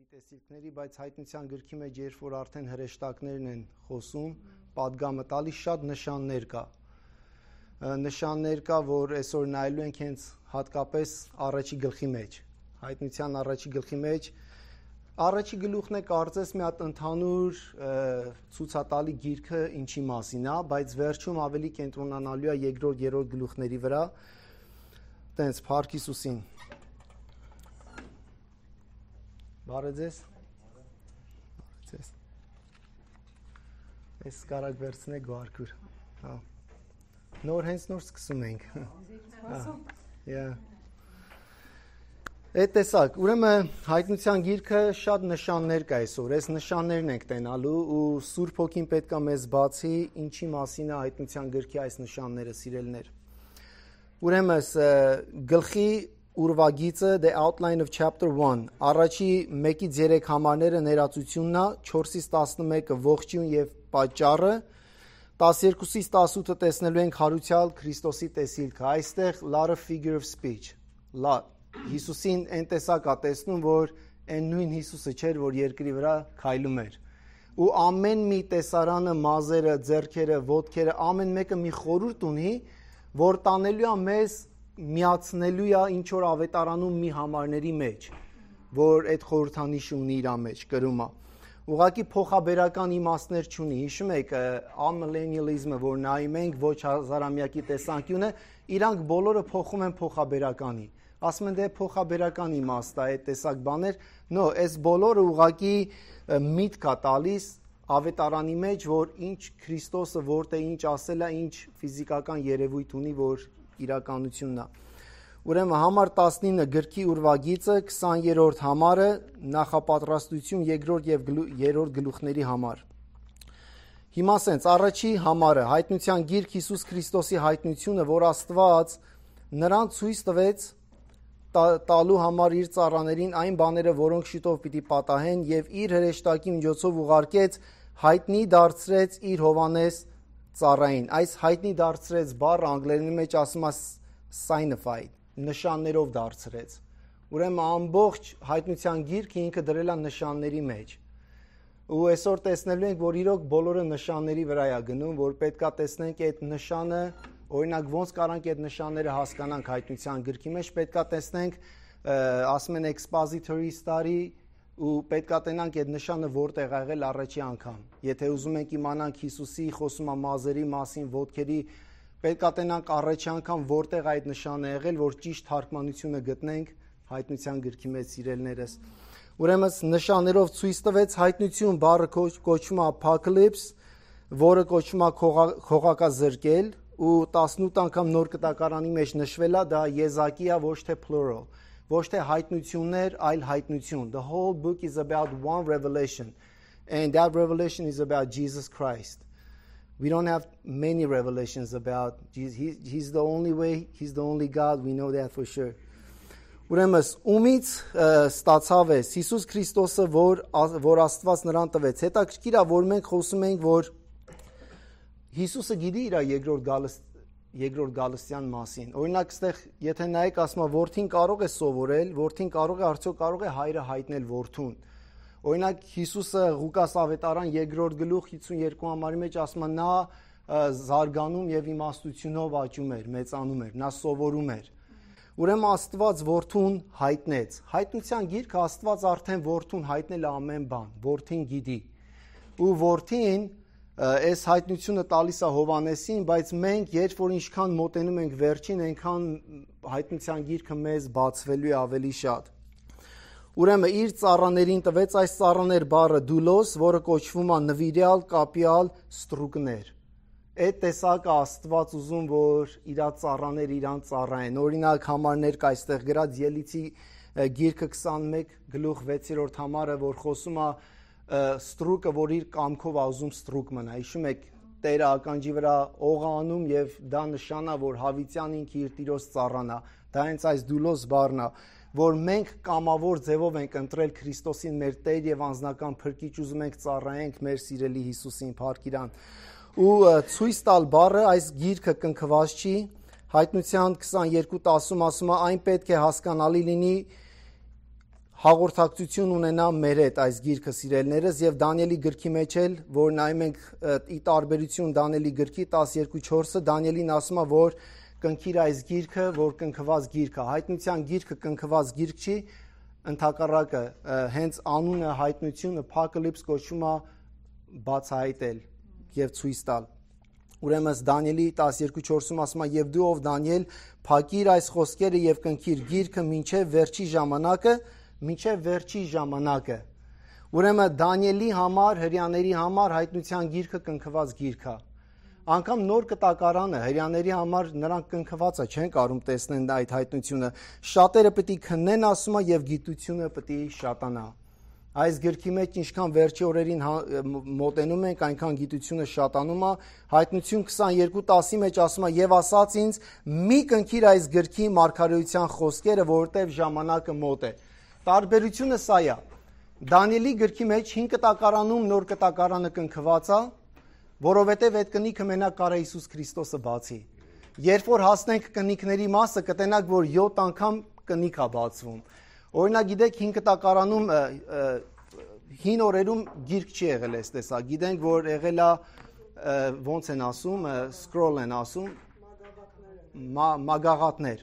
տեսիլքների, բայց հայտնության գրքի մեջ երբ որ արդեն հրեշտակներն են խոսում, պատգամը տալիս շատ նշաններ կա։ Նշաններ կա, որ այսօր նայելու ենք հենց հատկապես առաջի գլխի մեջ։ Հայտնության առաջի գլխի մեջ առաջի գլուխն է կարծես մի հատ ընդհանուր ցուցատալի գիրքը ինչի մասին է, բայց վերջում ավելի կենտրոնանալու է երկրորդ, երրորդ գլուխների վրա։ Տենց Փառք Հիսուսին։ Բարև ձեզ։ Ես կարակ վերցնեք գարկուր։ Նոր հենց նոր սկսում ենք։ Այդ տեսակ, ուրեմն հայտնության գիրքը շատ նշաններ կա այսօր, այս նշաններն ենք տենալու ու Սուրբ Հոգին պետք է մեզ բացի ինչի մասին է հայտնության գրքի այս նշանները, սիրելիներ։ Ուրեմն գլխի ուրվագիծը The Outline of Chapter 1 առաջի 1-ից 3 համարները ներածությունն է, 4-ից 11-ը ողջույն եւ պատճառը, 12-ից 18-ը տեսնելու ենք հարուցյալ Քրիստոսի տեսիլքը։ Այստեղ lot of figure of speech, lot Հիսուսին այն տեսակ է տեսնում, որ այն նույն Հիսուսը չէր, որ երկրի վրա քայլում էր։ Ու ամեն մի տեսարանը, մազերը, ձեռքերը, ոտքերը, ամեն մեկը մի խորհուրդ ունի, որ տանելու է մեզ միացնելու է ինչ որ ավետարանում մի համարների մեջ, որ այդ խորհրդանիշը ունի իր մեջ, կրում է։ Ուղղակի փոխաբերական իմաստներ չունի։ Հիշում եք ամիլենիալիզմը, որ նայում ենք ոչ հազարամյակի տեսանկյունը, իրանք բոլորը փոխում են փոխաբերականի։ Ասում են դե փոխաբերական իմաստ է այդ տեսակ բաներ, նո, այս բոլորը ուղղակի միտք է տալիս ավետարանի մեջ, որ ինչ Քրիստոսը որտե ինչ ասել է, ինչ ֆիզիկական երևույթ ունի, որ իրականությունն է։ Ուրեմն համար 19 գրքի ուրվագիծը 20-րդ համարը նախապատրաստություն երկրորդ եւ երրորդ գլուխների համար։ Հիմա ասենց առաջի համարը հայտնության գիրք Հիսուս Քրիստոսի հայտնությունը, որ Աստված նրան ցույց տվեց տալու համար իր ծառաներին այն բաները, որոնք շուտով պիտի պատահեն եւ իր հրեշտակի միջոցով ուղարկեց հայտնի դարձրեց իր Հովանես ծառային։ Այս հայտնի դարձրեց բառը անգլերենի մեջ ասում է signified, նշաններով դարձրեց։ Ուրեմն ամբողջ հայտնության գիրքը ինքը դրել է նշանների մեջ։ Ու այսօր տեսնելու ենք, որ իրոք բոլորը նշանների վրա է գնում, որ պետքա տեսնենք այդ նշանը, օրինակ ոնց կարանք այդ նշանները հասկանանք հայտնության գրքի մեջ, պետքա տեսնենք, ասում են expository study ու պետքա տենանք այդ նշանը որտեղ ա եղել առաջի անգամ։ Եթե ուզում ենք իմանանք Հիսուսի խոսում մազերի մասին, ոտքերի, պետքա տենանք առաջի անգամ որտեղ այդ նշանը եղել, որ ճիշտ թարգմանությունը գտնենք հայտնության գրքի մեջ, սիրելիներս։ Ուրեմն նշաններով ցույց տվեց հայտնություն բառը կոչվում է apocalypse, որը կոչվում է քողակազրկել ու 18 անգամ նոր կտակարանի մեջ նշվել է, դա եզակի է, ոչ թե plural, ոչ թե հայտնություններ, այլ հայտնություն։ The whole book is about one revelation, and that revelation is about Jesus Christ. We don't have many revelations about Jesus. He's the only way, he's the only God, we know that for sure. Ուրեմն ումից ստացավ է Հիսուս Քրիստոսը, որ Աստված նրան տվեց։ Հետաքրքիր է, որ մենք խոսում ենք, որ Հիսուսը գիտի իր երկրորդ գալստյան մասին։ Օրինակ, այստեղ եթե նայեք, ասում է, որդին կարող է սովորել, որդին արդյոք կարող է հայրը հայտնել որդուն։ Օրինակ, Հիսուսը Ղուկաս ավետարան 2-րդ գլուխ 52 համարի մեջ ասում է, նա զարգանում եւ իմաստությունով աճում էր, մեծանում էր, նա սովորում էր։ Ուրեմն Աստված որդուն հայտնեց։ Հայտնության գիրքը Աստված արդեն որդուն հայտնել է ամեն բան, որդին գիտի։ Ու որդին այս հայտնությունը տալիս է Հովանեսին, բայց մենք երբ որ ինչքան մոտենում ենք վերջին, այնքան հայտնության գիրքը մեզ բացվելու է ավելի շատ։ Ուրեմն իր ծառաներին տվեց այս ծառաներ բառը դուլոս, որը կոչվում է նվիրյալ, կապյալ, ստրուկներ։ Այդ տեսակը Աստված ուզում, որ իր ծառաները իրան ծառայեն։ Օրինակ համարներ կա այստեղ գրած Ելիցի գիրքը 21 գլուխ 6-րդ համարը, որ խոսում է ստրուկը, որ իր կամքով ուզում ստրուկ մնա։ Հիշում եք, Տերը ականջի վրա օղ անում եւ դա նշանա, որ հավիտյան ինքը իր տիրոջ ծառան է։ Դա հենց այս դուլոս բառն է, որ մենք կամավոր ձևով ենք ընտրել Քրիստոսին մեր Տեր եւ անձնական փրկիչ, ուզում ենք ծառայենք մեր սիրելի Հիսուսին, փառք իրան։ Ու ցույց տալ բառը այս գիրքը կնքված չի, հայտնության 22:10 ասում է, այն պետք է հասկանալի լինի հաղորդակցություն ունենա մեր հետ այս գիրքը սիրելիներս եւ Դանիելի գրքի մեջ էլ որ նայում ենք ի տարբերություն Դանիելի գրքի 12:4-ը Դանիելին ասում է որ կնքիր այս գիրքը որ կնքված գիրք է հայտնության գիրքը կնքված գիրք չի ընդհակառակը հենց անունը հայտնությունը Apocalypse կոչվում է բացահայտել եւ ցույց տալ ուրեմն Դանիելի 12:4-ում ասում է եւ դու ով Դանիել փակիր այս խոսքերը եւ կնքիր գիրքը մինչեւ վերջի ժամանակը ուրեմն Դանիելի համար հрьяաների համար հայտնության գիրքը կնքված գիրք է անգամ նոր կտակարանը հрьяաների համար նրանք կնքվածը չեն կարող տեսնեն այդ հայտնությունը շատերը պետք է քննեն ասում է եւ գիտությունը պետք է շատանա այս գրքի մեջ ինչքան վերջի օրերին մոտենում ենք այնքան գիտությունը շատանում է հայտնություն 22:10-ի մեջ ասում է եւ ասաց ինձ մի կնքիր այս գրքի մարգարեության խոսքերը որովհետեւ ժամանակը մոտ է տարբերությունը սա է Դանիելի գրքի մեջ 5 կտակարանում նոր կտակարանը կնքված է որովհետեւ այդ կնիքը մենակ կարա Հիսուս Քրիստոսը բացի երբ որ հասնենք կնիքների մասը կտենակ որ 7 անգամ կնիք է բացվում Օրինակ գիտեք 5 կտակարանում հին օրերում գիրք չի եղել այս տեսա գիտենք որ եղել է ոնց են ասում scroll են ասում մագաղատներ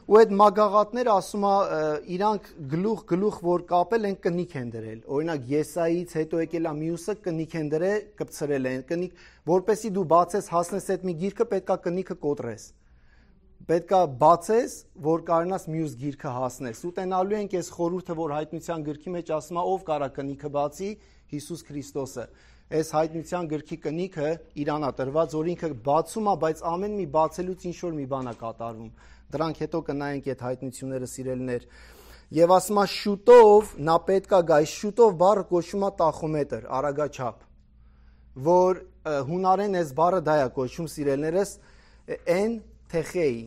ու այդ մագաղատները ասում է իրանք գլուխ որ կապել են կնիք են դրել օրինակ Եսայից հետո եկել է մյուսը կնիք են դրել կպցրել են կնիք որպեսի դու բացես հասնես այդ մի գիրքը պետքա կնիքը կոտրես պետքա բացես, որ կարողանաս մյուս գիրքը հասնես։ Ուտենալու ենք այս խորհուրդը, որ հայտնության գրքի մեջ ասում է, ով կարա կնիքը բացի, Հիսուս Քրիստոսը։ Այս հայտնության գրքի կնիքը Իրանա տրված, որ ինքը բացում է, բայց ամեն մի բացելուց ինչ որ մի բան է կատարվում։ Դրանք հետո կնայենք այդ հայտնությունները սիրելիներ։ Եվ ասում է շուտով նա պետքա գա, շուտով բառը կոչվում է տախոմետր, արագաչափ, որ հունարեն այս բառը դա է կոչվում սիրելիներս N Թեխեի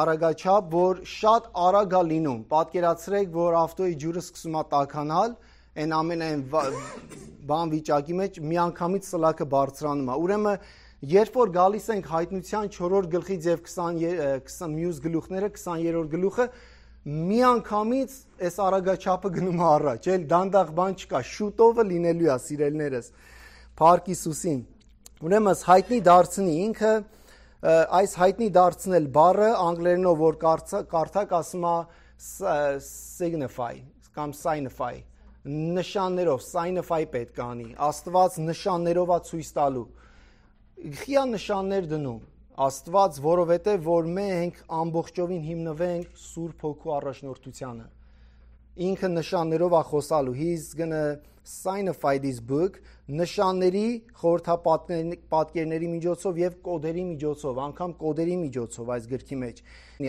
արագաչափ, որ շատ արագ է լինում։ Պատկերացրեք, որ ավտոյի ջուրը սկսում է տաքանալ, այն ամենայն բան վիճակի մեջ միանգամից սլաքը բարձրանում է։ Ուրեմն, երբ որ գալիս ենք հայտնության 4-րդ գլխից եւ 20 մյուս գլուխները, 20-րդ գլուխը, միանգամից այս արագաչափը գնում է առաջ, էլ դանդաղ բան չկա, շուտովը լինելու է, սիրելիներս։ Փառք Հիսուսին։ Ուրեմն, հայտնի դարձնի ինքը այս հայտնի դարձնել բառը անգլերենով որ կարդակ ասում է signify կամ signify նշաններով signify պետք է անի Աստված նշաններով է ցույց տալու Խիա նշաններ դնում Աստված որովհետև որ մենք ամբողջովին հիմնվենք Սուրբ Հոգու առաջնորդությանը ինքը նշաններով է խոսալու he's gonna signify this book նշանների խորհրդապատկերների միջոցով եւ կոդերի միջոցով անգամ կոդերի միջոցով այս գրքի մեջ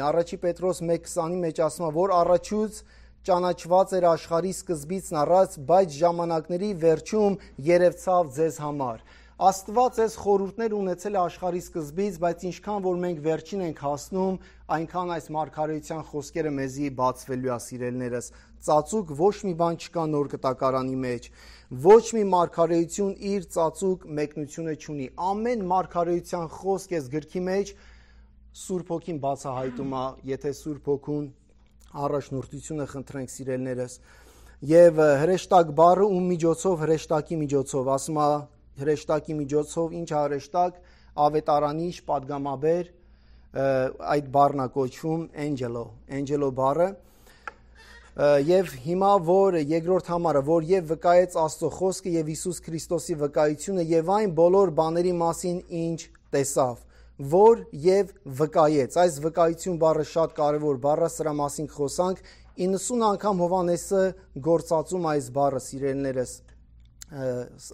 Առաջի Պետրոս 1:20-ի մեջ ասում է որ առաջուց ճանաչված էր աշխարհի սկզբից առած բայց ժամանակների վերջում երևցավ ձեզ համար Աստված այս խորհուրդներ ունեցել է աշխարհի սկզբից, բայց ինչքան որ մենք վերջին ենք հասնում, այնքան այս մարգարեության խոսքերը մեզի բացվելու է սիրելիներս։ Ծածուկ ոչ մի բան չկա նոր կտակարանի մեջ, ոչ մի մարգարեություն իր ծածուկ մեկնությունը չունի։ Ամեն մարգարեության խոսք էս գրքի մեջ Սուրբ Հոգին բացահայտում է, եթե Սուրբ Հոգուն առաջնորդությունը խնդրենք սիրելիներս։ Եվ հրեշտակ բառը ում միջոցով հրեշտակի միջոցով ասում է հրեշտակի միջոցով ինչ հրեշտակ ավետարանիչ падգամաբեր այդ բառն է կոչվում angelo բառը եւ հիմա որ երկրորդ համարը որ եւ վկայեց Աստծո խոսքը եւ Հիսուս Քրիստոսի վկայությունը եւ այն բոլոր բաների մասին ինչ տեսավ որ եւ վկայեց այս վկայություն բառը շատ կարեւոր բառ է սրա մասին խոսանք 90 անգամ Հովանեսը գործածում այս բառը սիրելիներս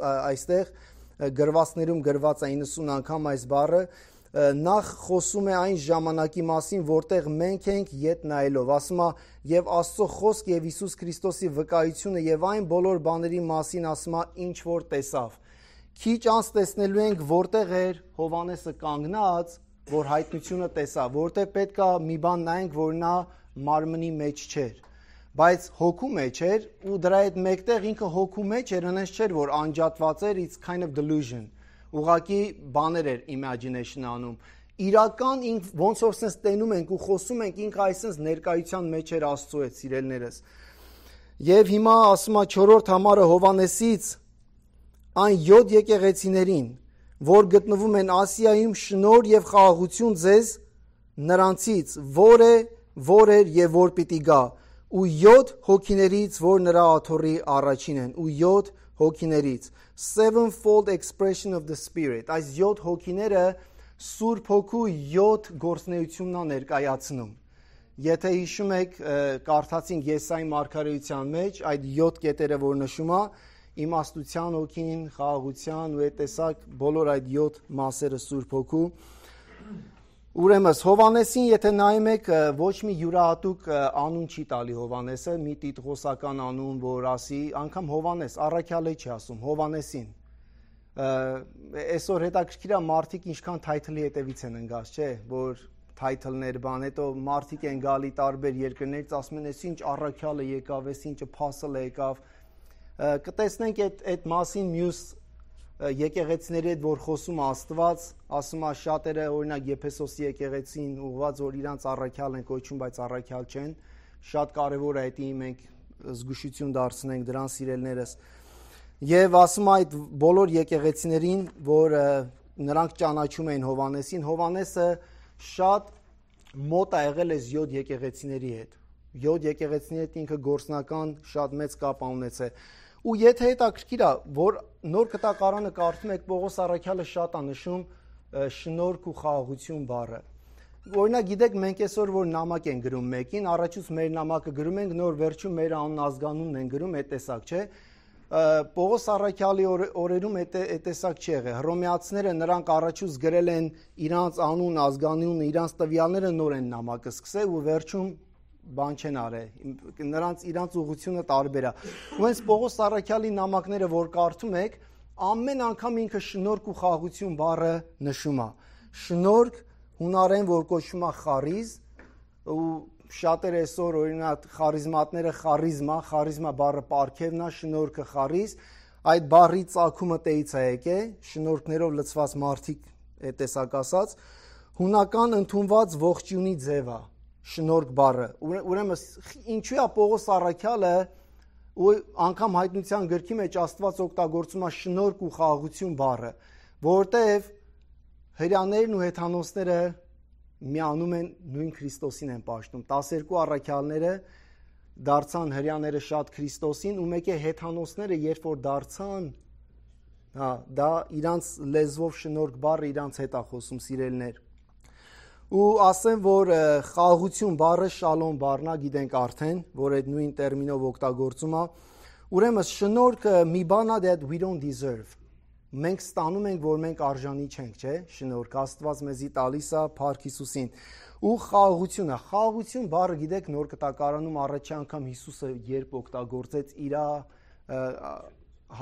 այստեղ գրվածներում գրված է 90 անգամ այս բառը նախ խոսում է այն ժամանակի մասին որտեղ մենք ենք յետ նայելով ասում է եւ Աստծո խոսք եւ Հիսուս Քրիստոսի վկայությունը եւ այն բոլոր բաների մասին ասում է ինչ որ տեսավ քիչ անց տեսնելու ենք որտեղ էր Հովանեսը կանգնած որ հայտնությունը տեսավ որտեղ պետքա մի բան նայենք որ նա մարմնի մեջ չէր բայց հոգու մեջ էր ու դրա հետ մեկտեղ ինքը հոգու մեջ էր այնպես չէր որ անջատված էր it's kind of delusion ուղղակի բաներ էր imagination անում իրական ինք ոնց որ sense տենում ենք ու խոսում ենք ինքը այսպես ներկայության մեջ էր Աստծո հետ սիրելիներս Եվ հիմա ասում է 4-րդ համարը Հովանեսից այն 7 եկեղեցիներին, որ գտնվում են Ասիայում, շնորհ եւ խաղաղություն ձեզ նրանցից, որ էր եւ որ պիտի գա, ու 7 հոգիներից, որ նրա աթոռի առաջին են, ու 7 հոգիներից, sevenfold expression of the spirit, այս 7 հոգիները Սուրբ Հոգու 7 գործունեությունն է ներկայացնում։ Եթե հիշում եք, կարդացինք Եսայի մարգարեության մեջ այդ 7 կետերը, որ նշում է, իմաստության հոգին, խաղաղության ու այդ տեսակ բոլոր այդ 7 մասերը Սուրբ Հոգու։ Ուրեմն Հովանեսին, եթե նայում եք, ոչ մի յուրահատուկ անուն չի տալի Հովանեսը, մի տիտղոսական անուն, որ ասի, անգամ Հովանես, առաքյալը չի ասում, Հովանեսին։ Այսօր հետաքրքիր է մարդիկ ինչքան թայթլի հետևից են ընկած, չէ, որ թայթլներ բան, հետո մարդիկ են գալի տարբեր երկրներից, ասում են, այս ինչ առաքյալը եկավ, այս ինչը փասլը եկավ։ Կտեսնենք այդ մասին մյուս եկեղեցիների հետ, որ խոսում Աստված, ասում է շատերը, օրինակ Եփեսոսի եկեղեցին ուղղված, որ իրանց առաքյալ են կոչում, բայց առաքյալ չեն, շատ կարևոր է դա մենք զգուշություն դարձնենք դրան սիրելներս։ Եվ ասում է այդ բոլոր եկեղեցիներին, որ նրանք ճանաչում էին Հովանեսին, Հովանեսը շատ մոտ է եղել այս 7 եկեղեցիների հետ։ 7 եկեղեցիների հետ ինքը գործնական շատ մեծ կապ ունեցել։ Ու եթե հետաքրքիր է, որ նոր կտակարանը կարդում եք, Պողոս առաքյալը շատ է նշում շնորհք ու խաղաղություն բառը։ Օրինակ գիտեք, մենք այսօր որ նամակ են գրում մեկին, առաջուց մեր նամակը գրում ենք, նոր վերջում մեր անուն ազգանունն են գրում, այդ տեսակ չէ։ Պողոս առաքյալի օրերում այդ տեսակ չի եղել։ Հռոմեացիները նրանք առաջուց գրել են իրանց անուն, ազգանունը, իրանց տվյալները, նոր են նամակը սկսել ու վերջում բան չեն արել, իրանց ուղղությունը տարբեր է։ Ու հենց Պողոս առաքյալի նամակները, որ կարդում եք, ամեն անգամ ինքը շնորհք ու խաղաղություն բառը նշում է։ Շնորհք հունարեն, որ կոչվում է խարիզ, ու շատերը այսօր օրինակ խարիզմատները խարիզմա բառը պարգևն է, շնորհքը խարիզ, այդ բառի ծագումը տեից է եկել, շնորհքներով լցված մարդիկ այդ տեսակ ասած, հունական ընդունված ողջունի ձև է շնորհք բառը։ Ուրեմն ինչու է Պողոս առաքյալը ու անգամ հայտնության գրքի մեջ Աստված օգտագործում է շնորհք ու խաղաղություն բառը, որովհետև հրյաներն ու հեթանոսները միանում են նույն Քրիստոսին են պաշտում։ 12 առաքյալները դարձան հրյաները շատ Քրիստոսին, ու մեկ է հեթանոսները, երբ որ դարձան, դա իրանց լեզվով շնորհք բառը իրանց հետ է խոսում սիրելներ։ Ու ասեմ, որ խաղաղություն բառը շալոմ բառն է, գիտենք արդեն, որ այդ նույն տերմինով օգտագործում է։ Ուրեմն շնորհքը մի բան է that we don't deserve։ Մենք ստանում ենք, որ մենք արժանի չենք, չէ՞։ Շնորհք Աստված մեզի տալիս է Փառք Հիսուսին։ Ու խաղաղությունը, խաղաղություն բառը գիտեք նոր կտակարանում առաջի անգամ Հիսուսը երբ օգտագործեց իր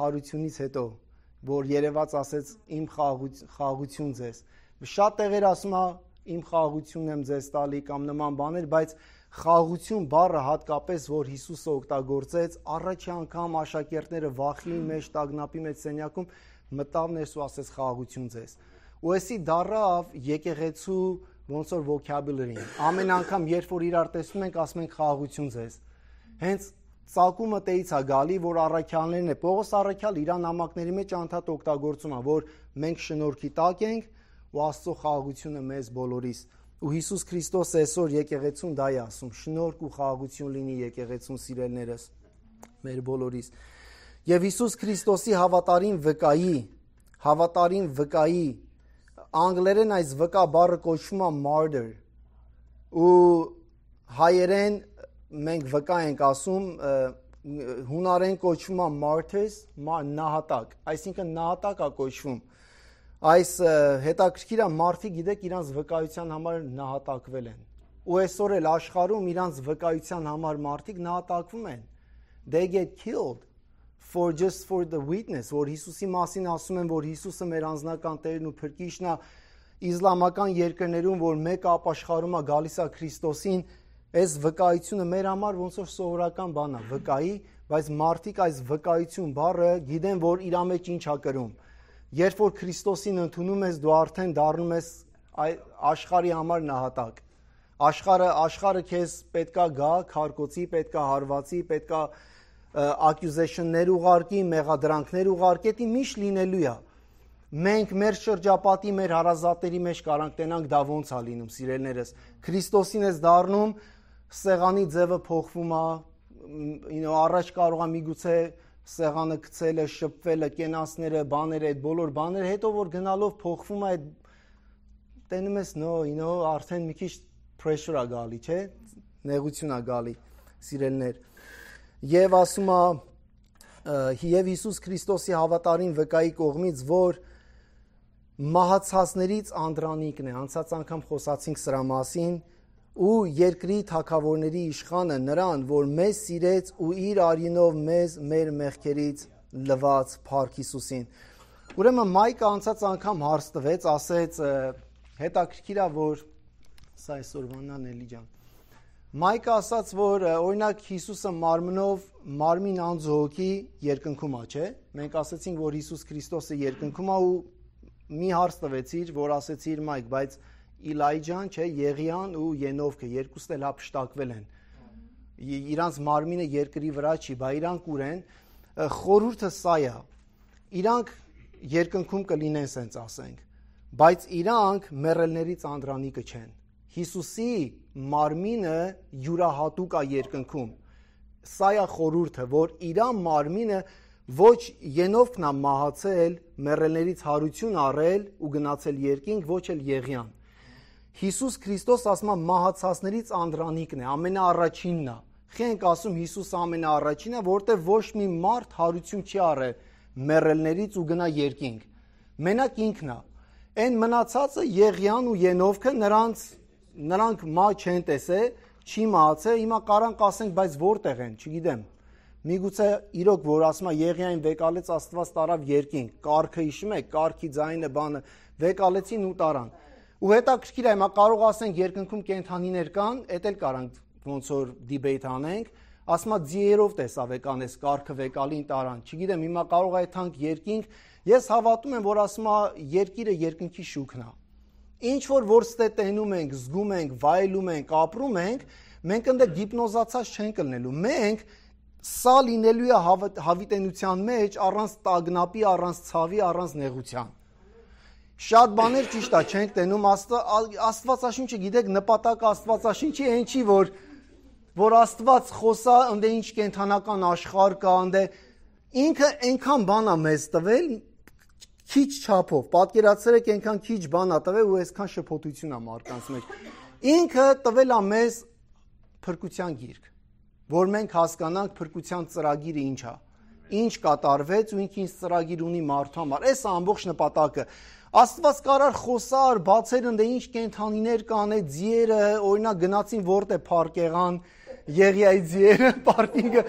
հարությունից հետո, որ երևաց ասեց իմ խաղաղություն ձեզ։ Շատ տեղեր ասում է իմ խաղաղությունն եմ ձեզ տալի կամ նման բաներ, բայց խաղաղություն բառը հատկապես, որ Հիսուսը օգտագործեց, առաջի անգամ աշակերտները վախի մեջ, տագնապի մեջ սենյակում մտավ ներս ու ասեց խաղաղություն ձեզ։ Ու էսի դառավ եկեղեցու ոնց որ vocabulary-ին։ Ամեն անգամ երբ որ իրար տեսնում ենք, ասում ենք խաղաղություն ձեզ։ Հենց ծագումը տեից է գալի, որ առաքյալներն է։ Պողոս առաքյալ իր նամակների մեջ անդադ օգտագործում է, որ մենք շնորհքի տակ ենք ու Աստծո խաղաղությունը մեզ բոլորիս։ Ու Հիսուս Քրիստոս այսօր եկեղեցուն դա է ասում. շնորհք ու խաղաղություն լինի եկեղեցուն սիրելներս մեր բոլորիս։ Եվ Հիսուս Քրիստոսի հավատարիմ վկայի անգլերեն այս վկա բառը կոչվում է martyr, ու հայերեն մենք վկա ենք ասում, հունարեն կոչվում է martyrs, նահատակ, այսինքն նահատակ է կոչվում։ Այս հետաքրքիր է, մարդիկ գիտեք իրանց վկայության համար նահատակվել են։ Ու այսօր էլ աշխարհում իրանց վկայության համար մարդիկ նահատակվում են։ They get killed just for the witness, որ Հիսուսի մասին ասում են, որ Հիսուսը մեր անձնական Տերն ու Փրկիչն է, իսլամական երկրներում, որ մեկը ապաշխարում է գալիս է Քրիստոսին, այս վկայությունը մեր համար ոնց որ սովորական բան է, վկայի, բայց մարդիկ այս վկայություն բառը գիտեն, որ իր մեջ ինչ է կրում։ Երբ որ Քրիստոսին ընդունում ես, դու արդեն դառնում ես աշխարհի համար նահատակ։ Աշխարհը քեզ պետքա գա, քարկոցի, պետքա հարվածի, պետքա accusation-ներ ուղարկի, մեղադրանքներ ուղարկի, դա միշտ լինելու է։ Մենք մեր շրջապատի, մեր հարազատների մեջ կարանք տենանք դա ոնց է լինում, սիրելիներս։ Քրիստոսին ես դառնում, սեղանի ձևը փոխվում է, առաջ կարող է միգուցե սեղանը գցելը, շփվելը, կենասները, բաները, այդ բոլոր բաները, հետո որ գնալով փոխվում է, այդ տենում ես արդեն մի քիչ pressure է գալի, չէ՞, նեղություն է գալի, սիրելիներ։ Եվ ասում է եւ Հիսուս Քրիստոսի հավատարիմ վկայի կողմից, որ մահացածներից անդրանիկն է, անցած անգամ խոսացինք սրա մասին, ու երկրի թագավորների իշխանը նրան, որ մեզ սիրեց ու իր արյունով մեզ մեր մեղքերից լվաց Փառք Հիսուսին։ Ուրեմն Մայկը անցած անգամ հարց տվեց, ասեց հետաքրքիր է, որ սա այսօրվանն էլի ջան։ Մայկը ասաց, որ օրինակ Հիսուսը մարմնով մարմին անձողի երկնքում է, չէ՞։ Մենք ասացինք, որ Հիսուս Քրիստոսը երկնքում է ու մի հարց տվեցիր, որ ասեցիր Մայք, բայց Իլայջան, չէ, Եղիան ու Ենովքը երկուսն էլ հափշտակվել են։ Իրանց մարմինը երկրի վրա չի, բա իրանք ուր են։ Խորհուրդը սա է։ Իրանք երկնքում կլինեն, սենց ասենք, բայց իրանք մեռելներից անդրանիկը չեն։ Հիսուսի մարմինը յուրահատուկ է երկնքում։ Սա է խորհուրդը, որ իրան մարմինը ոչ Ենովքն է մահացել, մեռելներից հարություն առել ու գնացել երկինք, ոչ էլ Եղիան։ Հիսուս Քրիստոս ասում է մահացածներից անդրանիկն է, ամենաառաջինն է։ Խենք ասում Հիսուս ամենաառաջինն է, որտեղ ոչ մի մարդ հարություն չի առել մեռելներից ու գնա երկինք։ Մենակ ինքն է։ Այն մնացածը Եղիան ու Ենովքը նրանք մահ չեն տեսել, չի մահացել, հիմա կարանք ասենք, բայց որտեղ են, չգիտեմ։ Միգուցե իրոք որ ասում է Եղիային վեկալեց Աստված տարավ երկինք, կարգը հիշում եք, կարգի ձայնը բանը վեկալեցին ու տարան։ Ու հետաքրքիր է, հիմա կարող ասենք երկնքում կենդանիներ կան, էդ էլ կարանք ոնց որ դիբեյթ անենք, ասում է ձիերով տեսա վեկանես, կարգը վեկալին տարան։ Չգիտեմ, հիմա կարող է թանկ երկինք, ես հավատում եմ, որ ասում է երկիրը երկնքի շուքն է։ Ինչ որ ստե տենում ենք, զգում ենք, վայելում ենք, ապրում ենք, մենք ընդ գիպնոզացած չենք լինելու։ Մենք սա լինելու է հավիտենության մեջ առանց տագնապի, առանց ցավի, առանց նեղության։ Շատ բաներ ճիշտ է չենք տենում, Աստվածաշունչը գիտեք նպատակը Աստվածաշունչի այն չի, որ Աստված խոսա, ընդ ինչ կենթանական աշխարհ կա, ընդ ինքը այնքան բան է մեզ տվել, քիչ չափով, պատկերացրեք այնքան քիչ բան է տվել ու այսքան շփոթություն է մարդկանց մեջ։ Ինքը տվել է մեզ փրկության գիրք, որ մենք հասկանանք փրկության ծրագիրը ինչ է, ինչ կատարվեց ու ինքը ինչ ծրագիր ունի մարդու համար։ Այս է ամբողջ նպատակը։ Աստված կարար խոսար, բացեր ընդ ինչ կենթանիներ կան, այդ ձիերը, օրինակ գնացին որտե փառք եղան, Եղիայի ձիերը, պարկինգը,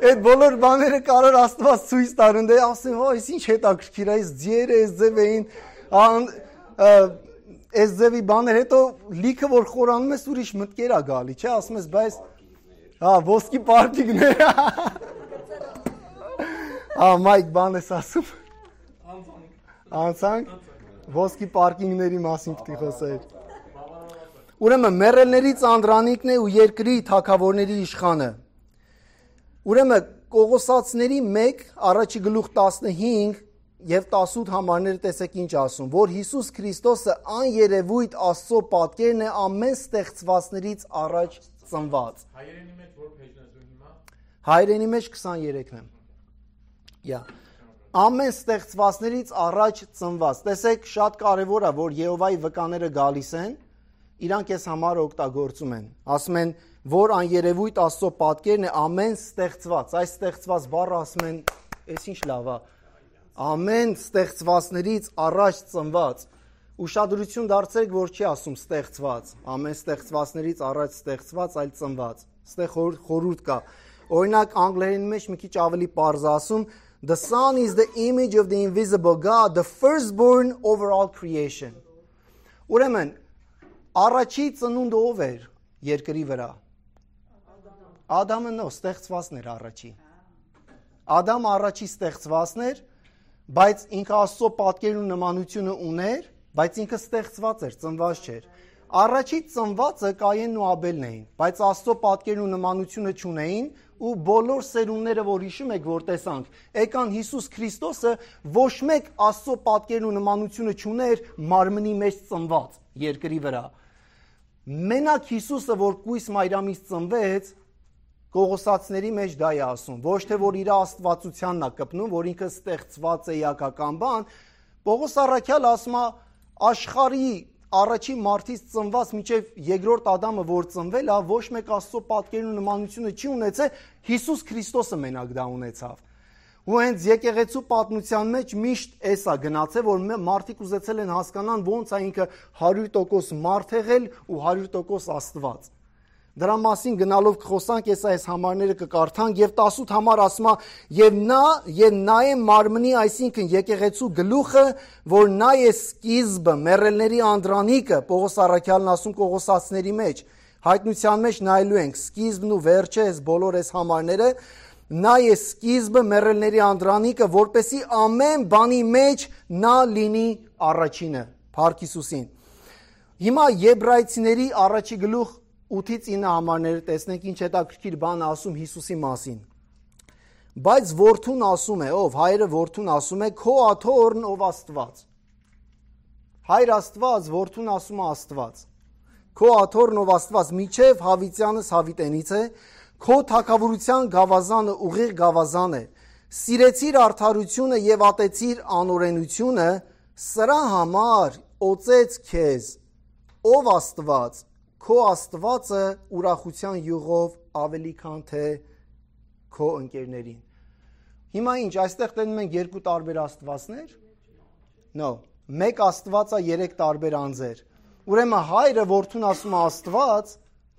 այդ բոլոր բաները կարար Աստված ցույց տար, ընդ ասեմ, այս ինչ հետաքրքիր է, այս ձիերը այս ձև էին, այս ձևի բաներ, հետո լիքը որ խորանում ես ուրիշ մտքեր է գալի, չէ, ասում ես, բայց ոսկի պարկինգներ, Մայք բան ես ասում, անցանք, ոսկի պարկինգների մասին պիտի խոսեր։ Ուրեմն մեռելներից անդրանիկն է ու երկրի թագավորների իշխանը։ Ուրեմն Կողոսացիների 1 առաջի գլուխ 15 եւ 18 համարները տեսեք ինչ ասում, որ Հիսուս Քրիստոսը աներևույթ Աստծո պատկերն է ամեն ստեղծվածներից առաջ ծնված։ Հայերենի մեջ որ փեջն ես հիմա։ Հայերենի մեջ 23-ն է։ Ամեն ստեղծվածներից առաջ ծնված։ Տեսեք, շատ կարևոր է, որ Եհովայի վկաները գալիս են, իրանք այս համար օգտագործում են։ Ասում են, որ աներևույթ Աստծո պատկերն է ամեն ստեղծված։ Այս ստեղծված բառը ասում են, այս ինչ լավ է։ Ամեն ստեղծվածներից առաջ ծնված։ Ուշադրություն դարձրեք, որ չի ասում ստեղծված։ Ամեն ստեղծվածներից առաջ ստեղծված, այլ ծնված։ Ստեղ խորհուրդ կա։ Օրինակ անգլերենի մեջ մի քիչ ավելի պարզ ասում, the Son is the image of the invisible God, the firstborn over all creation. Ուրեմն առաջի ծնունդը ով էր երկրի վրա։ Ադամը նո, ստեղծվածն էր առաջի։ Ադամը առաջի ստեղծվածն էր, բայց ինքը Աստծո պատկերն ու նմանությունը ուներ, բայց ինքը ստեղծված էր, ծնված չէր։ Առաջի ծնվածը Կայենն ու Աբելն էին, բայց Աստծո պատկերն ու նմանությունը չունեին ու բոլոր սերունդները, որ հիշում եք, որ տեսանք, եկան Հիսուս Քրիստոսը ոչ մեկ Աստծո պատկերն ու նմանությունը չուներ մարմնի մեջ ծնված երկրի վրա։ Մենակ Հիսուսը, որ կույս Մարիամից ծնվեց, Կողոսացիների մեջ դա է ասում, ոչ թե որ իր աստվածությանն է կպնում, որ ինքը ստեղծված է իակական բան, Պողոս առաքյալը ասում է աշխարհի առաջի մարդից ծնված մինչև երկրորդ Ադամը, որ ծնվել է, ոչ մեկ Աստծո պատկերն ու նմանությունը չի ունեցել, Հիսուս Քրիստոսը մենակ դա ունեցավ։ Ու հենց եկեղեցու պատմության մեջ միշտ էս է գնացել, որ մարդիկ ուզեցել են հասկանան ոնց է ինքը 100% մարդ եղել ու 100% Աստված։ Դրա մասին գնալով կխոսանք, այս համարները կկարդանք եւ 18 համար ասում է եւ նա է մարմնի, այսինքն եկեղեցու գլուխը, որ նա է սկիզբը, մեռելների անդրանիկը, Պողոս առաքյալն ասում Կողոսացիների մեջ, հայտնության մեջ նայելու ենք, սկիզբն ու վերջը, այս բոլոր այս համարները, նա է սկիզբը, մեռելների անդրանիկը, որպեսի ամեն բանի մեջ նա լինի առաջինը, Փառք Հիսուսին։ Հիմա Եբրայեցիների առաջի գլուխ 8-ից 9 համարները տեսնենք ինչ հետաքրքիր բան ասում Հիսուսի մասին։ Բայց որդուն ասում է, ով հայրը որդուն ասում է, քո աթոռն ով Աստված։ Հայր Աստված, որդուն ասում է Աստված։ Քո աթոռն ով Աստված, միչև Հավիտյանս Հավիտենից է, քո թագավորության գավազանը ուղիղ գավազան է։ Սիրեցիր արդարությունը եւ ատեցիր անօրենությունը, սրա համար օծեց քեզ, ով Աստված։ Քո Աստվածը ուրախության յուղով ավելի քան թե քո ընկերներին։ Հիմա ինչ, այստեղ տենում ենք երկու տարբեր Աստվածներ։ No, մեկ Աստված է, երեք տարբեր անձեր։ Ուրեմն հայրը որդուն ասում է Աստված,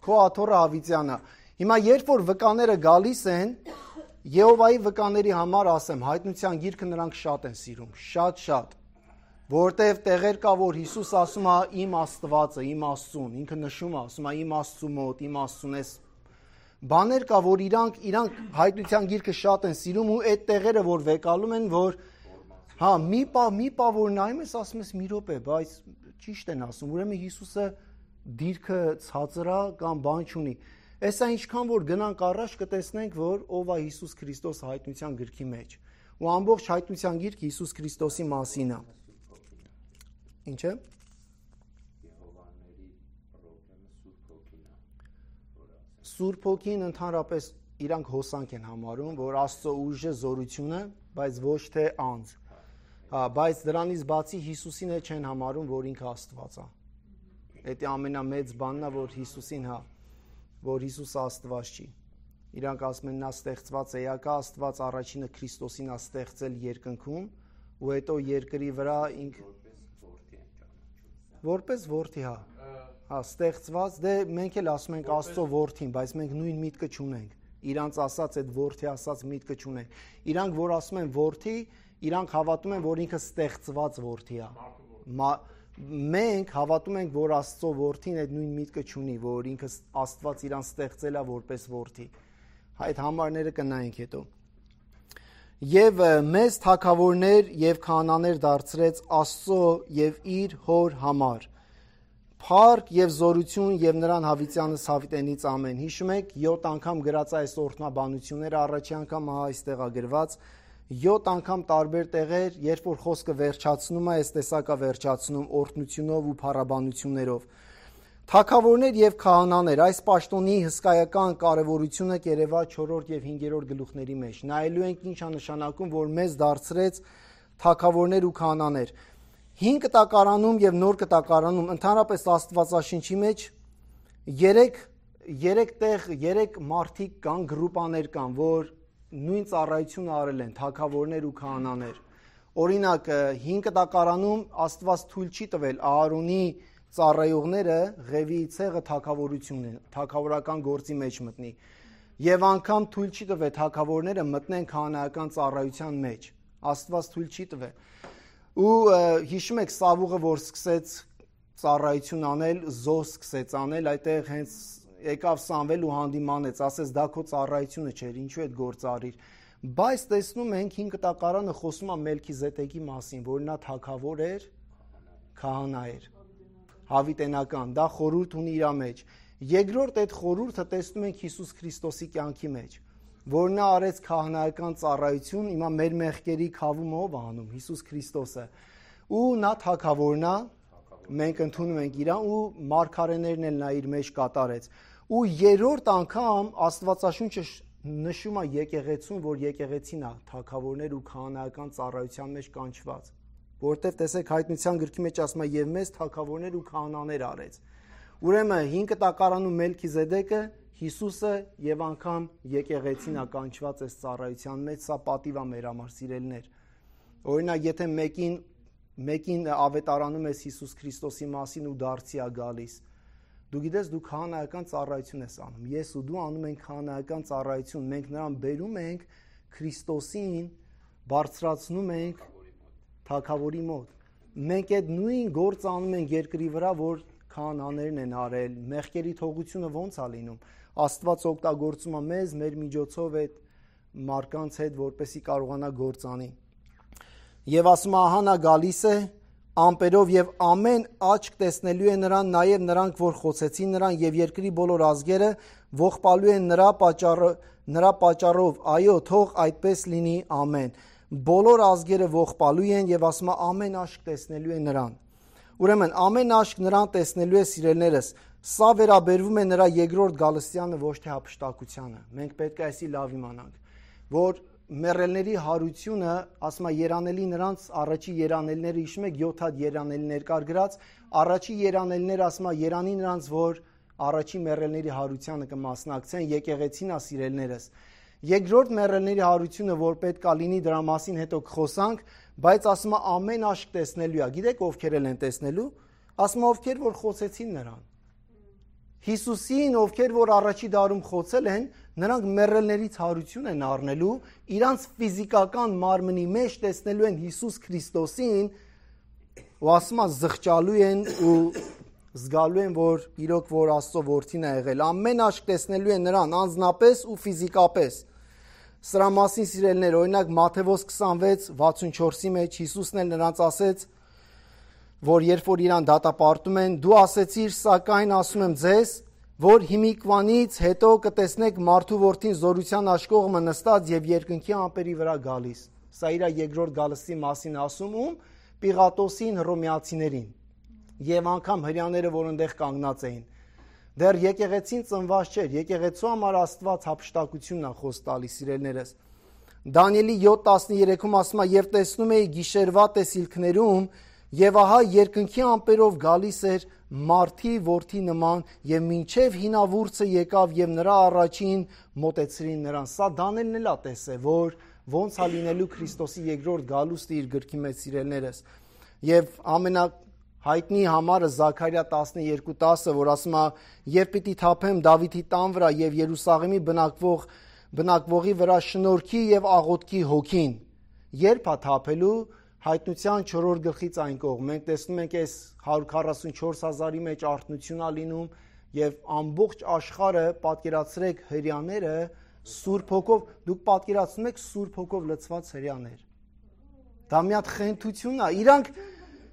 քո աթոռը Հավիտյանը։ Հիմա երբ որ վկաները գալիս են, Եհովայի վկաների համար ասեմ, հայտնության գիրքը նրանք շատ են սիրում, շատ։ Որտև տեղեր կա, որ Հիսուս ասում է իմ Աստվածը, իմ Աստծուն, ինքը նշում է, ասում է իմ Աստծու մոտ, իմ Աստծուն ես։ Բաներ կա, որ իրանք հայտնության գիրքը շատ են սիրում ու այդ տեղերը, որ վեկալում են, որ հա, մի պա որ նայում ես, ասում ես մի րոպե, բայց ճիշտ են ասում, ուրեմն Հիսուսը դիրքը ցածրա կամ բան չունի։ Էսա ինչքան որ գնանք առաջ կտեսնենք, որ ով է Հիսուս Քրիստոս հայտնության գրքի մեջ։ Ու ամբողջ հայտնության գիրքը Հիսուս Քրիստոսի մասին է։ Ինչ է։ Սուրբ Հոգին ընդհանրապես իրանք հոսանք են համարում, որ Աստծո ուժը, զորությունը, բայց ոչ թե անձ։ Հա, բայց դրանից բացի Հիսուսին էլ չեն համարում, որ ինքը Աստված է։ Դա ամենամեծ բանն է, որ Հիսուսին, հա, որ Հիսուսը Աստված չի։ Իրանք ասում են նա ստեղծված է, եկա Աստված առաջինը Քրիստոսին է ստեղծել երկնքում, ու հետո երկրի վրա ինքը որպես որդի, հա, ստեղծված, դե մենք էլ ասում ենք Աստծո որդին, բայց մենք նույն միտքը չունենք, իրանց ասած այդ որդի ասած միտքը չունենք, իրանք որ ասում են որդի, իրանք հավատում են, որ ինքը ստեղծված որդի է, մենք հավատում ենք, որ Աստծո որդին այդ նույն միտքը չունի, որ ինքը Աստված իրան ստեղծել է որպես որդի, այդ համարները կնայենք հետո։ Եվ մեզ թագավորներ եւ քահանաներ դարձրեց Աստծո եւ իր հոր համար։ Փառք եւ զորություն եւ նրան Հավիտյանս Հավիտենից ամեն։ Հիշում եք 7 անգամ գրած այս օրհնաբանությունները, առաջի անգամ այստեղ է գրված 7 անգամ տարբեր տեղեր, երբ որ խոսքը վերջացնում է, այս տեսակա վերջացնում օրհնությունով ու փառաբանություններով։ Թագավորներ եւ քահանաներ, այս պաշտոնի հսկայական կարևորությունը կերևա 4-րդ եւ 5-րդ գլուխների մեջ։ Նայելու ենք ինչ է նշանակում, որ մեզ դարձրեց թագավորներ ու քահանաներ։ 5 կտակարանում եւ նոր կտակարանում ընդհանրապես Աստվածաշնչի մեջ 3 մարդիկ կան, գրուպաներ կան, որ նույն ծառայությունը արել են, թագավորներ ու քահանաներ։ Օրինակ 5 կտակարանում Աստված թույլ չի տվել Ահարոնի ծառայողները Ղևիի ցեղը թագավորական գործի մեջ մտնի։ Եվ անգամ թույլ չի տվել թագավորները մտնեն քահանայական ծառայության մեջ։ Աստված թույլ չի տվել։ Ու հիշում եք Սավուղը, որ սկսեց ծառայություն անել, զոհ սկսեց անել, այդտեղ հենց եկավ Սամվել ու հանդիմանեց, ասեց դա քո ծառայությունը չէր, ինչու այդ գործը արիր։ Բայց տեսնում ենք 5 կտակարանը խոսում է Մելքիզեդեկի մասին, որ նա թագավոր էր, քահանա էր։ հավիտենական, դա խորհուրդ ունի իր մեջ։ Երկրորդ այդ խորհուրդը տեսնում ենք Հիսուս Քրիստոսի կյանքի մեջ, որ նա արեց քահանայական ծառայություն, հիմա մեր մեղքերի քավումը ով անում, Հիսուս Քրիստոսը։ Ու նա թագավորն է, մենք ընդունում ենք իրան ու մարգարեներն էլ նա իր մեջ կատարեց։ Ու երրորդ անգամ Աստվածաշունչը նշում է եկեղեցուն, որ եկեղեցին է թագավորներ ու քահանայական ծառայության մեջ կանչված, որտեղ տեսեք Հայտնության գրքի մեջ ասում է եւ մեծ թագավորներ ու քահանաներ արեց։ Ուրեմն 5 տակարանում Մելքիզեդեկը, Հիսուսը եւ անգամ եկեղեցին է կանչված այս ծառայության մեջ, սա պատիվ է մեր համար սիրելիներ։ Օրինակ, եթե մեկին ավետարանում ես Հիսուս Քրիստոսի մասին ու դարձի է գալիս, դու գիտես դու քահանայական ծառայություն ես անում, ես ու դու անում ենք քահանայական ծառայություն, մենք նրան բերում ենք Քրիստոսին, բարձրացնում ենք թագավորի մոտ։ Մենք այդ նույն գործը անում ենք երկրի վրա, որ քահանաներն են արել, մեղքերի թողությունը ո՞նց է լինում։ Աստված օգտագործում է մեզ, մեր միջոցով այդ մարկանց հետ, որպեսզի կարողանա գործ անի։ Եվ ասում է, ահա նա գալիս է ամպերով եւ ամեն աչք տեսնելու է նրան, նաեւ նրանք, որ խոցեցին նրան, եւ երկրի բոլոր ազգերը ողբալու են նրա պատճառով, այո, թող այդպես լինի, ամեն։ Բոլոր ազգերը ողբալու են եւ ասում է, ամեն աչք տեսնելու է նրան։ Ուրեմն ամեն աչք նրան տեսնելու է, սիրելիներս, սա վերաբերվում է նրա երկրորդ գալստյանը, ոչ թե հափշտակությանը։ Մենք պետք է այսի լավ իմանանք, որ մեռելների հարությունը, ասում է երանելի նրանց առաջի երանելիները, հիշում եք 7 հատ երանելիներ կար գրած, առաջի երանելիները ասում է երանի նրանց, որ առաջի մեռելների հարությանը կմասնակցեն, եկեղեցին է սիրելիներս։ Երկրորդ մեռելների հարությունը, որ պետք է լինի, դրա մասին հետո կխոսանք, բայց ասում է ամեն աչք տեսնելու է։ Գիտեք ովքեր են տեսնելու։ Ասում է ովքեր որ խոցեցին նրան։ Հիսուսին, ովքեր որ առաջի դարում խոցել են, նրանք մեռելներից հարություն են առնելու, իրանց ֆիզիկական մարմնի մեջ տեսնելու են Հիսուս Քրիստոսին, ու ասում է զղջալու են ու զգալու են, որ իրոք որ Աստծո որդին է եղել։ Ամեն աչք տեսնելու են նրան անձնապես ու ֆիզիկապես։ Սրա մասին սիրելիներ, օրինակ Մատթեոս 26:64-ի մեջ Հիսուսն էլ նրանց ասեց, որ երբ որ իրան դատապարտում են, դու ասեցիր, սակայն ասում եմ ձեզ, որ հիմիկվանից հետո կտեսնեք մարդու որդին զորության աշկողը նստած եւ երկնքի ամպերի վրա գալիս։ Սա իր երկրորդ գալստի մասին ասում ում Պիղատոսին, հռոմեացիներին եւ անգամ հрьяաները, որ այնտեղ կանգնած էին։ Դեռ եկեղեցին ծնված չէր, եկեղեցու համար Աստված հափշտակությունն է խոս տալիս, սիրելիներս։ Դանիելի 7:13-ում ասում է, եւ տեսնում էի գիշերվա տեսիլքներում, եւ ահա երկնքի ամպերով գալիս էր մարդի որդի նման, եւ մինչեւ հինավուրցը եկավ եւ նրա առաջին մոտեցրին նրան։ Սա Դանիելն էլ է տեսել, որ ոնց է լինելու Քրիստոսի երկրորդ գալուստը իր գրքի մեջ, սիրելիներս։ Եվ հայտնի համարը Զաքարիա 12:10, որ ասում է, երբ պիտի թափեմ Դավիթի տան վրա եւ Երուսաղեմի բնակվողի վրա շնորհքի եւ աղոթքի հոգին։ Երբ է թափելու, Հայտնության 4-րդ գլխից այն կողմ։ Մենք տեսնում ենք այս 144,000-ի մեջ արթնություն է լինում եւ ամբողջ աշխարհը, պատկերացրեք հрьяաները Սուրբ Հոգով, դուք պատկերացնում եք Սուրբ Հոգով լցված հрьяաներ։ Դա մի հատ խենթություն է։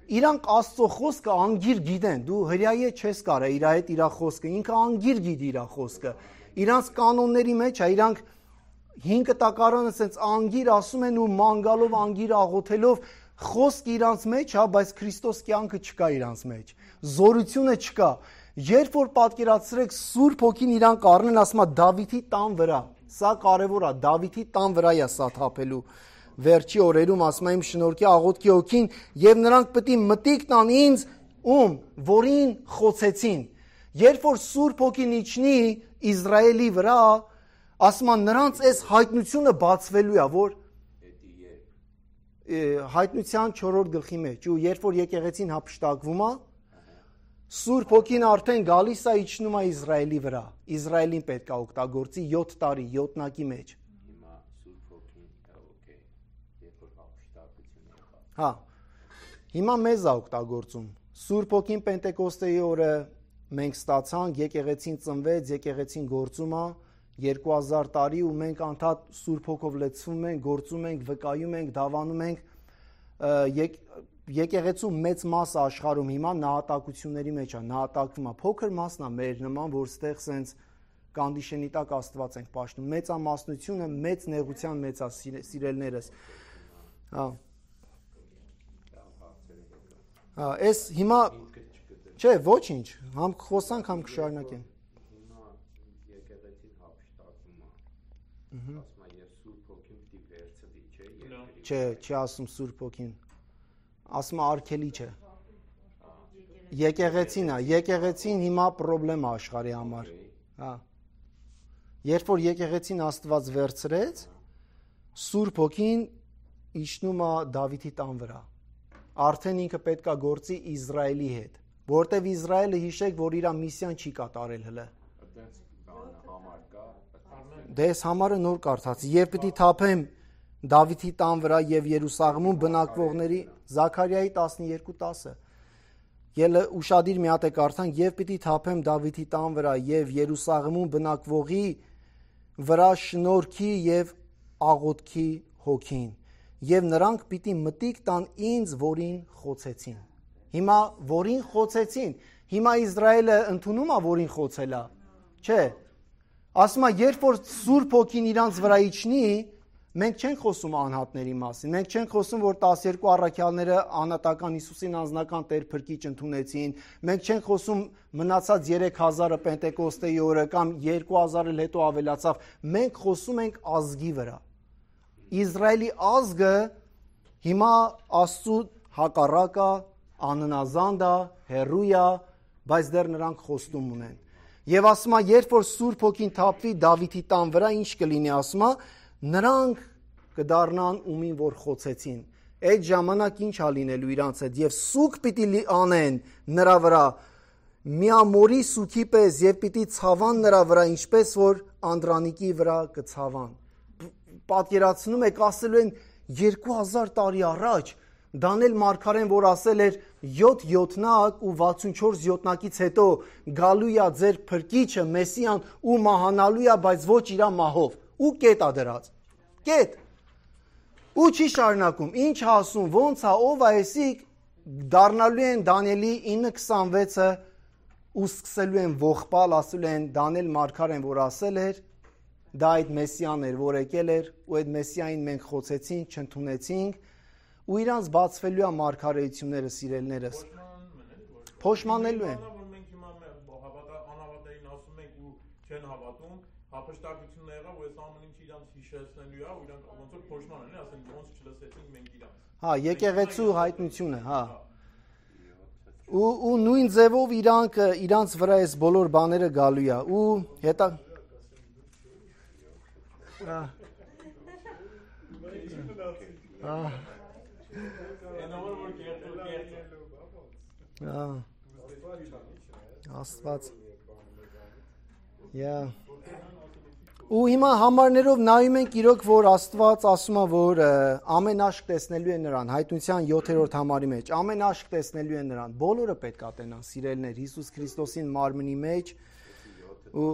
Իրանք Աստծո խոսքը անգիր գիտեն, դու հրյայի չես կարա իր հետ իր խոսքը, ինքը անգիր գիտի իր խոսքը, իրանց կանոնների մեջ է, իրանք 5 տակարանը ասենց անգիր ասում են ու մանգալով անգիր աղոթելով, խոսք իրանց մեջ է, բայց Քրիստոս կյանքը չկա իրանց մեջ, զորությունը չկա, երբ որ պատկերացրեք Սուրբ Հոգին իրանք առնեն, ասում է Դավիթի տան վրա, սա կարևոր է, Դավիթի տան վրա է սա թափելու, վերջի օրերում ասում եմ շնորհքի աղոթքի հոգին եւ նրանք պետք է մտիկ տան ինձ որին խոցեցին երբ որ Սուրբ Հոգին իջնի Իսրայելի վրա ասում են նրանց այս հայտնությունը բացվելու է որ Հայտնության 4-րդ գլխի մեջ ու երբ որ եկեղեցին հափշտակվում է Սուրբ Հոգին արդեն գալիս է իջնում է Իսրայելի վրա Իսրայելին պետք է օգտագործի 7 տարի 7-նակի մեջ Հա, հիմա մեզ է օգտագործում։ Սուրբ Հոգին Պենտեկոստեի օրը մենք ստացանք, եկեղեցին ծնվեց, եկեղեցին գործում է 2000 տարի ու մենք անդադ Սուրբ Հոգով լցվում ենք, գործում ենք, վկայում ենք, դավանում ենք։ եկեղեցու մեծ մասը աշխարհում հիմա նահատակությունների մեջ է, նահատակվում է, փոքր մասն է մեր նման, որ ստեղ սենց կանդիշենի տակ Աստված ենք պաշտում, մեծամասնությունը մեծ նեղության մեջ է սիրելներս։ Այս հիմա չէ, ոչինչ, համ խոսանք, համ կշարունակենք։ Հիմա եկեղեցին հափշտակում է։ Ասում է, եւ Սուրբ Հոգին պիտի վերցվի, չէ՞։ Չէ, չի ասում Սուրբ Հոգին։ Ասում է արգելի չէ։ Եկեղեցին է, եկեղեցին հիմա խնդրեմ է աշխարհի համար։ Հա։ Երբ որ եկեղեցին Աստված վերցրեց, Սուրբ Հոգին իջնում է Դավիթի տան վրա։ Արդեն ինքը պետք է գործի Իսրայելի հետ, որտեվ Իսրայելը հիշեք, որ իր միսիան չի կատարել հələ։ Դες համարը նոր կարդաց։ Եվ պիտի թափեմ Դավիթի տան վրա եւ Երուսաղեմում բնակվողների Զաքարիայի 12:10։ Ելը ուշադիր մի հատ է կարդանք, եւ պիտի թափեմ Դավիթի տան վրա եւ Երուսաղեմում բնակվողի վրա շնորհքի եւ աղոթքի հոգին, եւ նրանք պիտի մտիկ տան ինձ, որին խոցեցին։ Հիմա որին խոցեցին, հիմա Իսրայելը ընդունում է, որին խոցել է, չէ։ Ասում է, երբ որ Սուրբ Հոգին իրանց վրա իջնի, մենք չենք խոսում անհատների մասին, մենք չենք խոսում, որ 12 առաքյալները անհատական Հիսուսին անձնական Տեր Փրկիչ ընդունեցին, մենք չենք խոսում մնացած 3000-ը Պենտեկոստեի օրը կամ 2000-ը հետո ավելացավ, մենք խոսում ենք ազգի վրա։ Իսրայելի ազգը հիմա Աստծու հակառակ է, աննազանդ է, հեռու է, բայց դեռ նրանք խոստում ունեն։ Եվ ասում է, երբ որ Սուրբ Հոգին թափվի Դավիթի տան վրա, ինչ կլինի, ասում է, նրանք կդառնան ումին որ խոցեցին։ Այդ ժամանակ ինչ է լինելու իրանց հետ, եւ սուկ պիտի անեն նրա վրա, միամորի սուքի պես, եւ պիտի ցավան նրա վրա, ինչպես որ Անդրանիկի վրա կցավան։ Պատկերացնում եք, ասելու են 2000 տարի առաջ Դանիել մարգարեն, որ ասել էր 7 յոթնակ ու 64 յոթնակից հետո գալու է ձեր Փրկիչը Մեսիան ու մահանալու է, բայց ոչ իր մահով։ Ու կետ է դրած։ Կետ։ Ու չի շարունակում։ Ինչ ասում, ոնց է, ով է էսիկ, դառնալու են Դանիելի 9:26-ը ու սկսելու են ողբալ, ասելու են Դանիել մարգարեն, որ ասել էր, դա այդ Մեսիան էր, որ եկել էր, ու այդ Մեսիային մենք խոցեցինք, չընդունեցինք, ու իրանց բացվելու է մարգարեությունները, սիրելներս։ Փոշմանելու են։ Մենք հիմա անհավատային ասում ենք ու չեն հավատում, հափշտակությունն եղավ, ու այս ամեն ինչը իրանց հիշեցնելու է, ու իրանք ոնց որ փոշման են, ասեն ոնց չլսեցինք մենք իրանց։ Հա, եկեղեցու հայտնությունը, հա։ Ու նույն ձևով իրանց վրա այս բոլոր բաները գալու է, ու հետա Աստված։ Ու հիմա համարներով նայում ենք իրոք, որ Աստված ասում է, որ ամեն աշկ տեսնելու է նրան, Հայտնության 7-րդ համարի մեջ, ամեն աշկ տեսնելու է նրան, բոլորը պետք է տենան, սիրելներ, Հիսուս Քրիստոսին մարմնի մեջ, ու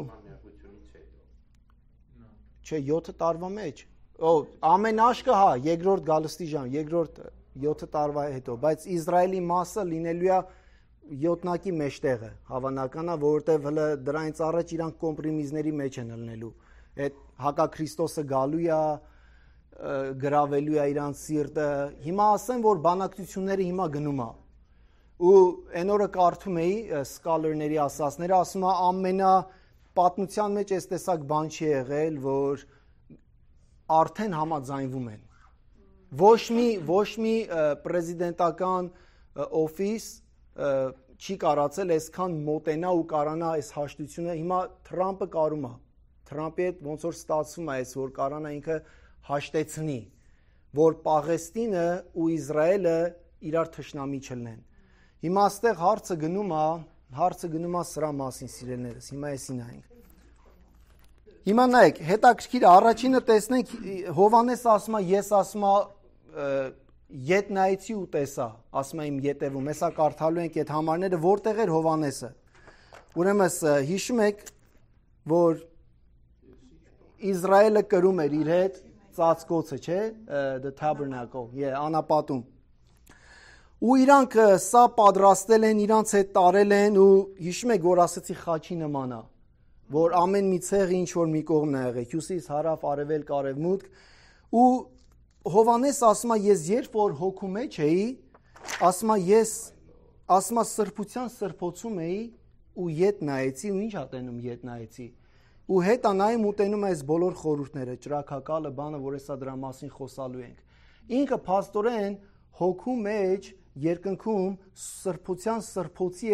չէ, 7 տարվա մեջ, ամեն աշկը, հա, երկրորդ գալստի ժամ, երկրորդ 7 տարվա հետո, բայց Իսրայելի մասը լինելու է յոթնակի մեջտեղը, հավանական է, որովհետև հələ դրանից առաջ իրանք կոմպրոմիզների մեջ են ելնելու։ Այդ հակաքրիստոսը գալու է, գրավելու է իրանց սիրտը։ Հիմա ասեմ, որ բանակցությունները հիմա գնում է։ Ու այն օրը կարդում էի սկալերների ասածները, ասում է ամենա պատմության մեջ այս տեսակ բան չի եղել, որ արդեն համաձայնվում են։ Ոչ մի պրեզիդենտական օֆիս չի կարացել այսքան մոտենա ու կարանա այս հաշտությունը։ Հիմա Թրամփը կարում է։ Թրամփի հետ ոնց որ ստացվում է այս, որ կարանա ինքը հաշտեցնի, որ Պաղեստինը ու Իսրայելը իրար թշնամի չլինեն։ Հիմա այստեղ հարցը գնում է սրա մասին, սիրելներս։ Հիմա էսի նայենք։ Հիմա նայեք, հետաքրքիր առաջինը տեսնենք Հովհաննես ասում է, ես ասում ետ նայեցի ու տեսա, ասում եմ ետևում, հեսա կարդալու ենք այդ համարները, որտեղ էր Հովհաննեսը։ Ուրեմն հիշում եք, որ Իսրայելը կրում էր իր հետ ծածկոցը, չէ, the tabernacle, անապատում։ ու իրանք սա պատրաստել են, իրանք հետ տարել են ու հիշում եք, որ ասացի խաչի նման է, որ ամեն մի ցեղը ինչ որ մի կողմն է եղել, հյուսիս, հարավ, արևելք, արևմուտք, ու Հովհաննես ասում է, ես երբ որ հոգու մեջ էի, ասում է սրբության սրբոցում էի ու ետ նայեցի, ու ինչ ատենում ետ նայեցի, ու հետա նայում ուտենում այս բոլոր խորհուրդները, ճրագակալը, բանը, որ հեսա դրա մասին խոսալու ենք։ Ինքը փաստորեն հոգու մեջ երկնքում սրբության սրբոցի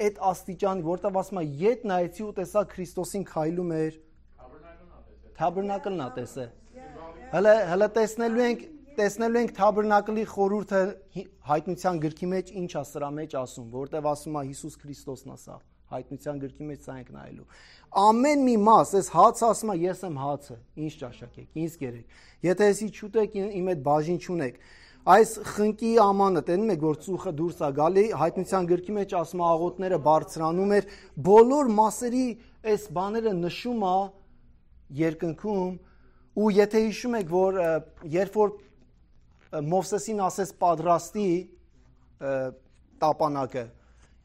այդ աստիճանի, որտեղ ասում է ետ նայեցի ու տեսա Քրիստոսին քայլում էր, թաբերնակլն է տեսե։ Հələ տեսնելու ենք թաբերնակլի խորհուրդը հայտնության գրքի մեջ ինչ է սրա մեջ ասում, որտեղ ասում է Հիսուս Քրիստոսն է սա, հայտնության գրքի մեջ սա ենք նայելու։ Ամեն մի մաս, այս հացը ասում է ես եմ հացը, ինչ ճաշակ եք, ինձ կերեք։ Եթե էսի չուտեք, իմ այդ բաժին չունեք։ Այս խնկի ամանը, տենում եք, որ ծուխը դուրս է գալի, հայտնության գրքի մեջ ասում է աղոթները բարձրանում էր, բոլոր մասերի այս բաները նշում է երկնքում, ու եթե հիշում եք, որ երբ որ Մովսեսին ասեց պատրաստի տապանակը,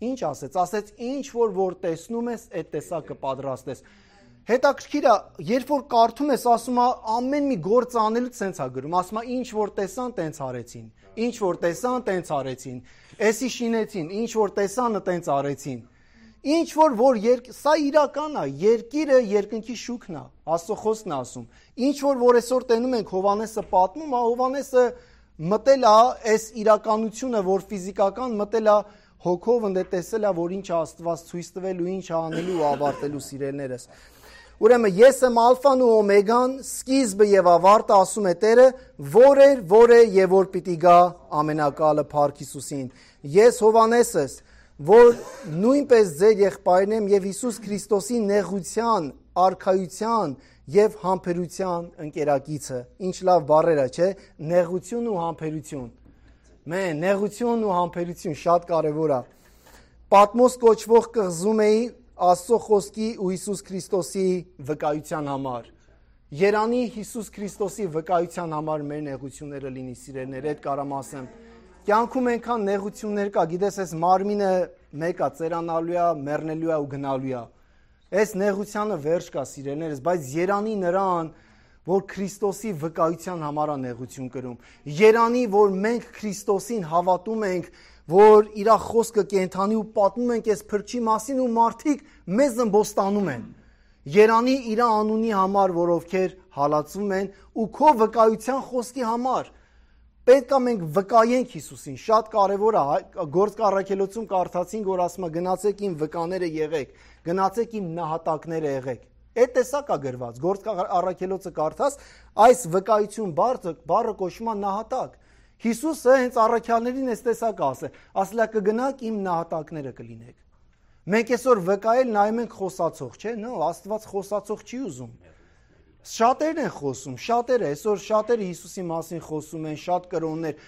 ինչ ասեց, ասեց ինչ որ տեսնում ես, այդ տեսակը պատրաստես։ Հետաքրքիր է, երբ որ կարդում ես, ասում է ամեն մի գործ անելուց սենց է գրում, ասում է ինչ որ տեսան, տենց արեցին, ինչ որ տեսան, տենց արեցին, էսի շինեցին, ինչ որ տեսանը, տենց արեցին, ինչ որ սա իրական է, երկիրը երկնքի շուքն է, Աստծո խոսքն է ասում, ինչ որ այսօր տենում ենք Հովհաննեսը պատմում, Հովհաննեսը մտել է այս իրականությունը, որ ֆիզիկական մտել է հոգով ընդ տեսել է, որ ինչ է Աստված ցույց տվել ու ինչ է անելու ու ավարտելու սիրելիներս։ Ուրեմն ես եմ ալֆան ու օմեգան, սկիզբը եւ ավարտը, ասում է Տերը, որ է եւ որ պիտի գա ամենակալը Փառք Հիսուսին։ Ես Հովհաննեսս, որ նույնպես ձեր եղբայրն եմ եւ Հիսուս Քրիստոսի նեղության, արքայության եւ համբերության ընկերակիցը։ Ինչ լավ բառեր է, չէ՞, նեղություն ու համբերություն։ Նեղություն ու համբերություն շատ կարևոր է։ Պատմոս կոչվող կղզում էի Աստծո խոսքի ու Հիսուս Քրիստոսի վկայության համար։ Երանի Հիսուս Քրիստոսի վկայության համար մեր նեղությունները լինի, սիրելիներ, այդ կարամ ասեմ։ Կյանքում այնքան նեղություններ կա, գիտես, այս մարմինը մեկ է, ծերանալու է, մեռնելու է ու գնալու է։ Այս նեղությանը վերջ կա, սիրելիներս, բայց երանի նրան, որ Քրիստոսի վկայության համար է նեղություն կրում։ Երանի, որ մենք Քրիստոսին հավատում ենք, որ իր խոսքը կենթանի ու պատմում ենք այս փրկչի մասին ու մարդիկ մեզ ըմբոստանում են։ Երանի իր անունի համար, որ ովքեր հալածվում են ու քո վկայության խոսքի համար։ Պետք է մենք վկայենք Հիսուսին, շատ կարևոր է, Գործք առաքելոցում կարդացինք, որ ասում է գնացեք իմ վկաները եղեք, գնացեք իմ նահատակները եղեք։ Այդ տեսակ է գրված, Գործք առաքելոցը կարդաս, այս վկայություն բառը կոչվում է նահատակ։ Հիսուսը հենց առաքյալներին այս տեսակ ասել է կգնաք իմ նահատակները կլինեք։ Մենք այսօր վկայել նայում ենք խոսացող, չէ՞, Աստված խոսացող չի ուզում։ Շատերն են խոսում, այսօր շատերը Հիսուսի մասին խոսում են, շատ կրոններ։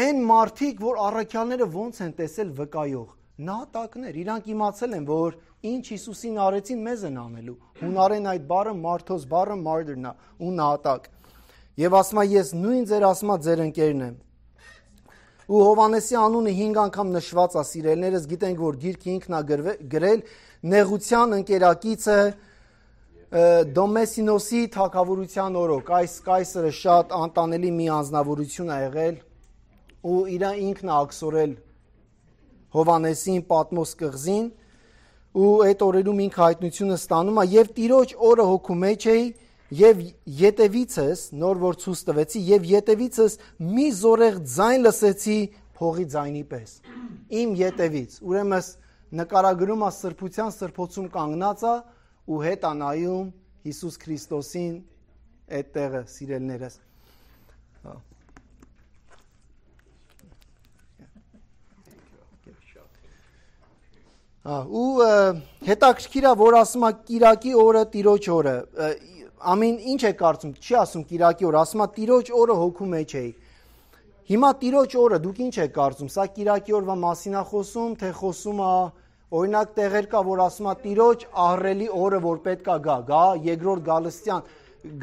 Այն մարդիկ, որ առաքյալները ոնց են տեսել վկայող, նահատակներ, իրանք իմացել են, որ ինչ Հիսուսին արեցին, մեզ են անելու։ Հունարեն այդ բառը մարդոս բառը martyr-ն է, ու նահատակ։ Եվ ասում է ես նույն ձեր ասմա ձեր ընկերն եմ։ Ու Հովհաննեսի անունը 5 անգամ նշված է, սիրելիներս, գիտենք, որ գիրքը ինքն է գրել, նեղության ընկերակիցը Դոմեսինոսի թագավորության օրոք, այս կայսրը շատ անտանելի մի անձնավորություն է եղել ու ինքն է ակսորել Հովհաննեսին Պատմոս կղզին ու այդ օրերում ինքը հայտնությունը ստանում է եւ Տիրոջ օրը հոգու մեջ էի եւ ետևիցս նոր որ ցույց տվեցի եւ ետևիցս մի զորեղ ձայն լսեցի փողի ձայնի պես իմ ետևից ուրեմն նկարագրում է սրբության սրբոցում կանգնած է ու հետ անայում Հիսուս Քրիստոսին այդ տեղը սիրելիներս ու հետաքրքիր է որ ասում է Կիրակի օրը Տիրոջ օրը ամեն ինչ է կարծում չի ասում Կիրակի օրը ասում է Տիրոջ օրը հոգու մեջ էի հիմա Տիրոջ օրը դուք ինչ եք կարծում սա Կիրակի օրվա մասին է խոսում թե խոսում է օրինակ տեղեր կա որ ասում է Տիրոջ ահռելի օրը որ պետք է գա երկրորդ Գալստյան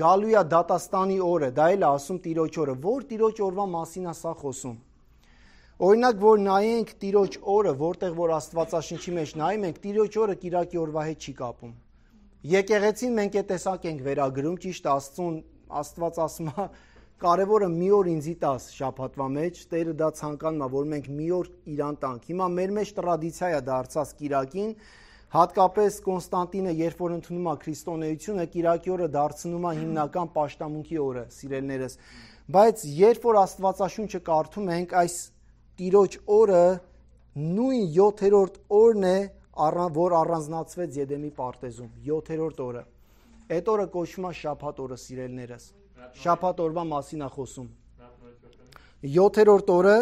գալու է դատաստանի օրը դա էլ է ասում Տիրոջ օրը որ Տիրոջ օրվա մասին է սա խոսում Օրինակ, որ նայենք Տիրոջ օրը, որտեղ որ Աստվածաշնչի մեջ նայում ենք, Տիրոջ օրը Կիրակի օրվա հետ չի կապում։ Եկեղեցին մենք այդ տեսակ ենք վերագրում, ճիշտ Աստված ասում է, կարևորը մի օր ինձի տաս շաբաթվա մեջ, Տերը դա ցանկանում է, որ մենք մի օր իրան տանք։ Հիմա մեր մեջ տրադիցիա է դարձած Կիրակին, հատկապես Կոնստանտինը, երբ որ ընդունում է քրիստոնեությունը, Կիրակի օրը դարձնում է հիմնական պաշտամունքի օրը, սիրելիներս։ Բայց երբ որ Աստվածաշունչը կարդում ենք, այս Տիրոջ օրը նույն 7-րդ օրն է, որ առանձնացվեց Եդեմի պարտեզում, 7-րդ օրը։ Այդ օրը կոչվում է շաբաթ օրը, սիրելիներս։ Շաբաթ օրվա մասին է խոսում։ 7-րդ օրը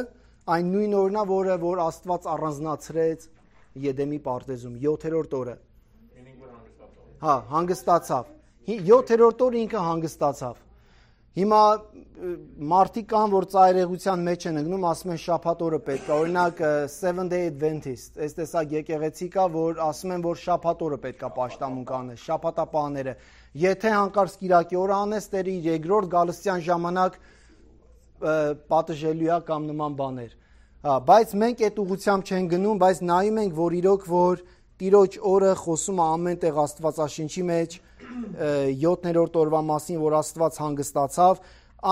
այն նույն օրն է, որ Աստված առանձնացրեց Եդեմի պարտեզում, 7-րդ օրը։ Հա, հանգստացավ։ 7-րդ օրը ինքը հանգստացավ։ Հիմա մարդիկ կան, որ ծայրեղության մեջ են ընկնում, ասում են շաբաթ օրը պետք է, օրինակ Seventh-day Adventist, այս տեսակ եկեղեցի կա, որ ասում են, որ շաբաթ օրը պետք է պաշտամունք անես, շաբաթապահները։ Եթե հանկարծ Կիրակի օրը անես, Տերը իր երկրորդ գալստյան ժամանակ պատժելու է կամ նման բաներ։ Հա, բայց մենք այդ ուղղությամբ չենք գնում, բայց նայում ենք, որ իրոք որ Տիրոջ օրը խոսում է ամեն տեղ Աստվածաշնչի մեջ 7-րդ օրվա մասին, որ Աստված հանգստացավ,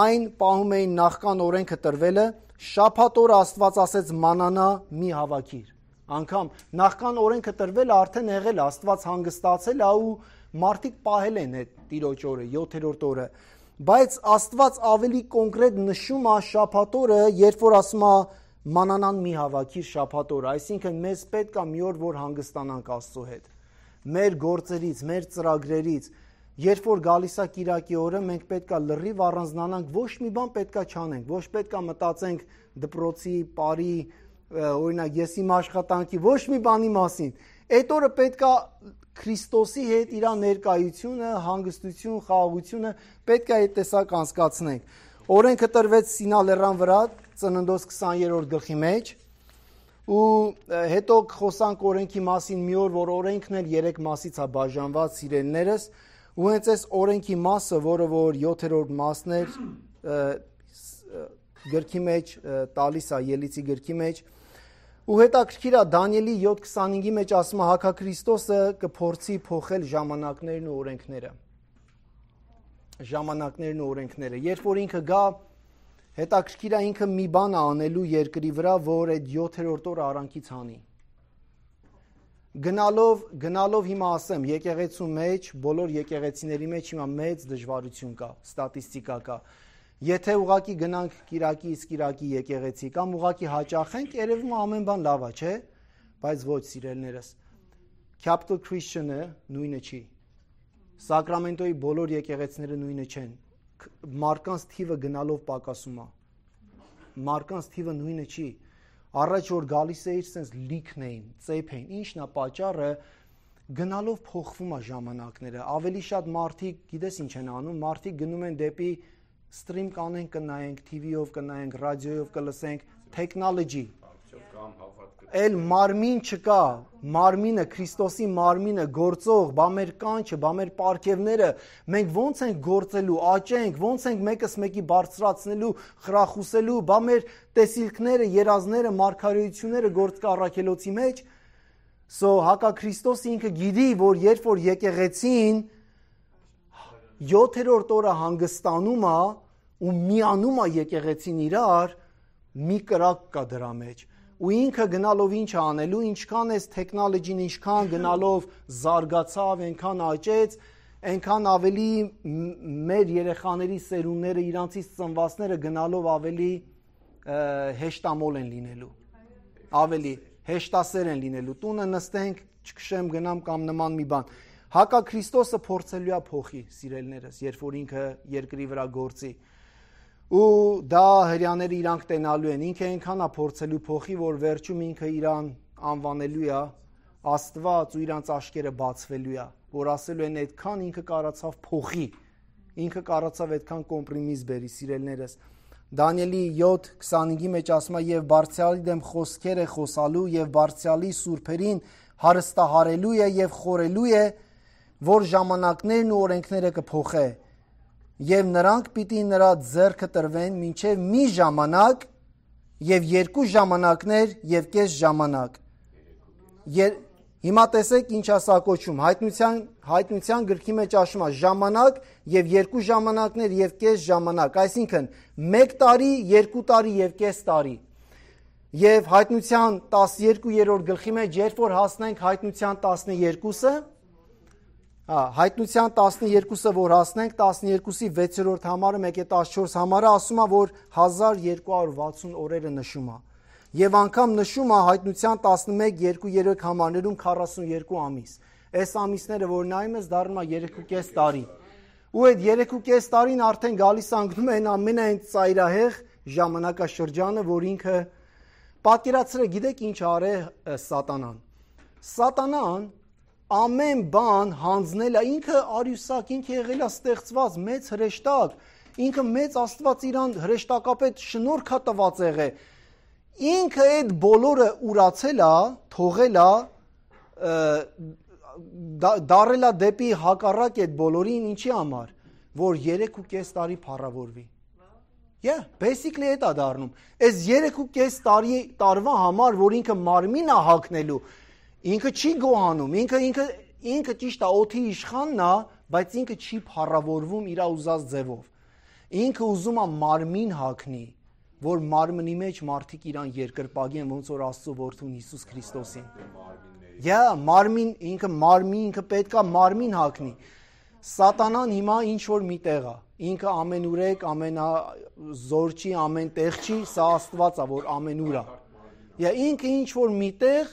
այն պահում էին նախքան օրենքը տրվելը, շաբաթ օրը Աստված ասեց մանանա մի հավաքիր։ Անկամ նախքան օրենքը տրվելը արդեն եղել է, Աստված հանգստացել է ու մարդիկ պահել են այդ Տիրոջ օրը, 7-րդ օրը։ Բայց Աստված ավելի կոնկրետ նշում է շաբաթ օրը, երբ որ ասում է մանանան մի հավաքիր շաբաթ օրը, այսինքն մեզ պետք է մի օր, որ հանգստանանք Աստծո հետ։ Մեր գործերից, մեր ծրագրերից, երբ որ գալիս է Կիրակի օրը, մենք պետք է լրիվ առանձնանանք, ոչ մի բան պետք է չանենք, ոչ պետք է մտածենք դպրոցի, բարի, օրինակ ես իմ աշխատանքի, ոչ մի բանի մասին։ Այդ օրը պետք է Քրիստոսի հետ իր ներկայությունը, հանգստություն, խաղաղությունը պետք է այդ տեսակ անցկացնենք։ Օրենքը տրվեց Սինա լեռան վրա, Ծննդոց 20-րդ գլխի մեջ, ու հետո խոսանք օրենքի մասին մի օր, որ օրենքն էլ 3 մասից է բաժանված, սիրելիներս, ու հենց այս օրենքի մասը, որը որ 7-րդ մասն էր, գրքի մեջ տալիս է, Ելիցի գրքի մեջ, ու հետաքրքիր է Դանիելի 7:25-ի մեջ ասում է Հակաքրիստոսը կփորձի փոխել ժամանակներն ու օրենքները։ Ժամանակներն ու օրենքները։ Երբ որ ինքը գա, հետաքրքիր է ինքը մի բան է անելու երկրի վրա, որ այդ 7-րդ օրը արանքից հանի։ Գնալով հիմա ասեմ, եկեղեցու մեջ, բոլոր եկեղեցիների մեջ հիմա մեծ դժվարություն կա, ստատիստիկա կա։ Եթե ուղակի գնանք Կիրակի իսկ Կիրակի եկեղեցի կամ ուղակի հաճախենք, երևում է ամեն բան լավ է, չէ՞, բայց ոչ, սիրելիներս։ Capital Christian-ը նույնը չի։ Սակրամենտոյի բոլոր եկեղեցիները նույնը չեն։ Մարկանց թիվը գնալով պակասում է։ Մարկանց թիվը նույնը չի։ Առաջ որ գալիս էիր, sense լիքն էին, ծեփ էին։ Ինչն է պատճառը, գնալով փոխվում է ժամանակները։ Ավելի շատ մարդիկ, գիտես ինչ են անում, մարդիկ գնում են դեպի stream կանենք, կնայենք, TV-ով կնայենք, ռադիոյով կլսենք, technology։ Էլ մարմին չկա, մարմինը, Քրիստոսի մարմինը գործող, բա մեր կանչը, բա մեր պարգևները, մենք ոնց ենք գործելու, աճենք, ոնց ենք մեկս մեկի բարձրացնելու, խրախուսելու, բա մեր տեսիլքները, երազները, մարգարեությունները գործ կա առաքելոցի մեջ։ Հակաքրիստոսը ինքը գիտի, որ երբ որ եկեղեցին 7-րդ օրը հանգստանում է ու միանում է եկեղեցին իրար, մի կրակ կա դրա մեջ։ Ու ինքը գնալով ինչ անելու, ինչքան էս տեխնոլոգին, ինչքան գնալով զարգացավ, այնքան աճեց, այնքան ավելի մեր երեխաների սերունդները, իրանցից ծնվածները գնալով ավելի հեշտամոլ են լինելու, ավելի հեշտասեր են լինելու։ Տունը նստենք, չքշեմ, գնամ կամ նման մի բան։ Հակաքրիստոսը փորձելու է փոխի, սիրելիներս, երբ որ ինքը երկրի վրա գործի։ Ու դա հрьяաները իրանք տենալու են, ինքը այնքան է փորձելու փոխի, որ վերջում ինքը իրան անվանելու է Աստված ու իրանց աչքերը բացվելու է, որ ասելու են այդքան ինքը կարացավ փոխի, ինքը կարացավ այդքան կոմպրոմիս բերի, սիրելիներս։ Դանիելի 7:25-ի մեջ ասում է եւ բարձրալի դեմ խոսքեր է խոսալու եւ բարձրալի սուրբերին հարստահարելու է եւ խորելու է, որ ժամանակներն ու օրենքները կփոխե եւ նրանք պիտի նրա ձեռքը տրվեն մինչեւ մի ժամանակ եւ 2 ժամանակներ եւ կես ժամանակ։ Հիմա տեսեք ինչ ասա կոչում։ Հայտնության գրքի մեջ ասում է ժամանակ եւ 2 ժամանակներ եւ կես ժամանակ, այսինքն 1 տարի, 2 տարի եւ կես տարի։ Եվ հայտնության 12-րդ գլխի մեջ երբ որ հասնենք հայտնության 12-ը, հայտնության 12-ը որ հասնենք, 12-ի 6-րդ համարը 1-14 համարը ասում է, որ 1260 օրերը նշում է։ Եվ անգամ նշում է հայտնության 11-2-3 համարներում 42 ամիս։ Այս ամիսները որ նայում ես դառնում է 3.5 տարի։ Ու այդ 3.5 տարին արդեն գալիս անգնում է այն ամենայն ծայրահեղ ժամանակաշրջանը, որ ինքը պատկերացրեք, գիտեք ինչ արել սատանան։ Սատանան ամեն բան հանձնել է, ինքը արյուսակ, ինքը եղել է ստեղծված մեծ հրեշտակ, ինքը մեծ Աստված իրան հրեշտակապետ շնորհք է տված եղել։ Ինքը այդ բոլորը ուրացել է, թողել է, դարել է դեպի հակառակ այդ բոլորին ինչի համար, որ 3.5 տարի փառավորվի։ Basically այդ է դառնում։ Այս 3.5 տարվա համար, որ ինքը մարմին է հագնելու, ինքը չի գոհանում, ինքը ճիշտ է օդի իշխանն է, բայց ինքը չի փառավորվում իր ուզած ձևով։ Ինքը ուզում է մարմին հագնի, որ մարմնի մեջ մարդիկ իրան երկրպագեն, ոնց որ Աստծո որդուն Հիսուս Քրիստոսին։ Մարմին, ինքը պետք է մարմին հագնի։ Սատանան հիմա ինչ որ մի տեղ է, ինքը ամենուրեք, ամենազորչի, ամեն տեղ չի, սա Աստված է, որ ամենուր է։ Ինքը ինչ որ մի տեղ,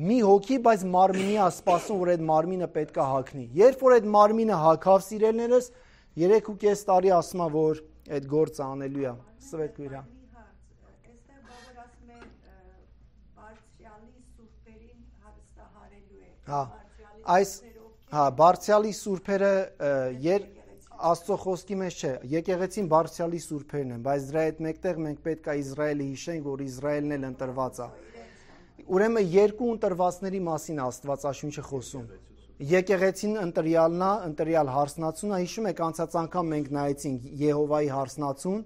մի հոգի, բայց մարմինի է սպասում, որ այդ մարմինը պետք է հագնի։ Երբ որ այդ մարմինը հագավ սիրելիներս, 3.5 տարի ասում է, որ այդ գործը անելու է։ Սվետ գույրա։ Բարձյալի սուրբերը Աստծո խոսքի մեջ չէ, եկեղեցին բարձյալի սուրբերն են, բայց դրա հետ մեկտեղ մենք պետք է Իսրայելը հիշենք, որ Իսրայելն էլ ընտրված է։ Ուրեմն երկու ընտրվածների մասին Աստվածաշունչը խոսում։ Եկեղեցին ընտրյալն է, ընտրյալ հարսնացուն է, հիշում եք անցած անգամ մենք նայեցինք Եհովայի հարսնացուն,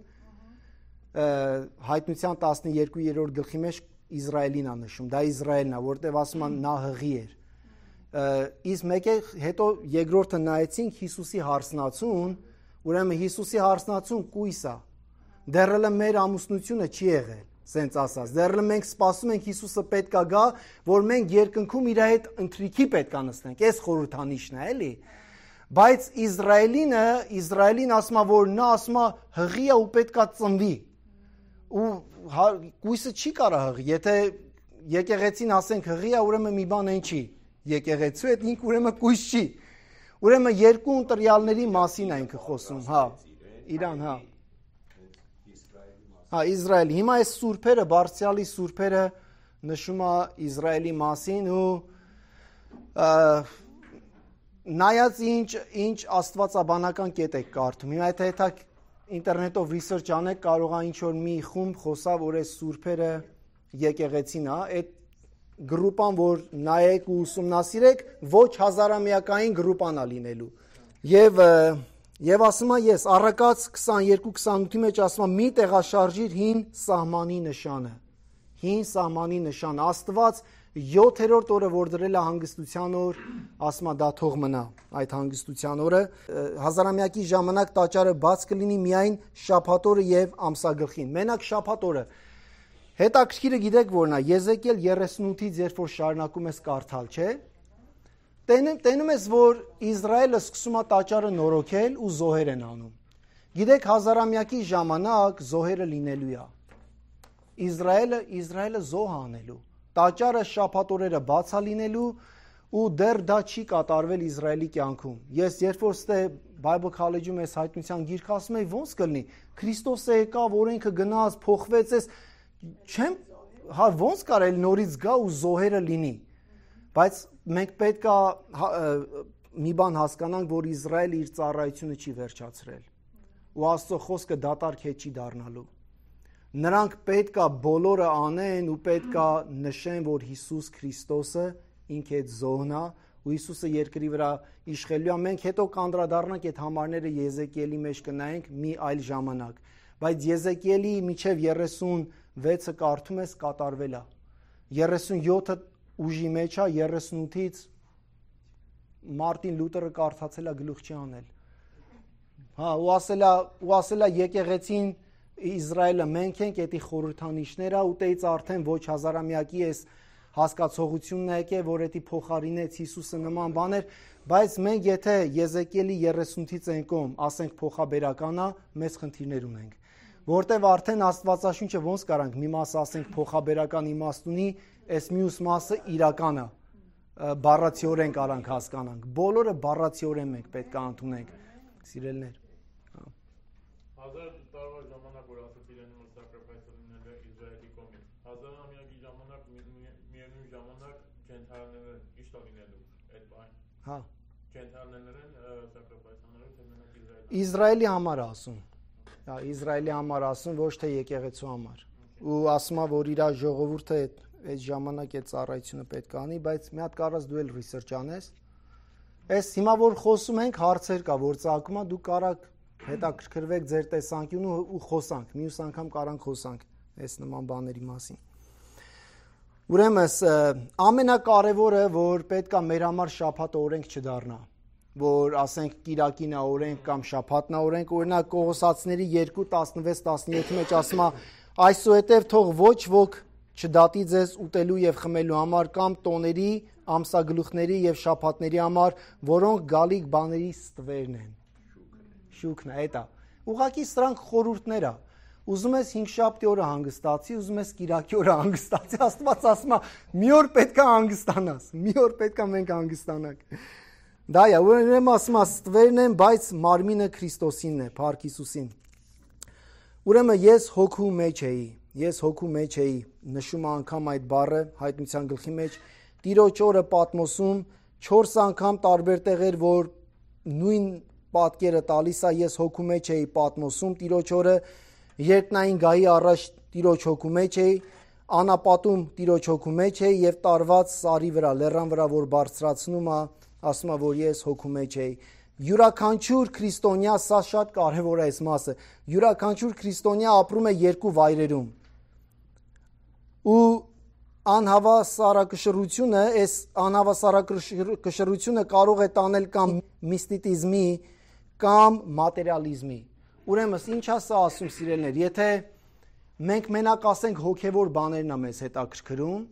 հայտնության 12-րդ գլխի մեջ Իսրայելին է նշում, դա Իսրայելն է, որտեղ ասում են նա հղի էր։ Իսկ մեկ է հետո երկրորդը նայեցինք Հիսուսի հարսնացուն, ուրեմն Հիսուսի հարսնացուն կույս է։ Դեռ մեր ամուսնությունը չի եղել, սենց ասած։ Դեռ մենք սպասում ենք Հիսուսը պետք է գա, որ մենք երկնքում իր հետ ընթրիքի պետք է նստենք։ Այս խորհրդանիշն է, էլի։ Բայց Իսրայելին ասում է, որ նա ասում է հղի է ու պետք է ծնվի։ Ու կույսը չի կարող հղի։ Եթե եկեղեցին ասենք հղի է, ուրեմն մի բան այն չի։ Եկեղեցու հետ ինքը ուրեմն կույս չի։ Ուրեմն երկու ընտրյալների մասին է ինքը խոսում, Իրան, Իսրայել։ Հիմա այս սուրբերը, բարձյալի սուրբերը նշում է Իսրայելի մասին ու նայած ինչ աստվածաբանական կետ եք կարդում։ Հիմա եթե ինտերնետով research անեք, կարող է ինչ որ մի խումբ խոսա, որ այս սուրբերը եկեղեցին է, այդ գրուպան, որ նայեք ու ուսումնասիրեք, ոչ հազարամյակային գրուպան է լինելու։ Եվ ասում է ես, առակաց 22-28-ի մեջ ասում է մի տեղաշարժիր հին սահմանի նշանը։ Հին սահմանի նշանը։ Աստված 7-րդ օրը, որ դրել է հանգստության օր, ասում է դա թող մնա այդ հանգստության օրը։ Հազարամյակի ժամանակ տաճարը բաց կլինի միայն շաբաթ օրը եւ ամսագլխին։ Մենակ շաբաթ օրը։ Հետաքրքիրը գիտեք որն է, Եզեկիել 38-ից երբ որ շարունակում ես կարդալ, չէ՞։ Տենում ես, որ Իսրայելը սկսում է տաճարը նորոգել ու զոհեր են անում։ Գիտեք, հազարամյակի ժամանակ զոհերը լինելու է։ Իսրայելը զոհ անելու։ Տաճարը շաբաթ օրերը բաց է լինելու ու դեռ դա չի կատարվել Իսրայելի կյանքում։ Ես երբ որ ստե Bible College-ում ես հայտնության գիրք ասում եի, ոնց կլինի։ Քրիստոսը եկավ, օրենքը գնաց, փոխվեց, ոնց կարելի նորից գա ու զոհերը լինի։ Բայց մենք պետք է մի բան հասկանանք, որ Իսրայելը իր ծառայությունը չի վերջացրել։ Ու Աստծո խոսքը դատարկ հետ չի դառնալու։ Նրանք պետք է բոլորը անեն ու պետք է նշեն, որ Հիսուս Քրիստոսը ինքը այդ զոհն է ու Հիսուսը երկրի վրա իշխելու է։ Մենք հետո կանդրադառնանք այդ համարները Եզեկիելի մեջ կնայենք մի այլ ժամանակ։ Բայց Եզեկիելի միջև 30 6-ը կարդում ես կատարվել է։ 37-ը ուժի մեջ է, 38-ից Մարտին Լութերը կարդացել է գլուխ չի անել։ Հա, ու ասել է եկեղեցին Իսրայելը մենք ենք, էդի խորհրդանիշները, ուտեից արդեն ոչ հազարամյակի էս հասկացողությունն է եկել, որ էդի փոխարինեց Հիսուսը նման բաներ, բայց մենք եթե Եզեկիելի 30-ից ենկոմ, ասենք փոխաբերականա, մեծ խնդիրներ ունենք։ Որտեվ արդեն Աստվածաշունչը ոնց կարանք մի մասը ասենք փոխաբերական իմաստ ունի, այս մյուս մասը իրական է, բառացիորեն կարանք հասկանանք։ Բոլորը բառացիորեն մենք պետք է ընդունենք, սիրելիներ։ 1000 տարվա ժամանակ որ ասացին են որ sacrifice լինել է Իսրայելի կողմից 1000-ամյակի ժամանակ միևնույն ժամանակ ջենթայլները իշտա լինելու այդ բան։ Հա։ Ջենթայլներն sacrifice անելու թե մենակ Իսրայելի համար ասում։ Հա, Իսրայելի համար ասում, ոչ թե եկեղեցու համար։ Ու ասում է որ իր ժողովուրդը այդ ժամանակ այդ ծառայությունը պետք է անի, բայց մի հատ կարաս դու էլ research անես։ Այս հիմա որ խոսում ենք հարցեր կա, որ ծագում է, դու կարաք հետաքրքրվեք ձեր տեսանկյունը ու խոսանք, մյուս անգամ կարանք խոսանք այս նման բաների մասին։ Ուրեմն ամենակարևորը, որ պետք է մեր համար շաբաթը օրենք չդառնա, որ ասենք կիրակին է օրենք կամ շաբաթն է օրենք, օրինակ Կողոսացիների 2:16-17-ի մեջ ասում է այսուհետև թող ոչ ոք չդատի ձեզ ուտելու եւ խմելու համար կամ տոների, ամսագլուխների եւ շաբաթների համար, որոնք գալիք բաների ստվերն են։ Շուկն է, դա։ Ուղղակի սրանք խորհուրդներ է։ Ուզում ես 5-շաբթի օրը հանգստացի, ուզում ես կիրակի օրը հանգստացի, Աստված ասում է, մի օր պետք է հանգստանաս, մի օր պետք է մենք հանգստանանք։ Դա է, ուրեմն ասում է, ստվերն են, բայց մարմինը Քրիստոսինն է, Փառք Հիսուսին։ Ուրեմն ես հոգու մեջ էի, նշում անգամ այդ բառը հայտնության գլխի մեջ, Տիրոջ օրը Պատմոսում 4 անգամ տարբեր տեղեր, որ նույն պատկերը տալիս է, ես հոգու մեջ էի Պատմոսում, Տիրոջ օրը երկնային գահի առաջ Տիրոջ հոգու մեջ էի, անապատում Տիրոջ հոգու մեջ էի եւ տարված սարի վրա, լեռան վրա, որ բարձրացնում է, ասում է, որ ես հոգու մեջ էի։ Յուրաքանչյուր քրիստոնյա, սա շատ կարևոր է այս մասը, յուրաքանչյուր քրիստոնյա ապրում է երկու վայրերում։ Ու անհավասարակշռությունը, այս անհավասարակշռությունը կարող է տանել կամ միստիցիզմի կամ մատերիալիզմի։ Ուրեմն ինչ է սա ասում սիրելիներ, եթե մենք մենակ ասենք հոգևոր բաներն է մեզ հետաքրքրում,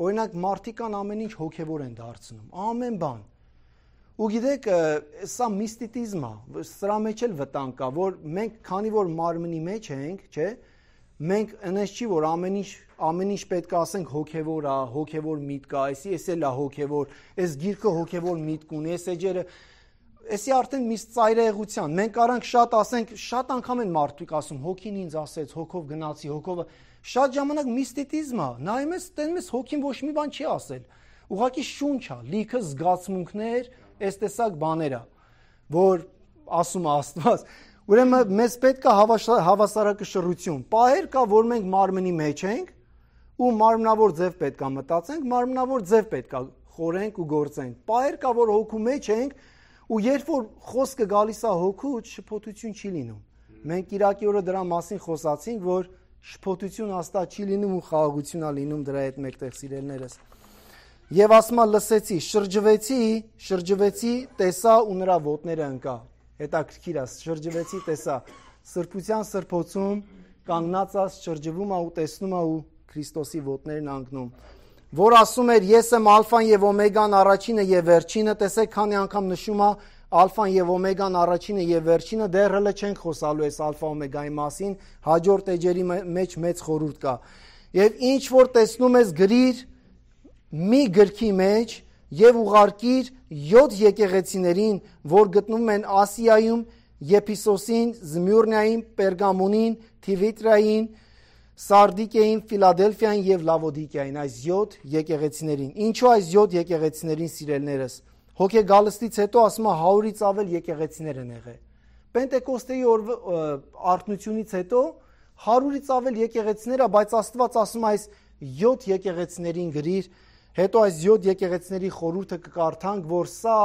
օրինակ մարդիկ ամեն ինչ հոգևոր են դարձնում, ամեն բան։ Ու գիտեք, սա միստիցիզմ է, սրա մեջ էլ վտանգ կա, որ մենք քանի որ մարմնի մեջ ենք, չէ, մենք այնպես չի որ ամեն ինչ պետք է ասենք հոգևոր է, հոգևոր միտք է, էսի էլ է հոգևոր, այս գիրքը հոգևոր միտք ունի, այս էջերը, էսի արդեն մի ծայրահեղության։ Մենք առանք շատ ասենք, շատ անգամ են մարդիկ ասում, հոգին ինձ ասեց, հոգով գնացի, հոգով շատ ժամանակ միստիցիզմ է, նայում ես, տենում ես հոգին ոչ մի բան չի ասել։ Ուղղակի շունչ է, լիքը զգացմունքներ, այս տեսակ բաներ է, որ ասում է Աստված։ Ուրեմն մեզ պետք է հավասարակշռություն։ Պահեր կա, որ մենք մարմնի մեջ ենք ու մարմնավոր ձև պետք է մտածենք, մարմնավոր ձև պետք է խորենք ու գործենք։ Պահեր կա, որ հոգու մեջ ենք ու երբ որ խոսքը գալիս է հոգուց, շփոթություն չի լինում։ Մենք Կիրակի օրը դրա մասին խոսացինք, որ շփոթություն հաստատ չի լինում ու խաղաղություն է լինում դրա հետ մեկտեղ սիրելիներս։ Եվ ասում է լսեցի, շրջվեցի, տեսա ու նրա ոտները ընկա։ Հետաքրքիր է, շրջվեցի, տեսա, սրբության սրբոցում կանգնած է, շրջվում է ու տեսնում է ու Քրիստոսի ոտներն անգնում, որ ասում էր ես եմ ալֆան եւ օմեգան, առաջինը եւ վերջինը, տեսեք քանի անգամ նշում է ալֆան եւ օմեգան, առաջինը եւ վերջինը, դեռ հələ չենք խոսալու այս ալֆա օմեգայի մասին, հաջորդ էջերի մեջ մեծ խորհուրդ կա։ Եվ ինչ որ տեսնում ես գրիր մի գրքի մեջ եւ ուղարկիր 7 եկեղեցիներին, որ գտնվում են Ասիայում, Եփիսոսին, Զմյուրնիային, Պերգամոնին, Թիվիտրային, Սարդիկեին, Ֆիլադելֆիային եւ Լավոդիկեային, այս 7 եկեղեցիներին։ Ինչու այս 7 եկեղեցիներին սիրելիներս։ Հոգեգալստից հետո ասում է 100-ից ավել եկեղեցիներ են եղել։ Պենտեկոստեի արթնությունից հետո 100-ից ավել եկեղեցիներ է, բայց Աստված ասում է այս 7 եկեղեցիներին գրիր, հետո այս 7 եկեղեցիների խորհուրդը կկարդանք, որ սա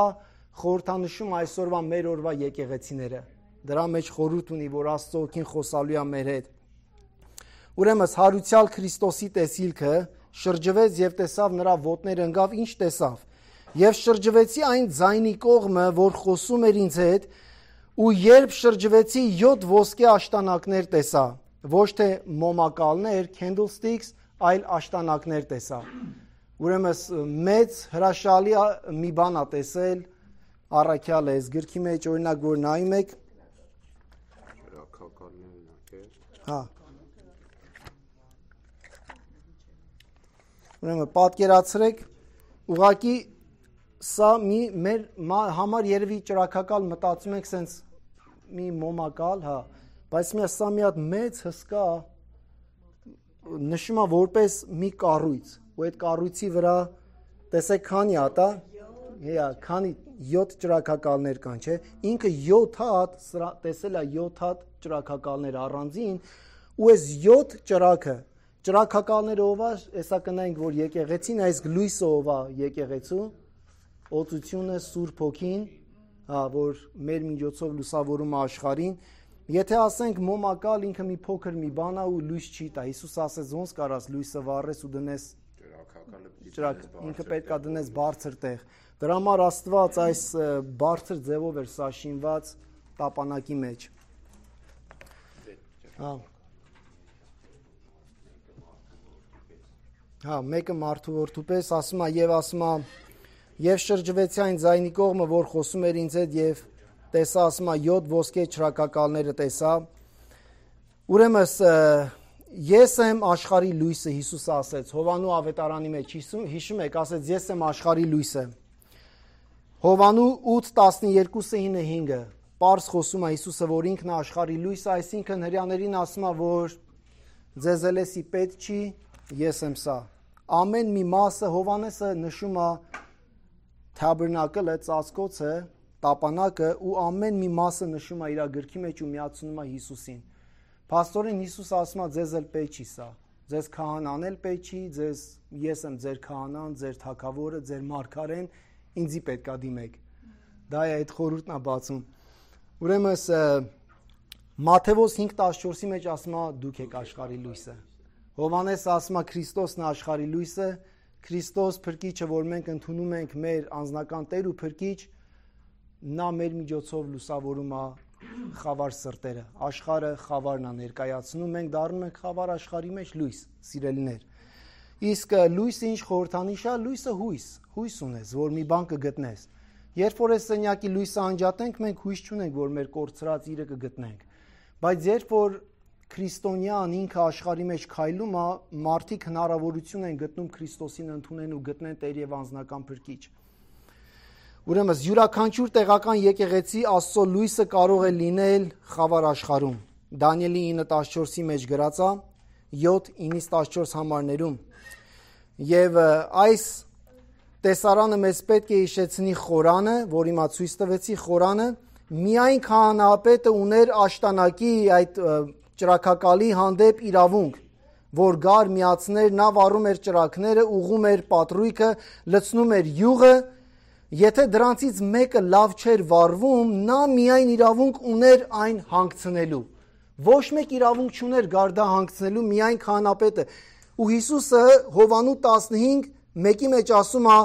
խորհրդանշում այսօրվա մեր օրվա եկեղեցիները։ Դրա մեջ խորհուրդ ունի, որ Աստծո ոգին խոսալու է մեր հետ։ Ուրեմն հարուցյալ Քրիստոսի տեսիլքը շրջվեց եւ տեսավ նրա ոտները ընկավ, ինչ տեսավ։ Եվ շրջվեցի այն ձայնի կողմը, որ խոսում էր ինձ հետ, ու երբ շրջվեցի 7 ոսկե աշտանակներ տեսա, ոչ թե մոմակալներ, candlesticks, այլ աշտանակներ տեսա։ Ուրեմն մեծ հրաշալի մի բան է տեսել առաքյալը այս գրքի մեջ, օրինակ որ նայում եք, հա։ Ուրեմն պատկերացրեք, ուղղակի սա մեր համար երևի ճրակակալ մտածում ենք սենց մի մոմակալ, հա, բայց սա մի հատ մեծ հսկա նշում է որպես մի կառույց, ու այդ կառույցի վրա տեսեք քանի հատ է, քանի 7 ճրակակալներ կան, չէ, ինքը 7 հատ, տեսել է 7 հատ ճրակակալներ առանձին, ու այս 7 ճրակակալները ով է, հեսա կնայինք, որ եկեղեցին, այս լույսը ով է եկեղեցու, օծությունը, Սուրբ Հոգին, որ մեր միջոցով լուսավորում է աշխարհին։ Եթե ասենք մոմակալ ինքը մի փոքր մի բան է ու լույս չի տա, Հիսուս ասեց ոնց կարաս լույսը վառես ու դնես ինքը պետք է դնես բարձր տեղ։ Դրա համար Աստված այս բարձր ձևով էր սա շինված տապանակի մեջ։ Հա, մեկը մարդու որդու պես ասում է եւ ասում է եւ շրջվեցի այն ձայնի կողմը, որ խոսում էր ինձ հետ եւ տեսա, ասում է 7 ոսկե ճրակակալները տեսա։ Ուրեմն ես եմ աշխարհի լույսը, Հիսուսը ասեց Հովանու ավետարանի մեջ, հիշում եք, ասեց ես եմ աշխարհի լույսը։ Հովանու 8:12-9 պարզ խոսում է Հիսուսը, որ ինքն է աշխարհի լույսը, այսինքն հրյաներին ասում է, որ ձեզ ելեսի պետք չի, ես եմ սա։ Ամեն մի մասը Հովանեսը նշում է թաբերնակլը, ծածկոցը, տապանակը ու ամեն մի մասը նշում է իր գրքի մեջ ու միացնում է Հիսուսին։ Փաստորեն Հիսուսը ասում է ձեզ էլ պետք չի սա։ Ձեզ քահանան էլ պետք չի, ես եմ ձեր քահանան, ձեր թագավորը, ձեր մարգարեն, ինձի պետքա դիմեք։ Դա է այդ խորհուրդն է բացում։ Ուրեմն Մատթեոս 5:14-ի մեջ ասում է դուք եք աշխարհի լույսը։ Հովանես ասում է Քրիստոսն է աշխարհի լույսը, Քրիստոս փրկիչը, որ մենք ընդունում ենք մեր անձնական Տեր ու փրկիչ, նա մեր միջոցով լուսավորում է խավար սրտերը։ Աշխարհը խավարն է ներկայացնում, մենք դառնում ենք խավար աշխարհի մեջ լույս, սիրելիներ։ Իսկ լույսը ինչ խորհրդանիշ է, լույսը հույս ունես, որ մի բան կգտնես։ Երբ որ այս սենյակի լույսը անջատենք, մենք հույս չունենք, որ մեր կորցրած իրը կգտնենք։ Բայց երբ որ քրիստոնյան ինքը աշխարհի մեջ քայլում է, մարդիկ հնարավորություն են գտնում Քրիստոսին ընդունեն ու գտնեն Տեր եւ անձնական փրկիչ։ Ուրեմն յուրաքանչյուր տեղական եկեղեցի Աստծո լույսը կարող է լինել խավար աշխարհում։ Դանիելի 9:14-ի մեջ գրած է 7:9-14 համարներում։ Եվ այս տեսարանը մեզ պետք է հիշեցնի խորանը, որ հիմա ցույց տվեցի խորանը, միայն քահանապետը ուներ աշտանակի այդ ճրակակալի հանդեպ իրավունք, որ գար միացներ, նա վառում էր ճրակները, ուղում էր պատրույգը, լցնում էր յուղը, եթե դրանցից մեկը լավ չէր վառվում, նա միայն իրավունք ուներ այն հանգցնելու։ Ոչ մեկ իրավունք չուներ գար դա հանգցնելու, միայն քահանապետը։ Ու Հիսուսը Հովանու 15:1-ի մեջ ասում է.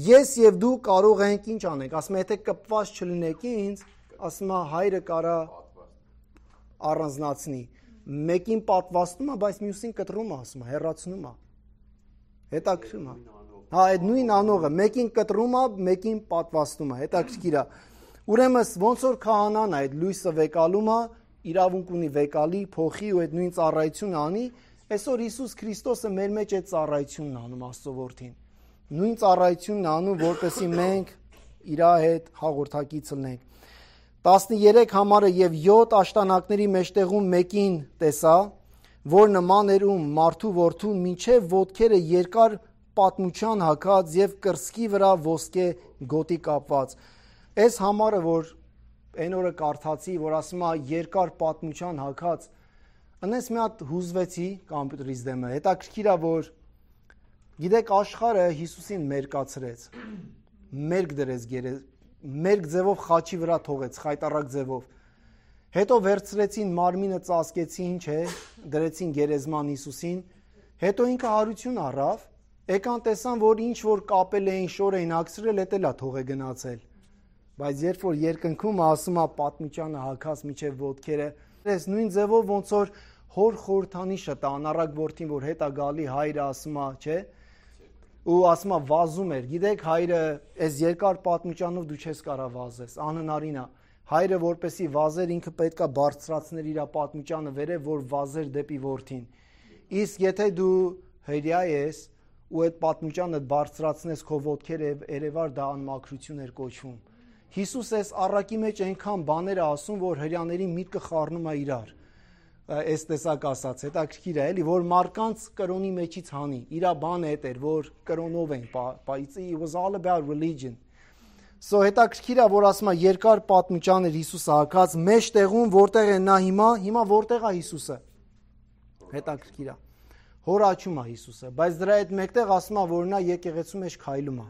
ես եւ դու կարող ենք ինչ անենք, ասում է եթե կպված չլինեք ինձ, ասում է հայրը կարա առանձնացնի, մեկին պատվաստում է, բայց մյուսին կտրում է, ասում է, հեռացնում է, հետաքրքրում է, հա, այդ նույն անողը, մեկին կտրում է, մեկին պատվաստում է, հետաքրքիր է, ուրեմն ոնց որ քահանան է, այդ լույսը վեկալում է, իրավունք ունի վեկալի, փոխի ու այդ նույն ծառայությունը անի, այսօր Հիսուս Քրիստոսը մեր մեջ այդ ծառայությունն անում Աստծո որդին, նույն ծառայությունն անում, որպեսզի մենք իր հետ հաղորդակից լինենք։ 13 համարը եւ 7 աշտանակների մեջտեղում մեկին տեսա, որ նման էր մարդու որդուն մինչև ոտքերը երկար պատմության հագած եւ կրծքի վրա ոսկե գոտի կապված։ Այս համարը, որ այն օրը կարդացի, որ ասում է երկար պատմության հագած, անես մի հատ հուզվեցի կոմպյուտերից դեմը։ Հետաքրքիր է, որ գիտեք աշխարհը Հիսուսին մերկացրեց, մերկ դրեց մերկ ձևով խաչի վրա թողեց, խայտառակ ձևով։ Հետո վերցրեցին մարմինը ծածկեցին, չէ, դրեցին գերեզման Հիսուսին, հետո ինքը հարություն առավ, եկան տեսան, որ ինչ որ կապել էին, շոր էին ակսրել, էտելա թող է գնացել։ Բայց երբ որ երկնքում ասում է պատմիճանը հագած միջև ոտքերը, այս նույն ձևով ոնց որ հոր խորհրդանիշը տա անառակ որդին, որ հետա գալի հայրը ասում է, չէ, ու ասում է վազում էր, գիտեք հայրը այս երկար պատմիճանով դու չես կարա վազես, անհնարին է, հայրը որպեսի վազեր ինքը պետքա բարձրացներ իր պատմիճանը վերև, որ վազեր դեպի որդին, իսկ եթե դու հրյա ես ու այդ պատմիճանը բարձրացնես քո ոտքերը երևար դա անմաքրություն էր կոչվում, Հիսուս այս առակի մեջ այնքան բաներ է ասում, որ հրյաների միտքը խառնում է իրար, այս տեսակ ասած, հետաքրքիր է, էլի, որ մարկանց կրոնի մեջից հանի, իրա բանը էդ էր, որ կրոնով են, it was all about religion. So հետաքրքիր է, որ ասում է երկար պատմիճան էր Հիսուսը հագած, մեջտեղում որտեղ է նա հիմա որտեղ է Հիսուսը, հետաքրքիր է, հոր աչում է Հիսուսը, բայց դրա հետ մեկտեղ ասում է, որ նա եկեղեցու մեջ քայլում է,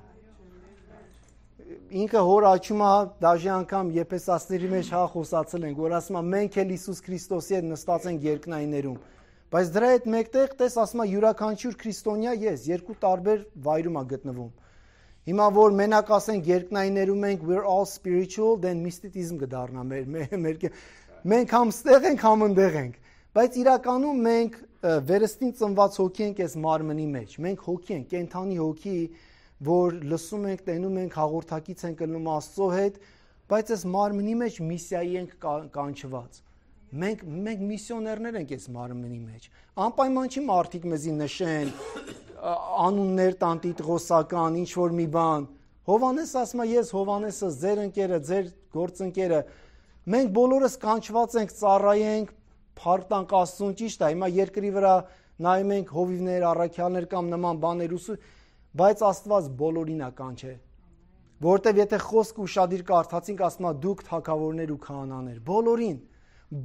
ինքը հոր աչում է, դաժե անգամ Եփեսացիների մեջ խոսացել ենք, որ ասում է մենք էլ Հիսուս Քրիստոսի հետ նստած ենք երկնայիներում, բայց դրա հետ մեկտեղ տես ասում է յուրաքանչյուր քրիստոնյա ես երկու տարբեր վայրում է գտնվում։ Հիմա որ մենակ ասենք երկնայիներում ենք we're all spiritual, then mysticism կդառնա մենք համ ստեղ ենք, համ ընդեղ ենք, բայց իրականում մենք վերստին ծնված հոգի ենք այս մարմնի մեջ, մենք հոգի ենք, կենդանի հոգի, որ լսում ենք, տենում ենք, հաղորդակից ենք ելնում Աստծո հետ, բայց այս մարմնի մեջ միսիայի ենք կանչված։ Մենք միսիոներներ ենք այս մարմնի մեջ։ Անպայման չի մարդիկ մեզի նշեն, անուններ տան տիտղոսական, ինչ որ մի բան։ Հովհաննես ասում է, ես Հովհաննեսը, ձեր ընկերը, ձեր գործընկերը, մենք բոլորս կանչված ենք, ծառայենք, փառք տանք Աստծուն, ճիշտ է, հիմա երկրի վրա նայում ենք հովիվներ, առաքյալներ կամ նման բաներ բայց Աստված բոլորին է կանչել, որտեվ եթե խոսք ուշադիր կարդացինք, ասում է դուք թագավորներ ու քահանաներ, բոլորին,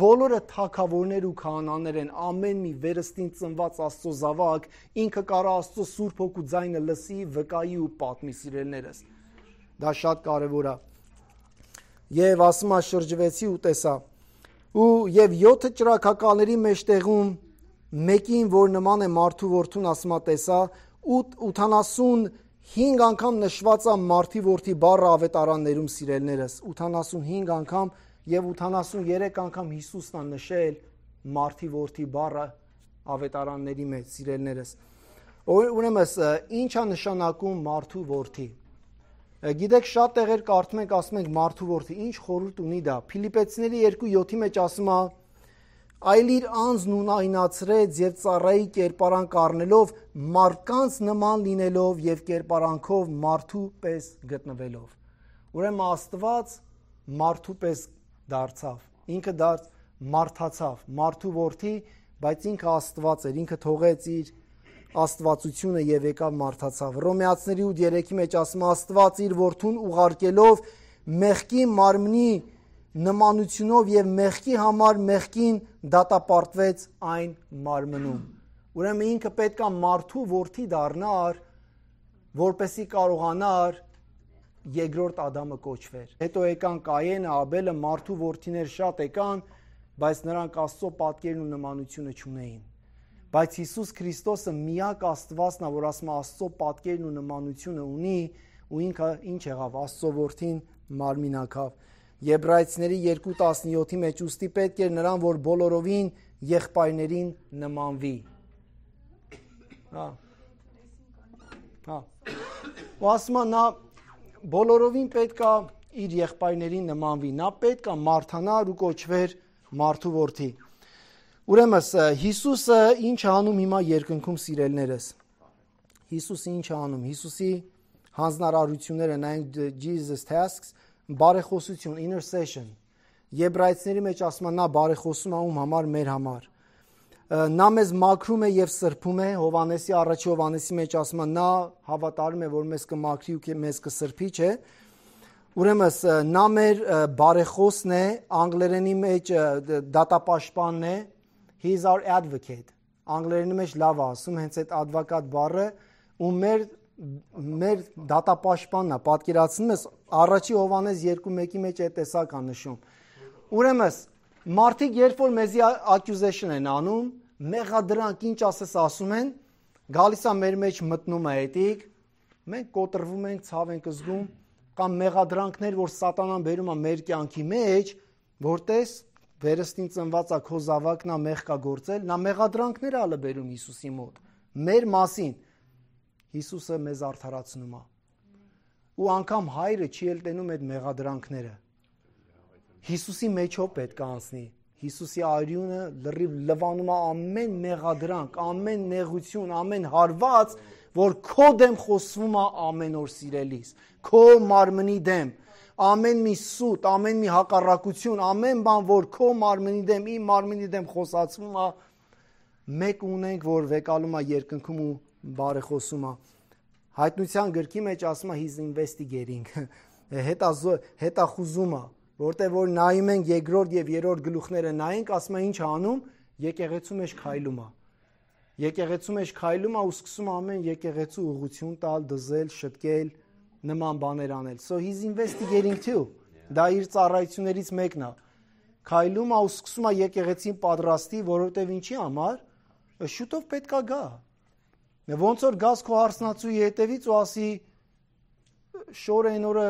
բոլորը թագավորներ ու քահանաներ են, ամեն մի վերստին ծնված Աստծո զավակ, ինքը կարա Աստծո Սուրբ Հոգու ձայնը լսի, վկայի ու պատմի սիրելիներս, դա շատ կարևոր է, եւ ասում է շրջվեցի ու տեսա, եւ 7 ճրագակալների մեջտեղում մեկին, որ նման է մարդու որդուն, ասում է տեսա, 85 անգամ նշված է մարդի որդի բառը ավետարաններում սիրելներս, 85 անգամ եւ 83 անգամ Հիսուսն է նշել մարդի որդի բառը ավետարանների մեջ սիրելներս։ Ուրեմն ինչ է նշանակում մարդու որդի։ Գիտեք շատ տեղեր կարդում ենք, ասում ենք մարդու որդի, ինչ խորհուրդ ունի դա։ Փիլիպեցիների 2:7 մեջ ասում է այլ իր անձն ունայնացրեց եւ ծառայի կերպարանք առնելով մարդկանց նման լինելով եւ կերպարանքով մարդու պես գտնվելով։ Ուրեմն Աստված մարդու պես դարձավ, ինքը մարդացավ, մարդու որդի, բայց ինքը Աստված էր, ինքը թողեց իր աստվածությունը եւ եկավ մարդացավ։ Հռոմեացիների 8:3 մեջ ասում է Աստված իր որդուն ուղարկելով մեղքի մարմնի նմանությունով եւ մեղքի համար մեղքին դատապարտվեց այն մարմնում։ Ուրեմն ինքը պետք է մարդու որդի դառնար, որպեսի կարողանար երկրորդ Ադամը կոչվեր։ Հետո եկան Կայենը, Աբելը, մարդու որդիներ շատ եկան, բայց նրանք Աստծո պատկերն ու նմանությունը չունեին։ Բայց Հիսուս Քրիստոսը միակ Աստվածն է, որ ասում է Աստծո պատկերն ու նմանությունը ունի, ու ինքը ինչ եղավ, Աստծո որդին մարմինակավ։ Եբրայեցիների 2:17 մեջ ուստի պետք էր նրան, որ բոլորովին եղբայրներին նմանվի։ Ու ասում է նա բոլորովին պետք է իր եղբայրներին նմանվի, նա պետք է մարդանար ու կոչվեր մարդու որդի։ Ուրեմն Հիսուսը ինչ անում հիմա երկնքում սիրելներս։ Հիսուսը ինչ անում, Հիսուսի հանձնարարությունները նայենք Jesus tasks, բարեխոսություն, intercession, Եբրայեցիների մեջ ասում է նա բարեխոսում է ում համար, մեր համար, նա մեզ մաքրում է և սրբում է, Հովհաննեսի առաջի Հովհաննեսի մեջ ասում է նա հավատարում է, որ մեզ կմաքրի ու մեզ կսրբի, չէ, ուրեմն նա մեր բարեխոսն է, անգլերենի մեջ դատապաշտպանն է, he is our advocate, անգլերենի մեջ լավ ասում, հենց այդ advocate բառը, ու մեր դատապաշտպանն է, պատկերացնում ես, առաջի Հովհաննես 2:1 մեջ այդ տեսակ է նշում։ Ուրեմն Մարդիկ երբ որ մեզի accusation են անում, մեղադրանք ինչ ասես ասում են, գալիս է մեր մեջ մտնում է էտիկ, մենք կոտրվում ենք, ցավ ենք զգում, կամ մեղադրանքներ, որ սատանան բերում է մեր կյանքի մեջ, որտես վերստին ծնված է քո զավակն է մեղ կա գործել, նա մեղադրանքներ է բերում Հիսուսի մոտ, մեր մասին։ Հիսուսը մեզ արդարացնում է։ Ու անգամ հայրը չի էլ տենում այդ մեղադրանքները։ Հիսուսի մեջով պետք է անցնի։ Հիսուսի արյունը լրիվ լվանում է ամեն մեղադրանք, ամեն նեղություն, ամեն հարված, որ քո դեմ խոսվում է ամեն օր սիրելիս, քո մարմնի դեմ, ամեն մի սուտ, ամեն մի հակառակություն, ամեն բան, որ քո մարմնի դեմ, իմ մարմնի դեմ խոսացվում է, մեկ ունենք, որ վեկալում է երկնքում ու բարեխոսում է։ Հայտնության գրքի մեջ ասում է he's investigating, հետախուզում է, որտեղ որ նայում ենք երկրորդ եւ երրորդ գլուխները նայենք, ասում է ինչ անում, եկեղեցու մեջ քայլում է։ Եկեղեցու մեջ քայլում է ու սկսում ամեն եկեղեցու ուղղություն տալ, դզել, շտկել, նման բաներ անել։ So he's investigating too. Դա իր ծառայություններից մեկն է։ Քայլում է ու սկսում է եկեղեցին պատրաստի, որովհետեւ ինչի համար, շուտով պետքա գա։ Ոնց որ գաս քո հարսնացուի հետևից ու ասի շորը այն օրը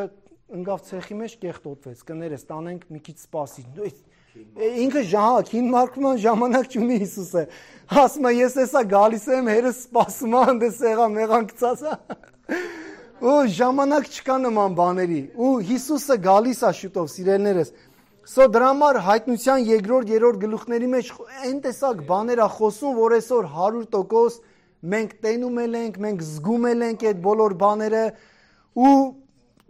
ընկավ ցեխի մեջ կեղտոտվեց, կներես, տանենք մի քիչ սպասի։ Ինքը քին մարկման ժամանակ չունի Հիսուսը։ Ասում է ես էսա գալիս եմ, հերս սպասում է, այնտես եղա մեղան գցած է։ Ու ժամանակ չկա նման բաների։ Ու Հիսուսը գալիս է շուտով, սիրելիներս։ So դրա համար հայտնության երկրորդ, երրորդ գլուխների մեջ այն տեսակ բաներ է խոսում, որ այսօր 100% մենք տենում ենք, մենք զգում ենք այդ բոլոր բաները ու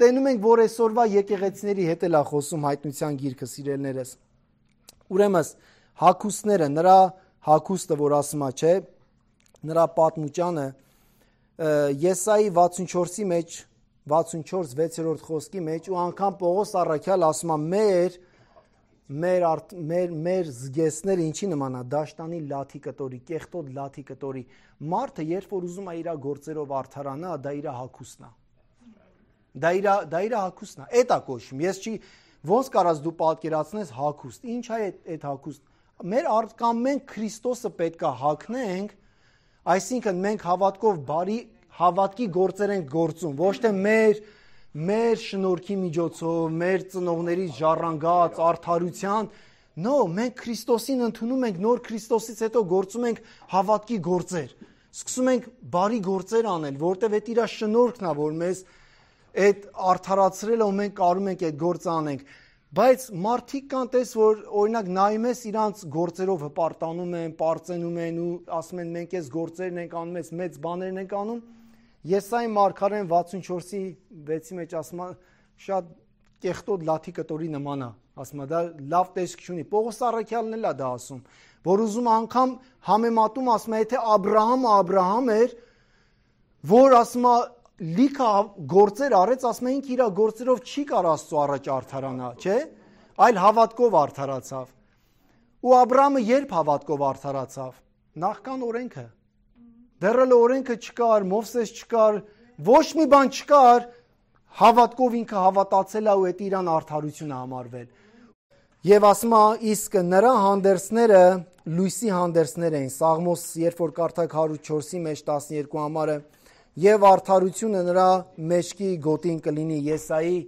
տենում ենք, որ այսօրվա եկեղեցիների հետ էլ է խոսում հայտնության գիրքը, սիրելիներս։ Ուրեմն հագուստները, նրա հագուստը, որ ասում է, չէ, նրա պատմուճանը Եսայի 64-ի մեջ 64-6-րդ խոսքի մեջ ու անգամ Պողոս առաքյալ ասում է մեր զգեսները ինչի նման է, դաշտանի լաթի կտորի, կեղտոտ լաթի կտորի։ Մարդը երբ որ ուզում է իր գործերով արդարանա, դա իր հագուստն է։ Դա իր հագուստն է, էդ է կոչվում։ Ես չի ոնց կարաս դու պատկերացնես հագուստ։ Ինչ է այդ հագուստ։ Մեր կամ մենք Քրիստոսը պետքա հագնենք, այսինքն մենք հավատքով բարի հավատքի գործեր ենք գործում, ոչ թե մեր շնորհքի միջոցով, մեր ծնողների ժառանգած արդարության, մենք Քրիստոսին ընդունում ենք, նոր Քրիստոսից հետո գործում ենք հավատքի գործեր։ Սկսում ենք բարի գործեր անել, որտեղ այդ իր շնորհքն է, որ մեզ այդ արդարացրել ու մենք կարում ենք այդ գործը անենք, բայց մարդիկ կան տես, որ օրինակ նայում ես իրանց գործերով հպարտանում են, պարծենում են ու ասում են մենք այս գործերն ենք անում, այս մեծ բաներն ենք անում։ Եսայի մարգարեն 64-ի 6-ի մեջ ասում է շատ կեղտոտ լաթի կտորի նման է, ասում է դա լավ տեսք չունի։ Պողոս առաքյալն էլ է դա ասում, որ ուզում անգամ համեմատում, ասում է եթե Աբրահամը էր, որ ասում է լիքը գործեր արեց, ասում է ինքը իր գործերով չի կար Աստծո առաջ արդարանա, չէ՞, այլ հավատքով արդարացավ։ Ու Աբրահամը երբ հավատքով արդարացավ, նախքան օրենքը։ Դեռ էլ օրենքը չկար, Մովսես չկար, ոչ մի բան չկար, հավատքով ինքը հավատացել է ու այդ իրան արդարությունը համարվել։ Եվ ասում է իսկ նրա հանդերձները լույսի հանդերձներ էին։ Սաղմոս երբ որ կարդակ 104-ի մեջ 12 համարը եւ արդարությունը նրա մեջքի գոտին կլինի Եսայի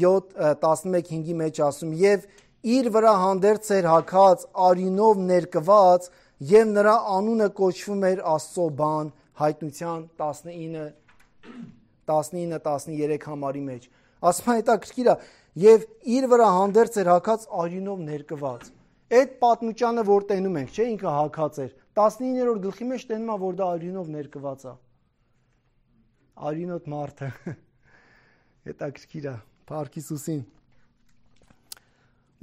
7:11-5-ի մեջ ասում եւ իր վրա հանդերձ էր հագած արյունով ներկված եւ նրա անունը կոչվում էր Աստծո բան հայտնության 19-13 համարի մեջ ասում է հետաքրքիր է եւ իր վրա հանդերձ էր հագած արյունով ներկված այդ պատմուճանը որ տենում ենք չէ ինքը հագած էր 19-րդ գլխի մեջ տենում է որ դա արյունով ներկված է արյունոտ մարդը հետաքրքիր է Փառք Հիսուսին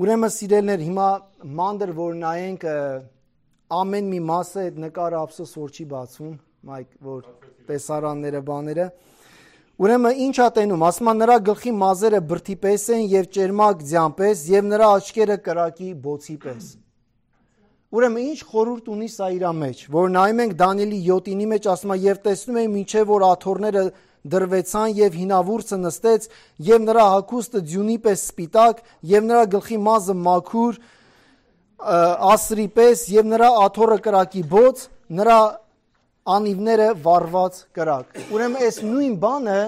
ուրեմն սիրելիներ հիմա մանդր որ նայենք ամեն մի մասը այդ նկարը ափսոս որ չի բացվում մայք որ տեսարանները բաները ուրեմն ինչ է տենում ասում է նրա գլխի մազերը բրդի պես են եւ ճերմակ ձյան պես եւ նրա աչքերը կրակի բոցի պես ուրեմն ինչ խորհուրդ ունի սա իր մեջ որ նայում ենք Դանիելի 7-ի մեջ ասում է եւ տեսնում եմ ինչեւ որ աթոռները դրվեցան եւ հինավուրցը նստեց եւ նրա հագուստը ձյունի պես սպիտակ եւ նրա գլխի մազը մաքուր ասրի պես եւ նրա աթոռը կրակի բոց, նրա անիվները վառված կրակ։ Ուրեմն այս նույն բանը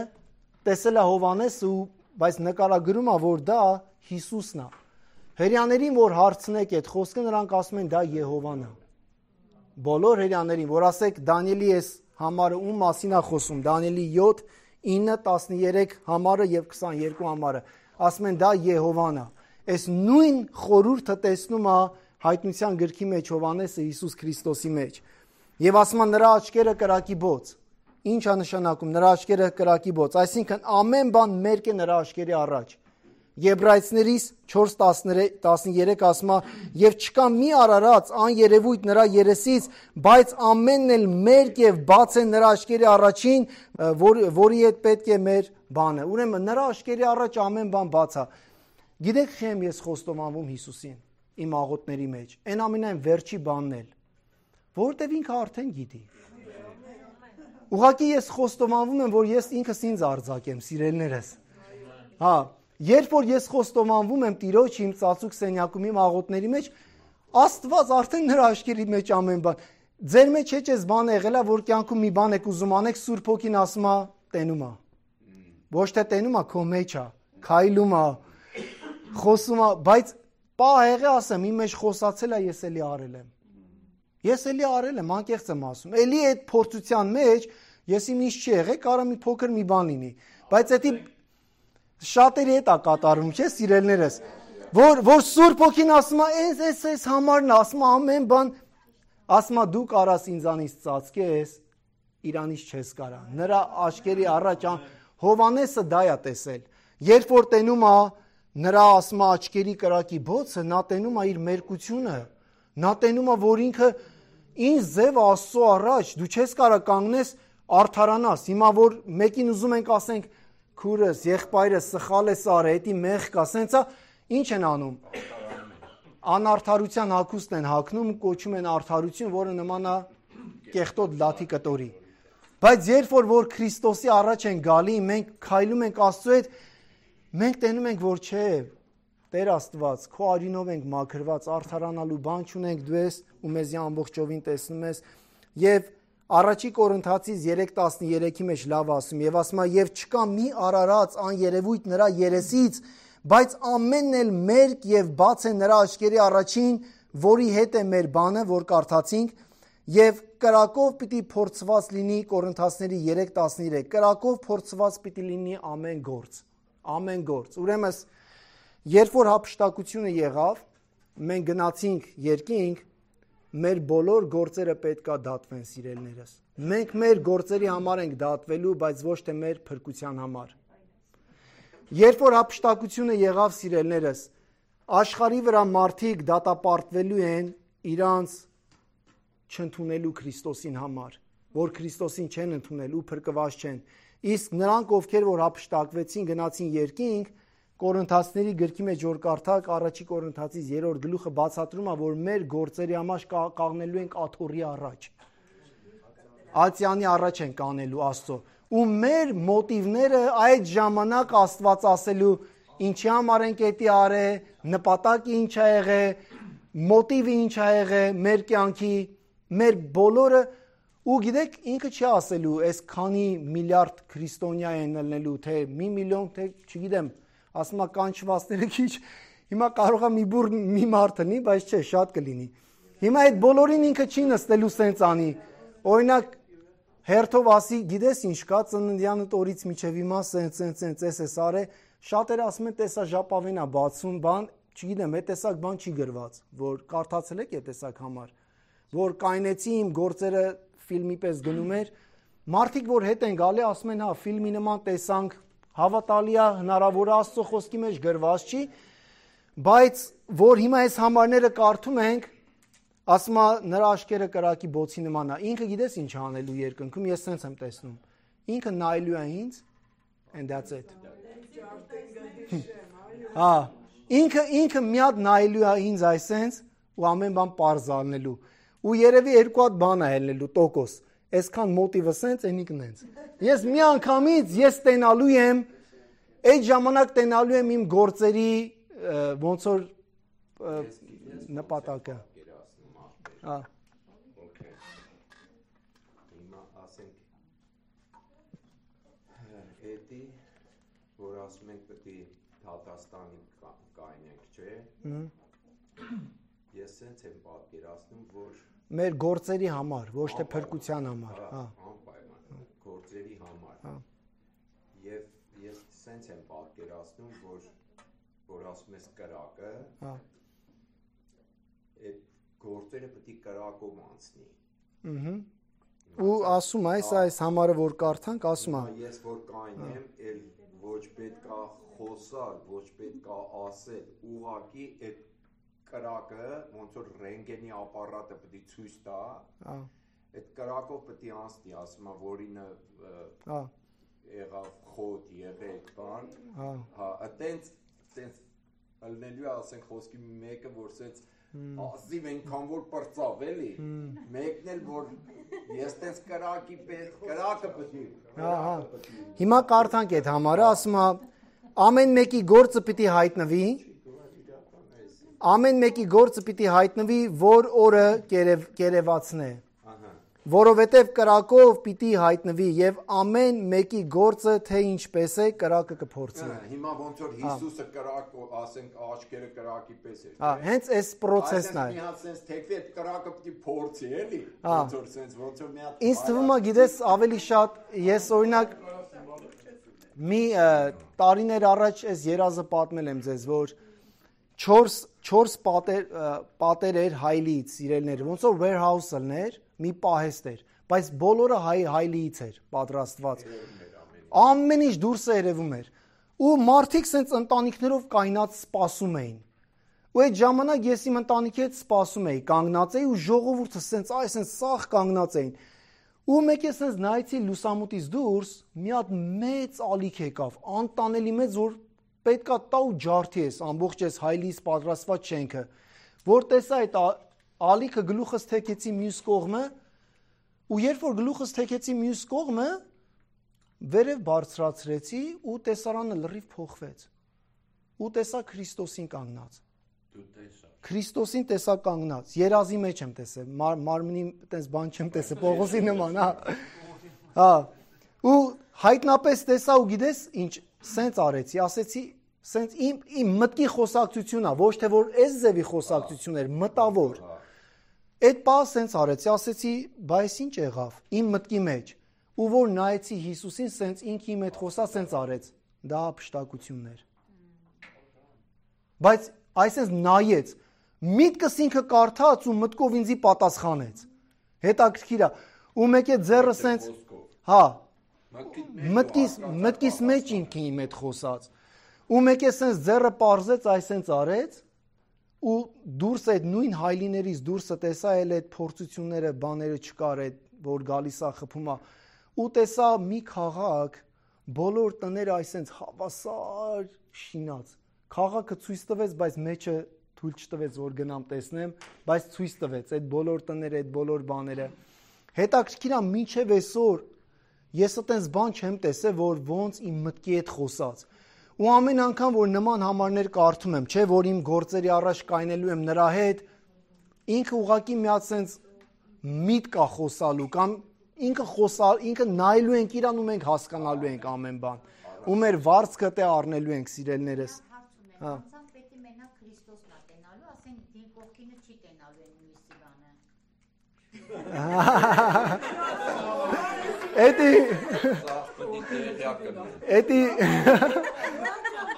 տեսել է Հովհաննեսը, բայց նկարագրում է, որ դա Հիսուսն է։ Հրեաներին, որ հարցնեք այդ խոսքը, նրանք ասում են դա Եհովան է։ Բոլոր հրեաներին, որ ասեք Դանիելի այս համարը ում մասին է խոսում, Դանիելի 7, 9, 13 համարը եւ 22 համարը, ասում են դա Եհովան է։ Այս նույն խորհուրդը տեսնում է Հայտնության գրքի մեջ Հովհաննեսը Հիսուս Քրիստոսի մեջ։ Եվ ասում է նրա աչքերը կրակի բոց։ Ինչ է նշանակում նրա աչքերը կրակի բոց, այսինքն ամեն բան մերկ է նրա աչքերի առաջ։ Եբրայեցիներից 4:13 ասում է. «Եվ չկա մի արարած աներևույթ նրա երեսից, բայց ամենն էլ մերկ եւ բաց է նրա աչքերի առաջին, որի հետ պետք է մեր բանը»։ Ուրեմն նրա աչքերի առաջ ամեն բան բաց է։ Գիտեք խեմ ես խոստովանվում Հիսուսին իմ աղոթների մեջ։ Այն ամենայն վերջի բանն էլ, որովհետեւ ինքը արդեն գիտի։ Ուղղակի ես խոստովանվում եմ, որ ես ինքս ինձ արձակեմ, սիրելիներս։ Հա, երբ որ ես խոստովանվում եմ Տիրոջ իմ ծածուկ սենյակում իմ աղոթների մեջ, Աստված արդեն նրա աչքերի մեջ ամեն բան։ Ձեր մեջ չէ՞ այս բանը եղել է, որ կյանքում մի բան եք ուզում անեք, Սուրբ Հոգին ասում է, տենում է։ Ոչ թե տենում է, քո մեջ է, քայլում է, խոսում է, բայց պահ եղե ասեմ, իմ մեջ խոսացել է, ես էլի արել եմ։ Ես էլի արել եմ, անկեղծ եմ ասում։ Էլի այդ փորձության մեջ ես իմ ինչ չի եղել, կարա մի փոքր մի բան լինի, բայց դա շատերի հետ է կատարում, չէ՞, սիրելիներս, որ Սուրբ Հոգին ասում է, այս համարն է, ասում է ամեն բան, ասում է դու կարաս ինձանից ծածկես, իրանից չես կարա։ Նրա աչքերի առաջ Հովհաննեսը դա է տեսել։ Երբ որ տենում է նրա ասում է աչքերի կրակի բոցը, նա տենում է իր մերկությունը, նա տենում է, որ ինքը ինչ ձև Աստծո առաջ, դու չես կարա կանգնես արդարանաս։ Հիմա որ մեկին ուզում ենք ասենք քուրս, եղբայրս սխալ է արել, էդի մեղք կա, սենցա ինչ են անում։ Անարդարության հագուստ են հագնում, կոչում են արդարություն, որը նման է կեղտոտ լաթի կտորի։ Բայց երբ որ Քրիստոսի առաջ են գալի, մենք քայլում ենք Աստծո հետ, մենք տենում ենք, որ չէ, Տեր Աստված, քո արյունով ենք մաքրված, արդարանալու բան չունենք, դու ես ու մեզի ամբողջովին տեսնում ես։ Եվ Առաջի Կորինթացիս 3:13-ի մեջ լավ ասում, եւ ասում է, եւ չկա մի արարած աներևույթ նրա երեսից, բայց ամենն էլ մերկ եւ բաց է նրա աչքերի առաջին, որի հետ է մեր բանը, որ կարդացինք, եւ կրակով պիտի փորձված լինի Կորինթացիների 3:13, կրակով փորձված պիտի լինի ամեն գործ, ամեն գործ։ Ուրեմն երբ որ հափշտակությունը եղավ, մենք գնացինք երկինք, մեր բոլոր գործերը պետքա դատվեն, սիրելիներս։ Մենք մեր գործերի համար ենք դատվելու, բայց ոչ թե մեր փրկության համար։ Երբ որ հափշտակությունը եղավ, սիրելիներս, աշխարհի վրա մարդիկ դատապարտվելու են իրանց չընդունելու Քրիստոսին համար, որ Քրիստոսին չեն ընդունել ու փրկված չեն։ Իսկ նրանք, ովքեր որ հափշտակվեցին, գնացին երկինք, Կորինթացիների գրքի մեջ որ կարդակ, Առաջի Կորինթացիս 3-րդ գլուխը բացատրում է, որ մեր գործերի համար կանգնելու ենք աթոռի առաջ։ Ատյանի առաջ ենք կանելու Աստծո։ Ու մեր մոտիվները այդ ժամանակ Աստված ասելու ինչի համար ենք էդի արել, նպատակը ինչ է եղել, մոտիվը ինչ է եղել մեր կյանքի, մեր բոլորը ու գիտեք ինքը չի ասելու, այս քանի միլիարդ քրիստոնյա են ելնելու, թե մի միլիոն, թե չգիտեմ, ասում է կանչվածները քիչ, հիմա կարող է մի բուր մի մարդ լինի, բայց չէ, շատ կլինի։ Հիմա այդ բոլորին ինքը չի նստելու սենց անի։ Օրինակ հերթով ասի, գիտես ինչ կա, ծննդյանդ օրից միջև հիմա սենց էս արե, շատերը ասում են տեսա ժապավեն է բացում, բան, չգիտեմ, այդ տեսակ բան չի գրված, որ կարդացել եք այդ տեսակ համար, որ կայնեցի իմ գործերը ֆիլմի պես գնում էր, մարդիկ որ հետ են գալի, ասում են, հա, ֆիլմի նման տեսանք, հավատալի է, հնարավոր է Աստծո խոսքի մեջ գրված չի, բայց որ հիմա այս համարները կարդում ենք, ասում է նրա աչքերը կրակի բոցի նման է։ Ինքը գիտես ինչ անելու երկնքում, ես սենց եմ տեսնում։ Ինքը նայելու է ինձ, and that's it։ Հա, ինքը մի հատ նայելու է ինձ այսենց ու ամեն բան պարզ անելու։ Ու երևի երկու հատ բան է ելնելու տոկոս։ Այսքան մոտիվը սենց ենիկն ենք։ Ես մի անգամից ես տենալու եմ, այդ ժամանակ տենալու եմ իմ գործերի ոնց որ նպատակը։ Հա։ Okay. Հիմա ասենք էդի որ ասում ենք պետք է Թատաստանի կայնենք, չէ՞։ Ես sense եմ պատկերացնում, որ մեր գործերի համար, ոչ թե փրկության համար, հա։ Անպայման գործերի համար։ Հա։ Եվ ես sense եմ պատկերացնում, որ ասում ես կրակը, հա։ այդ գործերը պետք է կրակով անցնի։ Ու ասում այս համարը որ կարդանք, ասում է ես որ կայնեմ, էլ ոչ պետք է խոսալ, ոչ պետք է ասել, ուղղակի այդ կրակը ոնց որ ռենտգենի ապարատը պետք է ցույց տա, այդ կրակով պետք է անցնի, ասում է որինը եղավ խոտ, եղեք բան, հա, այտենց ալնելու ասենք խոսքի մեկը որ ասեց ասիվ այնքան որ պրծավ էլի, մեկն էլ որ ես տենց կրակը պետք է։ Հիմա կարդանք այդ համարը, ասում է ամեն մեկի գործը պիտի հայտնվի, որ օրը կերևացնե, որովհետև կրակով պիտի հայտնվի եւ ամեն մեկի գործը թե ինչպես է կրակը կփորձի։ Հիմա ոնց որ Հիսուսը կրակ ասենք աչքերը կրակի պես էր։ Հենց այս process-ն է։ Այսինքն մի հատ sense թեքվի այդ կրակը պիտի փորձի, էլի։ Ոնց որ sense ոնց որ մի հատ Ինձ թվում է գիտես ավելի շատ ես օրինակ մի տարիներ առաջ այս երազը պատմել եմ ձեզ, որ 4 պատեր էր հայլիից իրելները, ոնց որ warehouse-ներ, մի պահեստ էր, բայց բոլորը հայլիից էր պատրաստված։ Ամեն ինչ դուրս երևում էր։ Ու մարդիկ սենց ընտանիքներով կայնած սպասում էին։ Ու այդ ժամանակ ես իմ ընտանիքի հետ սպասում էի, կանգնած էի ու ժողովուրդը սենց սաղ կանգնած էին։ Ու մեկ է սենց նայեցի լուսամուտից դուրս, մի հատ մեծ ալիք եկավ, անտանելի մեծ, որ պետքա տա ու ջարդի ես, ամբողջ ես հայլիից պատրաստված շենքը, որ տեսա այդ ալիքը գլուխս թեքեցի մյուս կողմը, ու երբ որ գլուխս թեքեցի մյուս կողմը, վերև բարձրացրեցի ու տեսարանը լրիվ փոխվեց։ Ու տեսա Քրիստոսին կանգնած։ Քրիստոսին տեսա կանգնած, երազի մեջ եմ տեսել, մարմնի տես բան չեմ տեսել, Պողոսի նման, հա։ Ու հայտնապես տեսա ու գիտես ինչ, սենց արեցի, ասեցի, սենց իմ մտքի խոսակցությունն է, ոչ թե որ այս ձևի խոսակցություն էր, մտավոր։ Այդ պահը սենց արեցի, ասեցի, բայց ինչ եղավ, իմ մտքի մեջ, ու որ նայեցի Հիսուսին, սենց ինքը իմ հետ խոսա, սենց արեց, դա հափշտակությունն էր։ Բայց այսպես նայեց, միտքս ինքը կարդաց ու մտքով ինձի պատասխանեց։ Հետաքրքիր է, ու մեկ է ձեռը սենց, հա, մտքիս մեջ ինքը իմ հետ խոսած։ Ու մեկ է սենց ձեռը պարզեց, այսենց արեց, ու դուրս այդ նույն հայլիներից դուրսը տեսա էլ այդ փորձությունները, բաները չկար այդ, որ գալիս է խփում է, ու տեսա մի քաղաք, բոլոր տները այսենց հավասար շինած։ Քաղաքը ցույց տվեց, բայց մեջը թույլ չտվեց, որ գնամ տեսնեմ, բայց ցույց տվեց այդ բոլոր տները, այդ բոլոր բաները։ Հետաքրքիր է մինչև այսօր ես այտենց բան չեմ տեսել, որ ոնց իմ մտքի հետ խոսած։ Ու ամեն անգամ, որ նման համարներ կարդում եմ, չէ, որ իմ գործերի առաջ կայնելու եմ նրա հետ, ինքը ուղղակի մի հատ սենց միտք է խոսալու, կամ ինքը նայելու ենք իրան ու մենք հասկանալու ենք ամեն բան։ Ու մեր վարձքը տե առնելու ենք սիրելներս։ Հա։ Պետք է մենակ Քրիստոսն է տենալու, ասեն դին կողքինը չի տենալու են մյուսի բանը։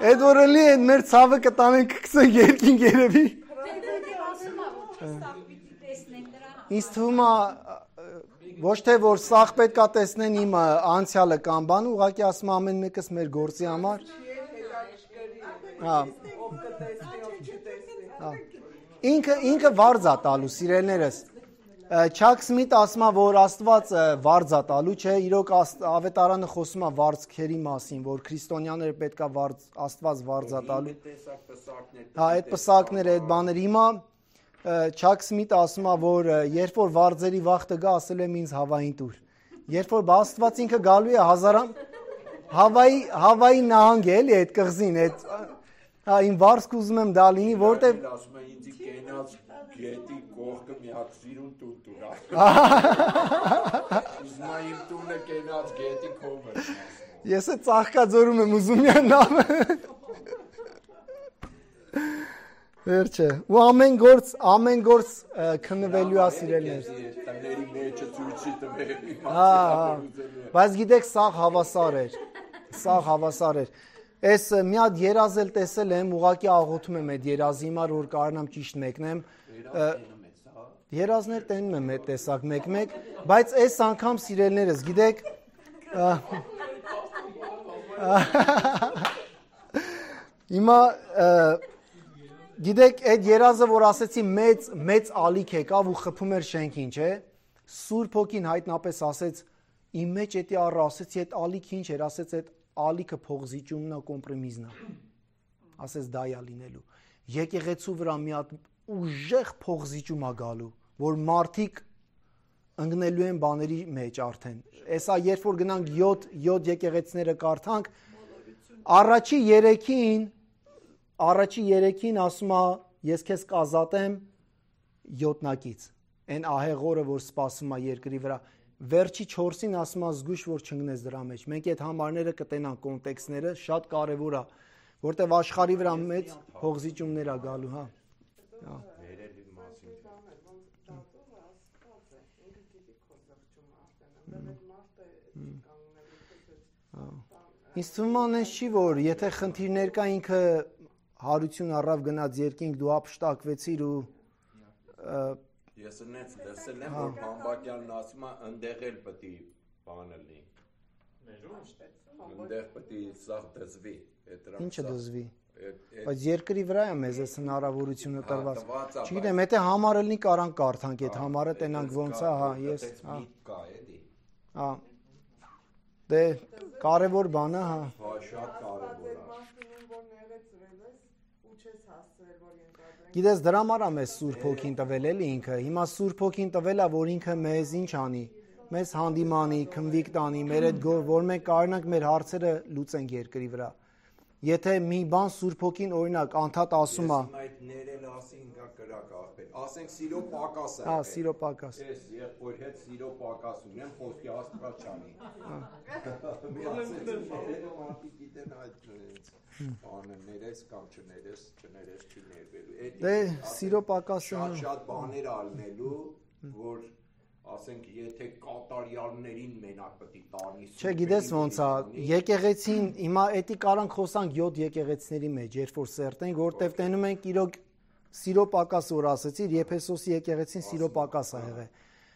Էդ որելի են մեր ցավը կտանենք կքսեն երկին երևի։ Ինձ թվում է ոչ թե որ սաղ պետք է տեսնեն իմ անցյալը կամ բան, ուղղակի ասում ամեն մեկս մեր գործի համար։ Ինքը վարձ է տալու, սիրելներս։ Չակ Սմիթը ասում է, որ Աստված վարձ է տալու, չէ, իրոք ավետարանը խոսում է վարձքերի մասին, որ քրիստոնյաները պետք է Աստված վարձ է տալու։ Հա, այդ պսակները, այդ բաները հիմա Չակ Սմիթը ասում է, որ երբ որ վարձերի վախտը գա, ասել եմ ինձ Հավային տուր։ Երբ որ Աստված ինքը գալու է Հավայի նահանգ է, էլի այդ կղզին, այդ հա իմ վարձք ուզում եմ դա լինի, որտեղ Գետի կողքը մի հատ սիրուն տուն տուրա։ Ուզում իմ տունը կենած գետի կողը։ Ես է Ծաղկաձորում եմ ուզում յան նավը։ Վերջը։ Ու ամեն գործ քննվելու է սիրելներ։ Տների մեջը ցույցի տվել։ Բայց գիտեք, սա հավասար էր։ Այս մի հատ երազել տեսել եմ, ուղղակի աղոթում եմ այդ երազի համար, որ կարողանամ ճիշտ մեկնեմ։ Երազներ տենում եմ այդ տեսակ մեկ, բայց այս անգամ սիրելներս, գիտեք, հիմա գիտեք, այդ երազը, որ ասեցի մեծ ալիք եկավ ու խփում էր շենքին, չէ՞։ Սուրբ Հոգին հայտնապես ասեց, իմ մեջ էդի առ ասեցի, այդ ալիքը ինչ էր, ասեց այդ ալիքը փողզիջումն է, կոմպրոմիզն է։ Ասեց դա է լինելու։ Եկեղեցու վրա մի հատ ուժեղ փողզիջում է գալու, որ մարդիկ ընկնելու են բաների մեջ արդեն։ Էսա երբ որ գնանք 7 եկեղեցիները կարդանք, առաջի 3-ին ասում է, ես քեզ կազատեմ 7-նակից։ Այն ահեղ օրը, որ սպասում է երկրի վրա։ Վերջի 4-ին ասում է զգույշ, որ չընկնես դրա մեջ։ Մենք այդ համարները կտենանք կոնտեքստները, շատ կարևոր է, որտեվ աշխարհի վրա մեծ փողզիջումներ է գալու, հա։ Ինձ թվում է այնպես չի, որ եթե խնդիրներ կա ինքը հարություն առավ գնաց երկինք, դու ապշտակվեցիր ու Ես լսել եմ, որ Բամբակյանն ասում է, ընդեղ էլ պետք է բանը լինի։ Ընդեղ պետք է սաղ դզվի։ Ինչը դզվի։ Բայց երկրի վրա է մեզ այս հնարավորությունը տրված։ Չգիտեմ, եթե համարը լինի կարան կարդանք այդ համարը, տենանք ոնց է, հա, ես, հա։ Դե կարևոր բան է, հա։ Շատ կարևոր է։ Գիտես, դրա համար է մեզ Սուրբ Հոգին տվել էլի ինքը։ Հիմա Սուրբ Հոգին տվել է, որ ինքը մեզ ինչ անի, մեզ հանդիմանի, քնվիկ տանի, մեր այդ որ մենք կարողանանք մեր հարցերը լուծենք երկրի վրա։ Եթե մի բան Սուրբ Հոգին օրինակ անդադ ասում է, այդ ներել ասին գա կրակ ախպեր։ Ասենք սիրո պակաս է։ Հա, սիրո պակաս։ Ես եղբոր հետ սիրո պակաս ունեմ, խոսքի Աստված չանի։ Մի ասեցի ներել մարդիկ գիտեն այդ բանը ներես կամ չներես չի ներվելու։ Դե սիրո պակասը շատ բաներ ալնելու, որ ասենք եթե կատարյալներին մենակ պետք է տանի։ Չէ, գիտես ոնց է, եկեղեցին հիմա էդի կարանք խոսանք 7 եկեղեցիների մեջ, երբ որ սերտենք, որտեվ տենում ենք իրոք սիրո պակաս որ ասեցիր, Եփեսոսի եկեղեցին սիրո պակաս է եղել։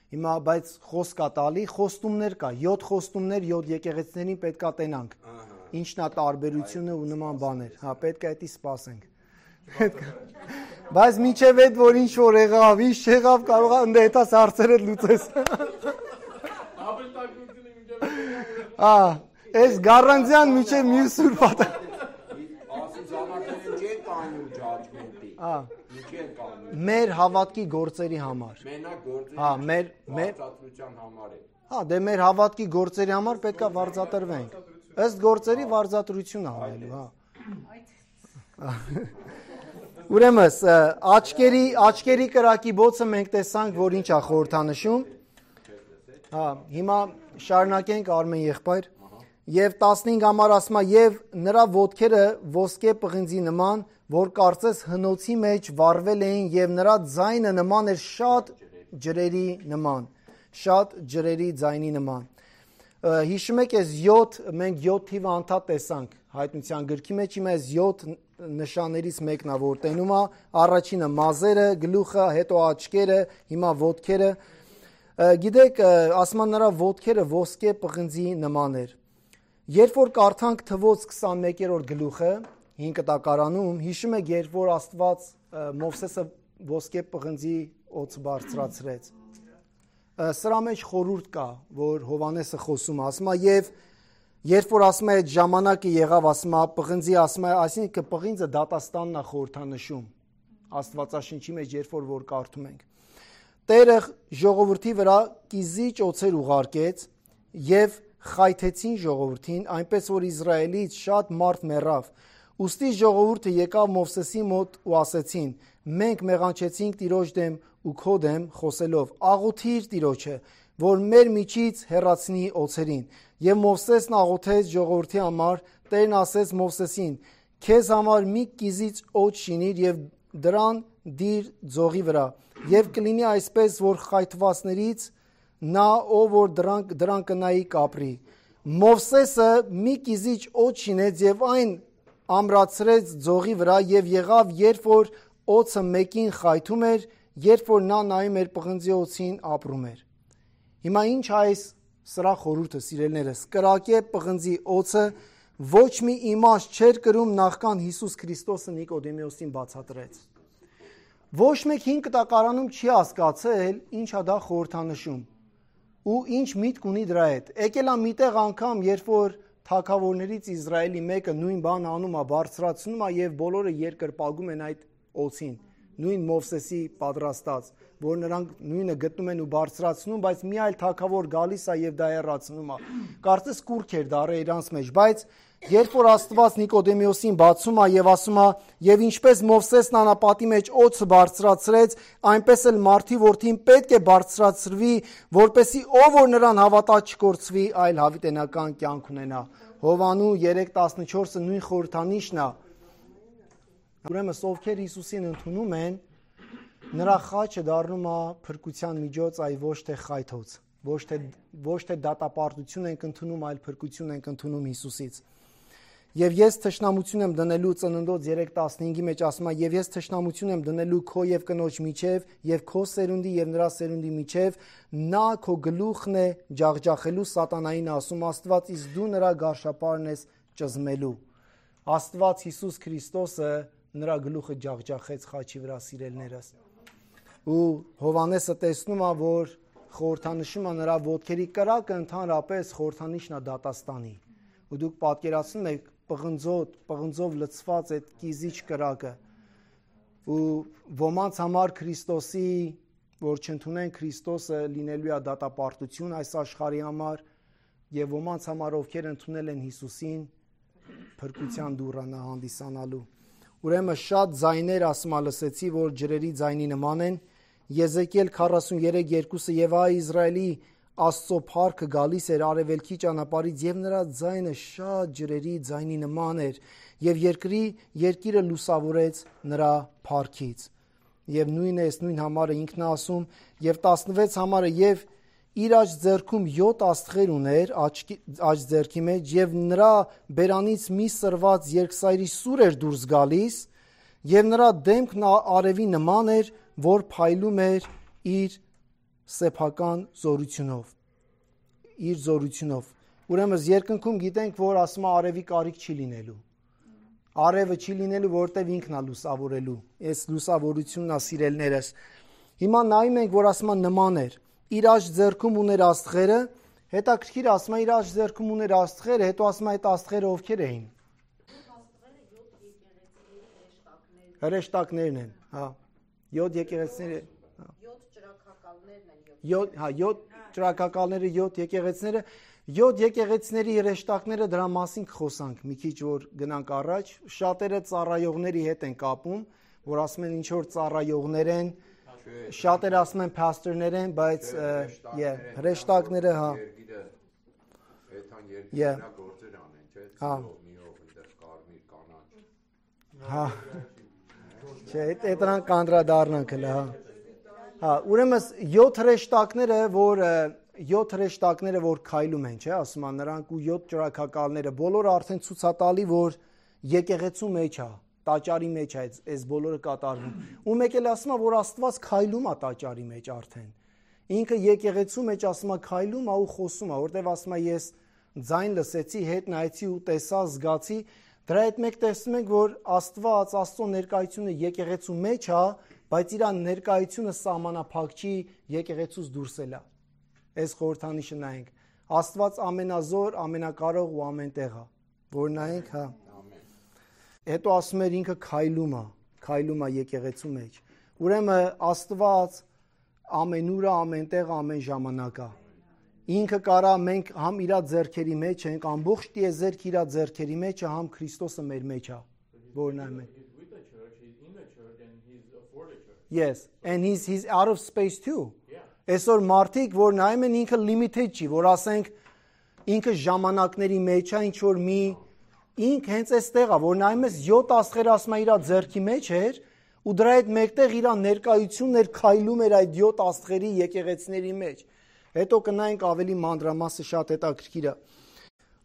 Հիմա բայց խոսք կա տալի, խոստումներ կա, 7 խոստումներ 7 եկեղեցիներին պետք է տենանք։ Ինչն է տարբերությունը ու նման բաներ։ Հա, պետք է դա սպասենք։ Բայց մինչև այդ որ ինչ որ եղավ, ինչ չեղավ, կարող է ընդ հետաս հարցերը լուծես։ Հա, այս գառանձյան մինչև մյուս սուրբատը։ Հա, մեր հավատքի գործերի համար։ Մենակ գործերի հա, մեր վարձատրության համար է։ Հա, դե մեր հավատքի գործերի համար պետք է վարձատրվենք։ Ըստ գործերի վարձատրություն անելու, հա։ Ուրեմն աչքերի կրակի բոցը մենք տեսանք, որ ինչ է խորհրդանշում։ Հա, հիմա շարունակենք Արմեն եղբայր։ Եվ 15 համար ասում է, եւ նրա ոտքերը ոսկե պղնձի նման, որ կարծես հնոցի մեջ վառվել էին, եւ նրա ձայնը նման էր շատ ջրերի ձայնի նման։ Հիշում եք այս 7 մենք 7 թիվը անդադ տեսանք հայտնության գրքի մեջ, հիմա այս 7 նշաններից մեկն է, որ տենում է, առաջինը մազերը, գլուխը, հետո աչքերը, հիմա ոտքերը։ Գիտեք, ասում են նրա ոտքերը ոսկե պղնձի նման էր։ Երբ որ կարդանք Թվոց 21-րդ գլուխը 5 տակարանում, հիշում եք, երբ որ Աստված Մովսեսը ոսկե պղնձի օձ բարձրացրեց։ Սրա մեջ խորհուրդ կա, որ Հովհաննեսը խոսում է, ասում է, եւ երբ որ ասում է այդ ժամանակը եղավ, ասում է պղնձի, ասում է, այսինքն պղինձը դատաստանն է խորհրդանշում Աստվածաշնչի մեջ, երբ որ կարդում ենք։ Տերը ժողովրդի վրա կիզիչ օձեր ուղարկեց եւ խայթեցին ժողովրդին, այնպես որ Իսրայելից շատ մարդ մեռավ։ Ուստի ժողովուրդը եկավ Մովսեսի մոտ ու ասեցին. մենք մեղանչեցինք Տիրոջ դեմ ու քո դեմ խոսելով, աղոթիր Տիրոջը, որ մեր միջից հեռացնի օձերին։ Եվ Մովսեսն աղոթեց ժողովրդի համար, Տերն ասեց Մովսեսին. քեզ համար մի կիզիչ օձ շինիր եւ դրան դիր ձողի վրա, եւ կլինի այսպես, որ խայթվածներից նա, ով որ դրան կնայի կապրի։ Մովսեսը մի կիզիչ օձ շինեց եւ այն ամրացրեց ձողի վրա եւ եղավ, երբ որ օձը մեկին խայթում էր, երբ որ նա նայում էր պղնձի օձին ապրում էր։ Հիմա ինչ այս սրա խորհուրդը, սիրելիներս, կրակե պղնձի օձը ոչ մի իմաստ չէր կրում նախքան Հիսուս Քրիստոսը Նիկոդեմոսին բացատրեց։ Ոչ մեկ 5 կտակարանում չի հասկացել ինչա դա խորհրդանշում ու ինչ միտք ունի դրա հետ։ Եկել է միտեղ անգամ, երբ որ թագավորներից Իսրայելի մեկը նույն բան անում է, բարձրացնում է եւ բոլորը երկրպագում են այդ օձին, նույն Մովսեսի պատրաստած, որ նրանք նույնը գտնում են ու բարձրացնում, բայց մի այլ թագավոր գալիս է եւ դա հեռացնում է։ Կարծես կուրք էր դարը իրանց մեջ, բայց երբ որ Աստված Նիկոդեմոսին բացում է եւ ասում է, եւ ինչպես Մովսեսն անապատի մեջ օձը բարձրացրեց, այնպես էլ մարդի որդին պետք է բարձրացրվի, որպեսզի ով որ նրան հավատա չկորցվի, այլ հավիտենական կյանք ունենա։ Հովանու 3:14-ը նույն խորհրդանիշն է։ Ուրեմն ովքեր Հիսուսին ընդունում են, նրա խաչը դառնում է փրկության միջոց, այլ ոչ թե խայթոց, ոչ թե դատապարտություն ենք ընդունում, այլ փրկություն ենք ընդունում Հիսուսից։ Եվ ես թշնամություն եմ դնելու Ծննդոց 3:15-ի մեջ ասում է, եւ ես թշնամություն եմ դնելու քո եւ կնոջ միջև եւ քո սերունդի եւ նրա սերունդի միջև, նա քո գլուխն է ջախջախելու սատանային ասում Աստված, իսկ դու նրա գարշապարն ես ճզմելու։ Աստված Հիսուս Քրիստոսը նրա գլուխը ջախջախեց խաչի վրա, սիրելիներս։ Ու Հովանեսը տեսնում է, որ խորհրդանշում է նրա ոտքերի կրակը ընդհանրապես խորհրդանիշն է դատաստանի։ Ու դուք պատկերացնում եք պղնձով լցված այդ կիզիչ կրակը։ Ու ոմանց համար Քրիստոսի, որ չընդունեն Քրիստոսը, լինելու է դատապարտություն այս աշխարհի համար, եւ ոմանց համար, ովքեր ընդունել են Հիսուսին, փրկության դուռը հանդիսանալու։ Ուրեմն շատ ձայներ ասում լսեցի, որ ջրերի ձայնի նման են։ Եզեկիել 43:2-ը եւ այ Իսրայելի Աստծո փառքը գալիս էր արևելքի ճանապարհից եւ նրա ձայնը շատ ջրերի ձայնի նման էր եւ երկիրը լուսավորեց նրա փառքից։ Եվ նույնը էս նույն համարը ինքն է ասում եւ 16 համարը եւ իր աջ ձեռքում 7 աստղեր ուներ աջ ձեռքի մեջ եւ նրա բերանից մի սրված երկսայրի սուր էր դուրս գալիս եւ նրա դեմքն արևի նման էր, որ փայլում էր իր սեփական զորությունով։ Ուրեմն երկնքում գիտենք, որ ասում է արևի կարիք չի լինելու։ Արևը չի լինելու, որտեվ ինքն է լուսավորելու։ Այս լուսավորությունն է, սիրելիներս։ Հիմա նայում ենք, որ ասում է նման էր։ Իր աջ ձեռքում ուներ աստղերը, հետաքրքիր ասում է իր աջ ձեռքում ուներ աստղերը, հետո ասում է այդ աստղերը ովքեր էին։ Հրեշտակներն են, հա։ 7 եկեղեցիները, 7 ճրակակալները, 7 եկեղեցիները, 7 եկեղեցիների հրեշտակները, դրա մասին կխոսանք մի քիչ, որ գնանք առաջ։ Շատերը ծառայողների հետ են կապում, որ ասում են ինչ որ ծառայողներ են, շատերը ասում են pastor-ներ են, բայց հրեշտակները, հա։ Այդան երկիրնա գործեր անեն, չէ՞, միով այնտեղ կարմիր կանաչ։ Հա։ Չէ, այդ նրան կանդրադառնանք հələ, հա։ Հա, ուրեմն 7 հրեշտակները, որ քայլում են, չէ, ասում են նրանք ու 7 ճրակակալները, բոլորը արդեն ցուցատալի, որ եկեղեցու մեջ է, տաճարի մեջ է այս բոլորը կատարվում։ Ու մեկ էլ ասում է, որ Աստված քայլում է տաճարի մեջ արդեն։ Ինքը եկեղեցու մեջ ասում է քայլում է ու խոսում է, որտեվ ասում է ես ձայն լսեցի, հետ նայեցի ու տեսա, զգացի։ Դրա հետ մեկ տեսնում ենք, որ Աստված, Աստծո ներկայությունը եկեղեցու մեջ է, բայց իր ներկայությունը սահմանափակ չի, եկեղեցուց դուրս է։ Այս խորհրդանիշը նայենք։ Աստված ամենազոր, ամենակարող ու ամենտեղ է, որ նայենք, հա։ Հետո ասում էր ինքը քայլում է եկեղեցու մեջ։ Ուրեմն Աստված ամենուր է, ամենտեղ, ամեն ժամանակ է։ Ինքը կարա մենք համ իր ձեռքերի մեջ ենք, ամբողջ տիեզերք իր ձեռքերի մեջ է, համ Քրիստոսը մեր մեջ է, որ նայում ենք։ Yes, and he's out of space too. Այսօր մարդիկ, որ նայում են ինքը limited չի, որ ասենք ինքը ժամանակների մեջ է, ինչ որ մի ինք հենց այստեղ է, որ նայում ես 7 աստղեր ասում է իր ձեռքի մեջ էր, ու դրա հետ մեկտեղ իր ներկայությունն էր քայլում էր այդ 7 աստղերի եկեղեցիների մեջ։ Հետո կնայենք ավելի մանրամասը, շատ հետաքրքիր է։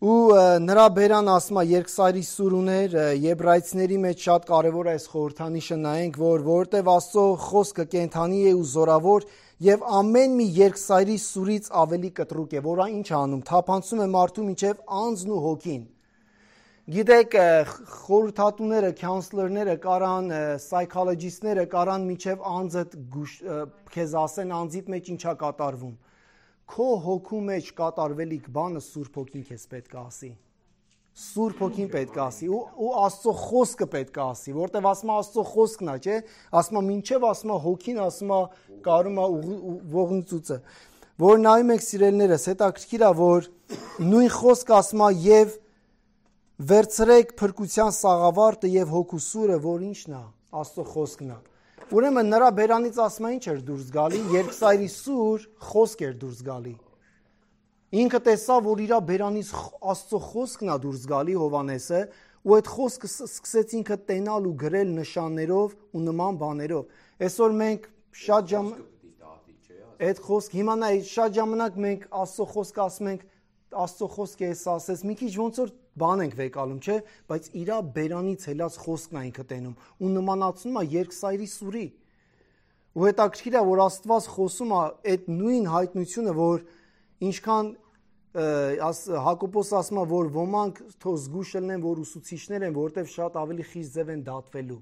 Ու նրա բերան ասում է երկսայրի սուր ուներ, Եբրայեցիների մեջ շատ կարևոր է այս խորհրդանիշը նայենք, որ որտեվ Աստծո խոսքը կենդանի է ու զորավոր եւ ամեն մի երկսայրի սուրից ավելի կտրուկ է, որը ինչ անում, թափանցում է մարդու միջև անձն ու հոգին։ Գիտեք, խորհրդատուները, counselor-ները կարան, psychologist-ները կարան միջև անձդ քեզ ասեն անձիդ մեջ ինչա կատարվում։ Քո հոգու մեջ կատարվելիք բանը Սուրբ Հոգին քեզ պետք է ասի։ Սուրբ Հոգին պետք է ասի ու Աստծո խոսքը պետք է ասի, որտեվ ասում է Աստծո խոսքն է, չէ՞։ Ասում է մինչև ասում է հոգին, ասում է կարում է ողնուծուցը։ Որ նայում եք սիրելիներս, հետաքրքիր է, որ նույն խոսքը ասում է եւ վերցրեք փրկության սաղավարտը եւ հոգու սուրը, որ ինչն է, Աստծո խոսքն է։ Ուրեմն նրա բերանից ասում է ինչ էր դուրս գալի, երկսայրի սուր խոսք էր դուրս գալի։ Ինքը տեսավ, որ իր բերանից Աստծո խոսքն է դուրս գալի Հովանեսը, ու այդ խոսքը սկսեց ինքը տենալ ու գրել նշաններով ու նման բաներով։ Այսօր մենք շատ այդ խոսք հիմա նայ շատ ժամանակ մենք Աստծո խոսքը ասում ենք, Աստծո խոսքը էս ասես, մի քիչ ոնց որ բան ենք վեկալում, չէ, բայց իր բերանից հելած խոսքն է ինքը տենում ու նմանացնում է երկսայրի սուրի։ Ու հետաքրքիր է, որ Աստված խոսում է այդ նույն հայտնությունը, որ ինչքան Հակոբոս ասում է, որ ոմանք թող զգուշ լինեն, որ ուսուցիչներ են, որտեվ շատ ավելի խիստ ձև են դատվելու,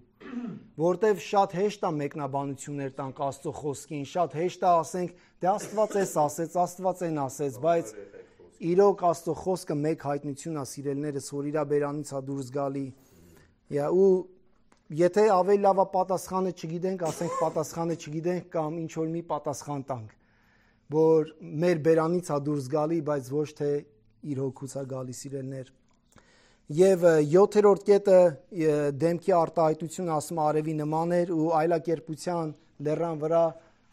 որտեվ շատ հեշտ է մեկնաբանություններ տանք Աստծո խոսքին, շատ հեշտ է ասենք, դե Աստված էս ասեց, Աստված այն ասեց, բայց իրոք Աստծո խոսքը մեկ հայտնություն է, սիրելիներս, որ իր բերանից է դուրս գալի։ Ու եթե ավելի լավ է պատասխանը չգիտենք, ասենք պատասխանը չգիտենք կամ ինչ որ մի պատասխան տանք, որ մեր բերանից է դուրս գալի, բայց ոչ թե իր հոգուց է գալի, սիրելիներ։ Եվ 7-րդ կետը դեմքի արտահայտությունը ասում արևի նման էր ու այլակերպության լեռան վրա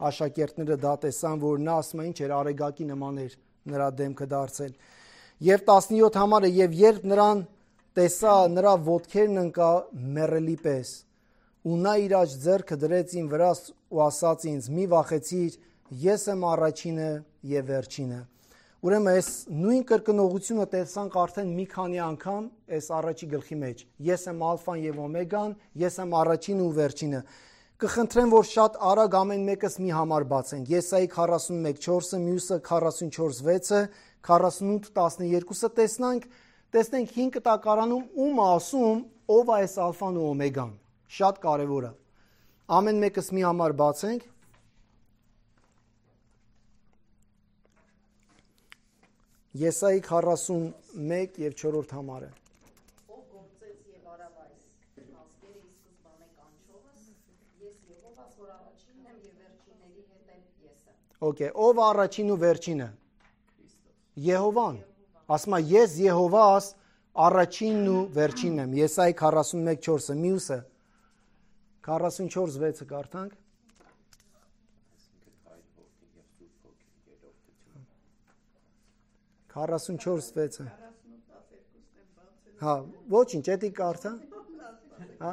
աշակերտները դա տեսան, որ նա ասում է ինչ էր արեգակի նման էր նրա դեմքը դարձել։ Եվ 17 համարը եւ երբ նրան տեսա, նրա ոտքերն ընկա մեռելի պես ու նա իր աջ ձեռքը դրեց իմ վրա ու ասաց ինձ՝ մի վախեցիր, ես եմ առաջինը եւ վերջինը։ Ուրեմն այս նույն կրկնողությունը տեսանք արդեն մի քանի անգամ այս առաջի գլխի մեջ։ Ես եմ ալֆան եւ օմեգան, ես եմ առաջինը ու վերջինը։ Կխնդրեմ, որ շատ արագ ամեն մեկս մի համար բացենք։ Եսայի 41:4-ը, մյուսը 44:6-ը, 48:12-ը տեսնենք 5 կտակարանում ում ասում, ով է այս ալֆան ու օմեգան։ Շատ կարևոր է։ Ամեն մեկս մի համար բացենք։ Եսայի 41 եւ 4-րդ համարը։ Ով գործեց եւ արավ այս ազգերը ի սկզբանե կանչողս, ես Եհովաս, որ առաջինն եմ եւ վերջինների հետ եմ ես եմ։ Okay, ով առաջին ու վերջինը։ Եհովան։ Ասում է ես Եհովաս առաջինն ու վերջինն եմ։ Եսայի 41:4-ը, մյուսը 44:6-ը կարդանք։ Քառասունչորս վեցը։ Հա, ոչինչ, էդի կարդա։ Հա։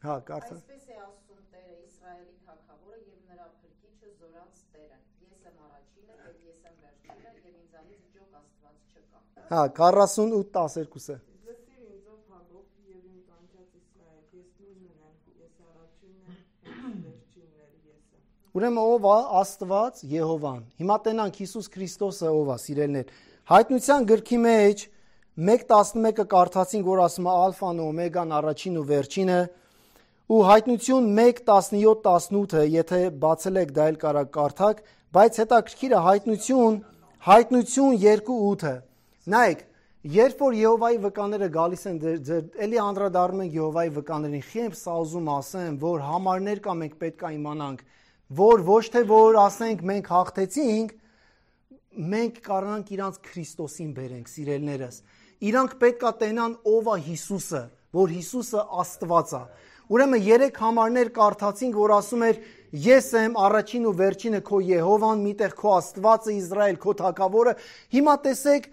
Հա, կարդա։ Այսպես է ասում Տերը Իսրայելի թագավորը եւ նրա փրկիչը զորած Տերը։ Ես եմ առաջինը եւ ես եմ վերջինը եւ ինձանից ջոկ Աստված չկա։ Հա, 48:12-ը։ Լսիր ինձ ով Հակոբ եւ ինձ անջած Իսրայել, ես նույնն եմ, ես առաջինն եմ, վերջինն ես եմ։ Ուրեմն ով է Աստված Եհովան։ Հիմա տենանք Հիսուս Քրիստոսը ով է, սիրելիներ։ Հայտնության գրքի մեջ 1:11-ը կարդացինք, որ ասում է ալֆան ու օմեգան, առաջին ու վերջինը, ու հայտնություն 1:17-18-ը, եթե բացել եք դա էլ կարա կարդաք, բայց հետաքրքիր է հայտնություն 2:8-ը։ Նայեք, երբ որ Եհովայի վկաները գալիս են, էլի անդրադառնում ենք Եհովայի վկաներին, խիմ սա ուզում ասեմ, որ համարներ կա մենք պետք է իմանանք, որ ոչ թե որ ասենք մենք հաղթեցինք, մենք կարողանանք իրանց Քրիստոսին բերենք, սիրելիներս։ Իրանք պետք է տենան ով է Հիսուսը, որ Հիսուսը Աստված է։ Ուրեմն 3 համարներ կարդացինք, որ ասում էր ես եմ առաջին ու վերջինը քո Եհովան, միտեղ քո Աստվածը Իսրայել, քո Թագավորը։ Հիմա տեսեք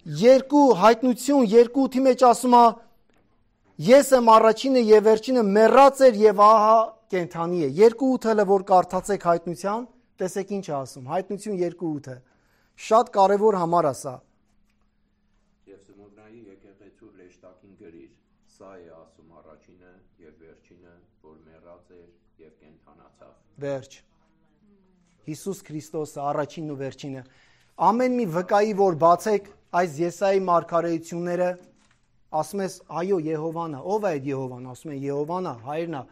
երկու հայտնություն, 2:8-ի մեջ ասում է ես եմ առաջինը եւ վերջինը, մեռած էր եւ ահա կենդանի է։ 2:8-ը որ կարդացեք հայտնության, տեսեք ինչ է ասում։ Հայտնություն 2:8-ը։ Շատ կարևոր համար է սա։ Եվ Սմոռնայի եկեղեցու հրեշտակին գրիր, սա է ասում առաջինը եւ վերջինը, որ մեռած էր եւ կենդանացավ։ Վերջ։ Հիսուս Քրիստոսը առաջինն ու վերջինը։ Ամեն մի վկայի որ բացեք այս Եսայի մարգարեությունները, ասում ես այո Եհովան է։ Ո՞վ է այդ Եհովան։ Ասում են Եհովան է, հայրն է։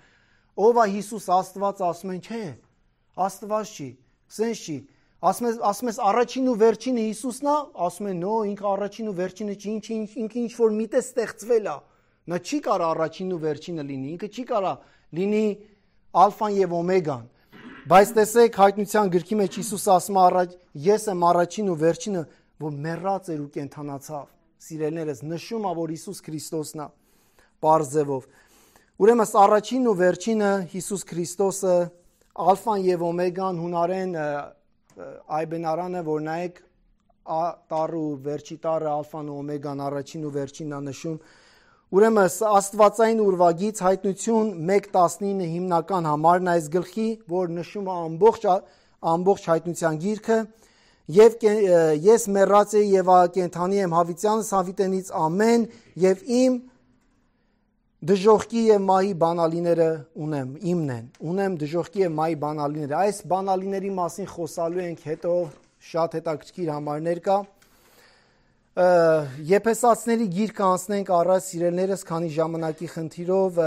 Ո՞վ է Հիսուս Աստված, ասում են չէ։ Աստված չի, սենց չի։ Ասում ես առաջին ու վերջինը Հիսուսն է, ասում են նո, ինքը առաջին ու վերջինը չի, ինքը ինչ որ միտեղ ստեղծվել է։ Նա չի կարա առաջինն ու վերջինը լինի, ինքը չի կարա լինի ալֆան եւ օմեգան։ Բայց տեսեք հայտնության գրքի մեջ Հիսուս ասում է ես եմ առաջին ու վերջինը, որ մեռած էր ու կենդանացավ։ Սիրելիներս, նշում է որ Հիսուս Քրիստոսն է պարզ ձևով։ Ուրեմն առաջինն ու վերջինը Հիսուս Քրիստոսը, ալֆան եւ օմեգան, հունարեն այբենարանը, որ նայեք տառը ու վերջի տառը, ալֆան ու օմեգան, առաջին ու վերջինն է նշում։ Ուրեմն Աստվածային ուրվագից հայտնություն 1:19 հիմնական համարն այս գլխի, որ նշում է ամբողջ հայտնության գիրքը, եւ ես մեռած եմ եւ կենդանի եմ հավիտյանս հավիտենից ամեն եւ իմ դժոխքի եւ մահի բանալիները ունեմ, իմն են։ Ունեմ դժոխքի եւ մահի բանալիները։ Այս բանալիների մասին խոսալու ենք հետո, շատ հետաքրքիր համարներ կա։ Եփեսացիների գիրքը անցնենք առաջ, սիրելիներս, քանի ժամանակի խնդիրով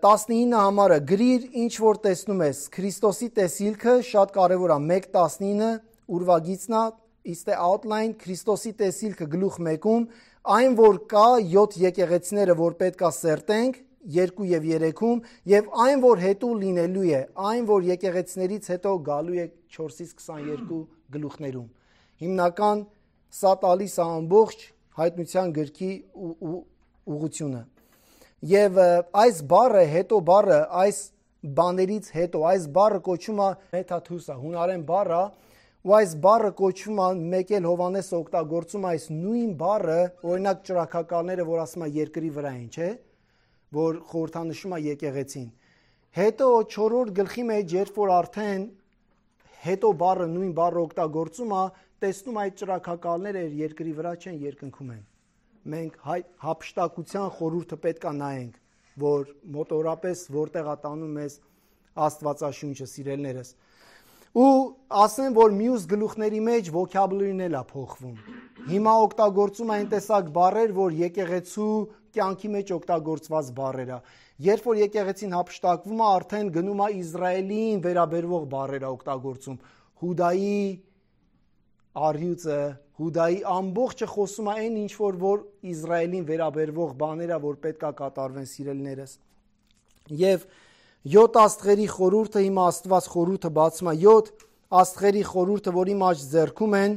19 համարը գրիր ինչ որ տեսնում ես, Քրիստոսի տեսիլքը շատ կարևոր է, 1:19 ուրվագիծն է, ist the outline, Քրիստոսի տեսիլքը գլուխ 1-ում, այն որ կա 7 եկեղեցիները, որ պետք է սերտենք 2 եւ 3-ում, եւ այն որ հետո լինելու է, այն որ եկեղեցիներից հետո գալու է 4-ից 22 գլուխներում։ Հիմնական սա տալիս է ամբողջ հայտնության գրքի ուղղությունը։ Եվ այս բառը, հետո բառը, այս բաներից հետո, այս բառը կոչվում է մեթաթուսա, հունարեն բառ է, ու այս բառը կոչվում է, մեկ էլ Հովանես օգտագործում այս նույն բառը, օրինակ ճրագակալները, որ ասում է երկրի վրա են, չէ, որ խորհրդանշում է եկեղեցին։ Հետո 4-րդ գլխի մեջ, երբ որ արդեն հետո բառը նույն բառը օգտագործում է, տեսնում այդ ճրագակալները երկրի վրա չեն, երկնքում են։ Մենք հափշտակության խորհուրդը պետք է նայենք, որ մոտորապես որտեղ է տանում մեզ Աստվածաշունչը, սիրելիներս։ Ու ասեմ, որ մյուս գլուխների մեջ vocabulary-ն էլ է փոխվում։ Հիմա օգտագործում այն տեսակ բառեր, որ եկեղեցու կյանքի մեջ օգտագործված բառեր է։ Երբ որ եկեղեցին հափշտակվում է, արդեն գնում է Իսրայելին վերաբերվող բառեր է օգտագործում։ Հուդայի արյուծը, Հուդայի ամբողջը խոսում է այն ինչ որ Իսրայելին վերաբերվող բաներ է, որ պետք է կատարվեն, սիրելիներս։ Եվ 7 աստղերի խորհուրդը, հիմա Աստված խորհուրդը բացում է 7 աստղերի խորհուրդը, որի մեջ ձեռքում են,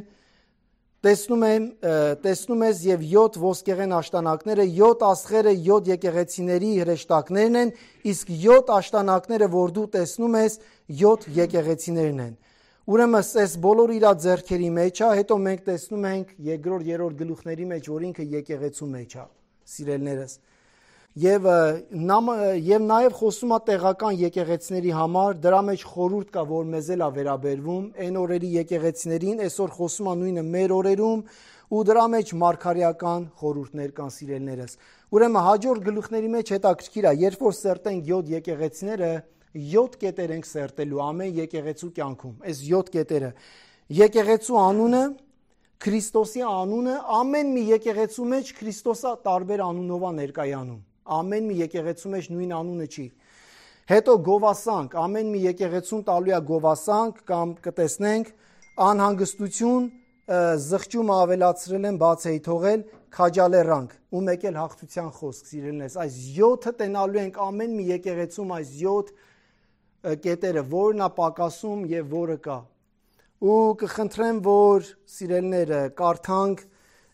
տեսնում ես եւ 7 ոսկեղեն աշտանակները, 7 աստղերը 7 եկեղեցիների հրեշտակներն են, իսկ 7 աշտանակները, որ դու տեսնում ես, 7 եկեղեցիներն են։ Ուրեմն այս բոլորը իր ձեռքերի մեջ է, հետո մենք տեսնում ենք 2-րդ, 3-րդ գլուխների մեջ, որ ինքը եկեղեցու մեջ է, սիրելիներս։ Եվ նաև խոսում է տեղական եկեղեցիների համար, դրա մեջ խորհուրդ կա, որ մեզ էլ է վերաբերվում, այն օրերի եկեղեցիներին, այսօր խոսում է նույնը մեր օրերում, ու դրա մեջ մարգարեական խորհուրդներ կան, սիրելիներս։ Ուրեմն հաջորդ գլուխների մեջ հետաքրքիր է, երբ որ սերտենք 7 եկեղեցիները, 7 կետեր ենք սերտելու ամեն եկեղեցու կյանքում, այս 7 կետերը։ Եկեղեցու անունը, Քրիստոսի անունը, ամեն մի եկեղեցու մեջ Քրիստոսը տարբեր անունով է ներկայանում։ Ամեն մի եկեղեցու մեջ նույն անունը չի։ Հետո գովասանք, ամեն մի եկեղեցուն տալու է գովասանք, կամ կտեսնենք անհանգստություն, զղջումը ավելացրել են, բաց էի թողել, քաջալերանք, ու մեկ էլ հաղթության խոսք, սիրելիներս։ Այս 7-ը տենալու ենք ամեն մի եկեղեցում, այս 7 կետերը, որն է պակասում եւ որը կա։ Ու կխնդրեմ, որ սիրելիները կարդանք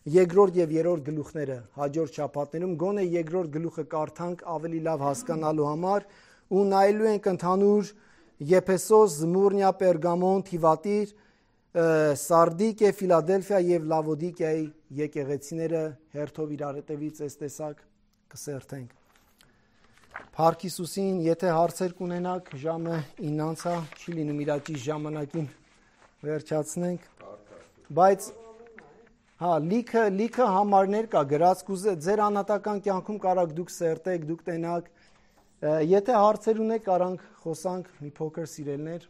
երկրորդ եւ երրորդ գլուխները հաջորդ շաբաթներում գոնե երկրորդ գլուխը կարդանք ավելի լավ հասկանալու համար ու նայելու ենք ընդհանուր Եփեսոս, Զմուրնիա, Պերգամոն, Թիվատիր, Սարդիկե, Ֆիլադելֆիա եւ Լավոդիկիայի եկեղեցիները հերթով իրար հետևից այս տեսակ կսերթենք։ Փառք Հիսուսին, եթե հարցեր կունենաք, ժամը 9-ա, չի լինում իր ճիշտ ժամանակին վերջացնենք, բայց լիքը համարներ կա գրած, ձեր անհատական կյանքում կարաք դուք սերտեք, դուք տենաք, եթե հարցեր ունեք, կարանք խոսանք մի փոքր սիրելներ։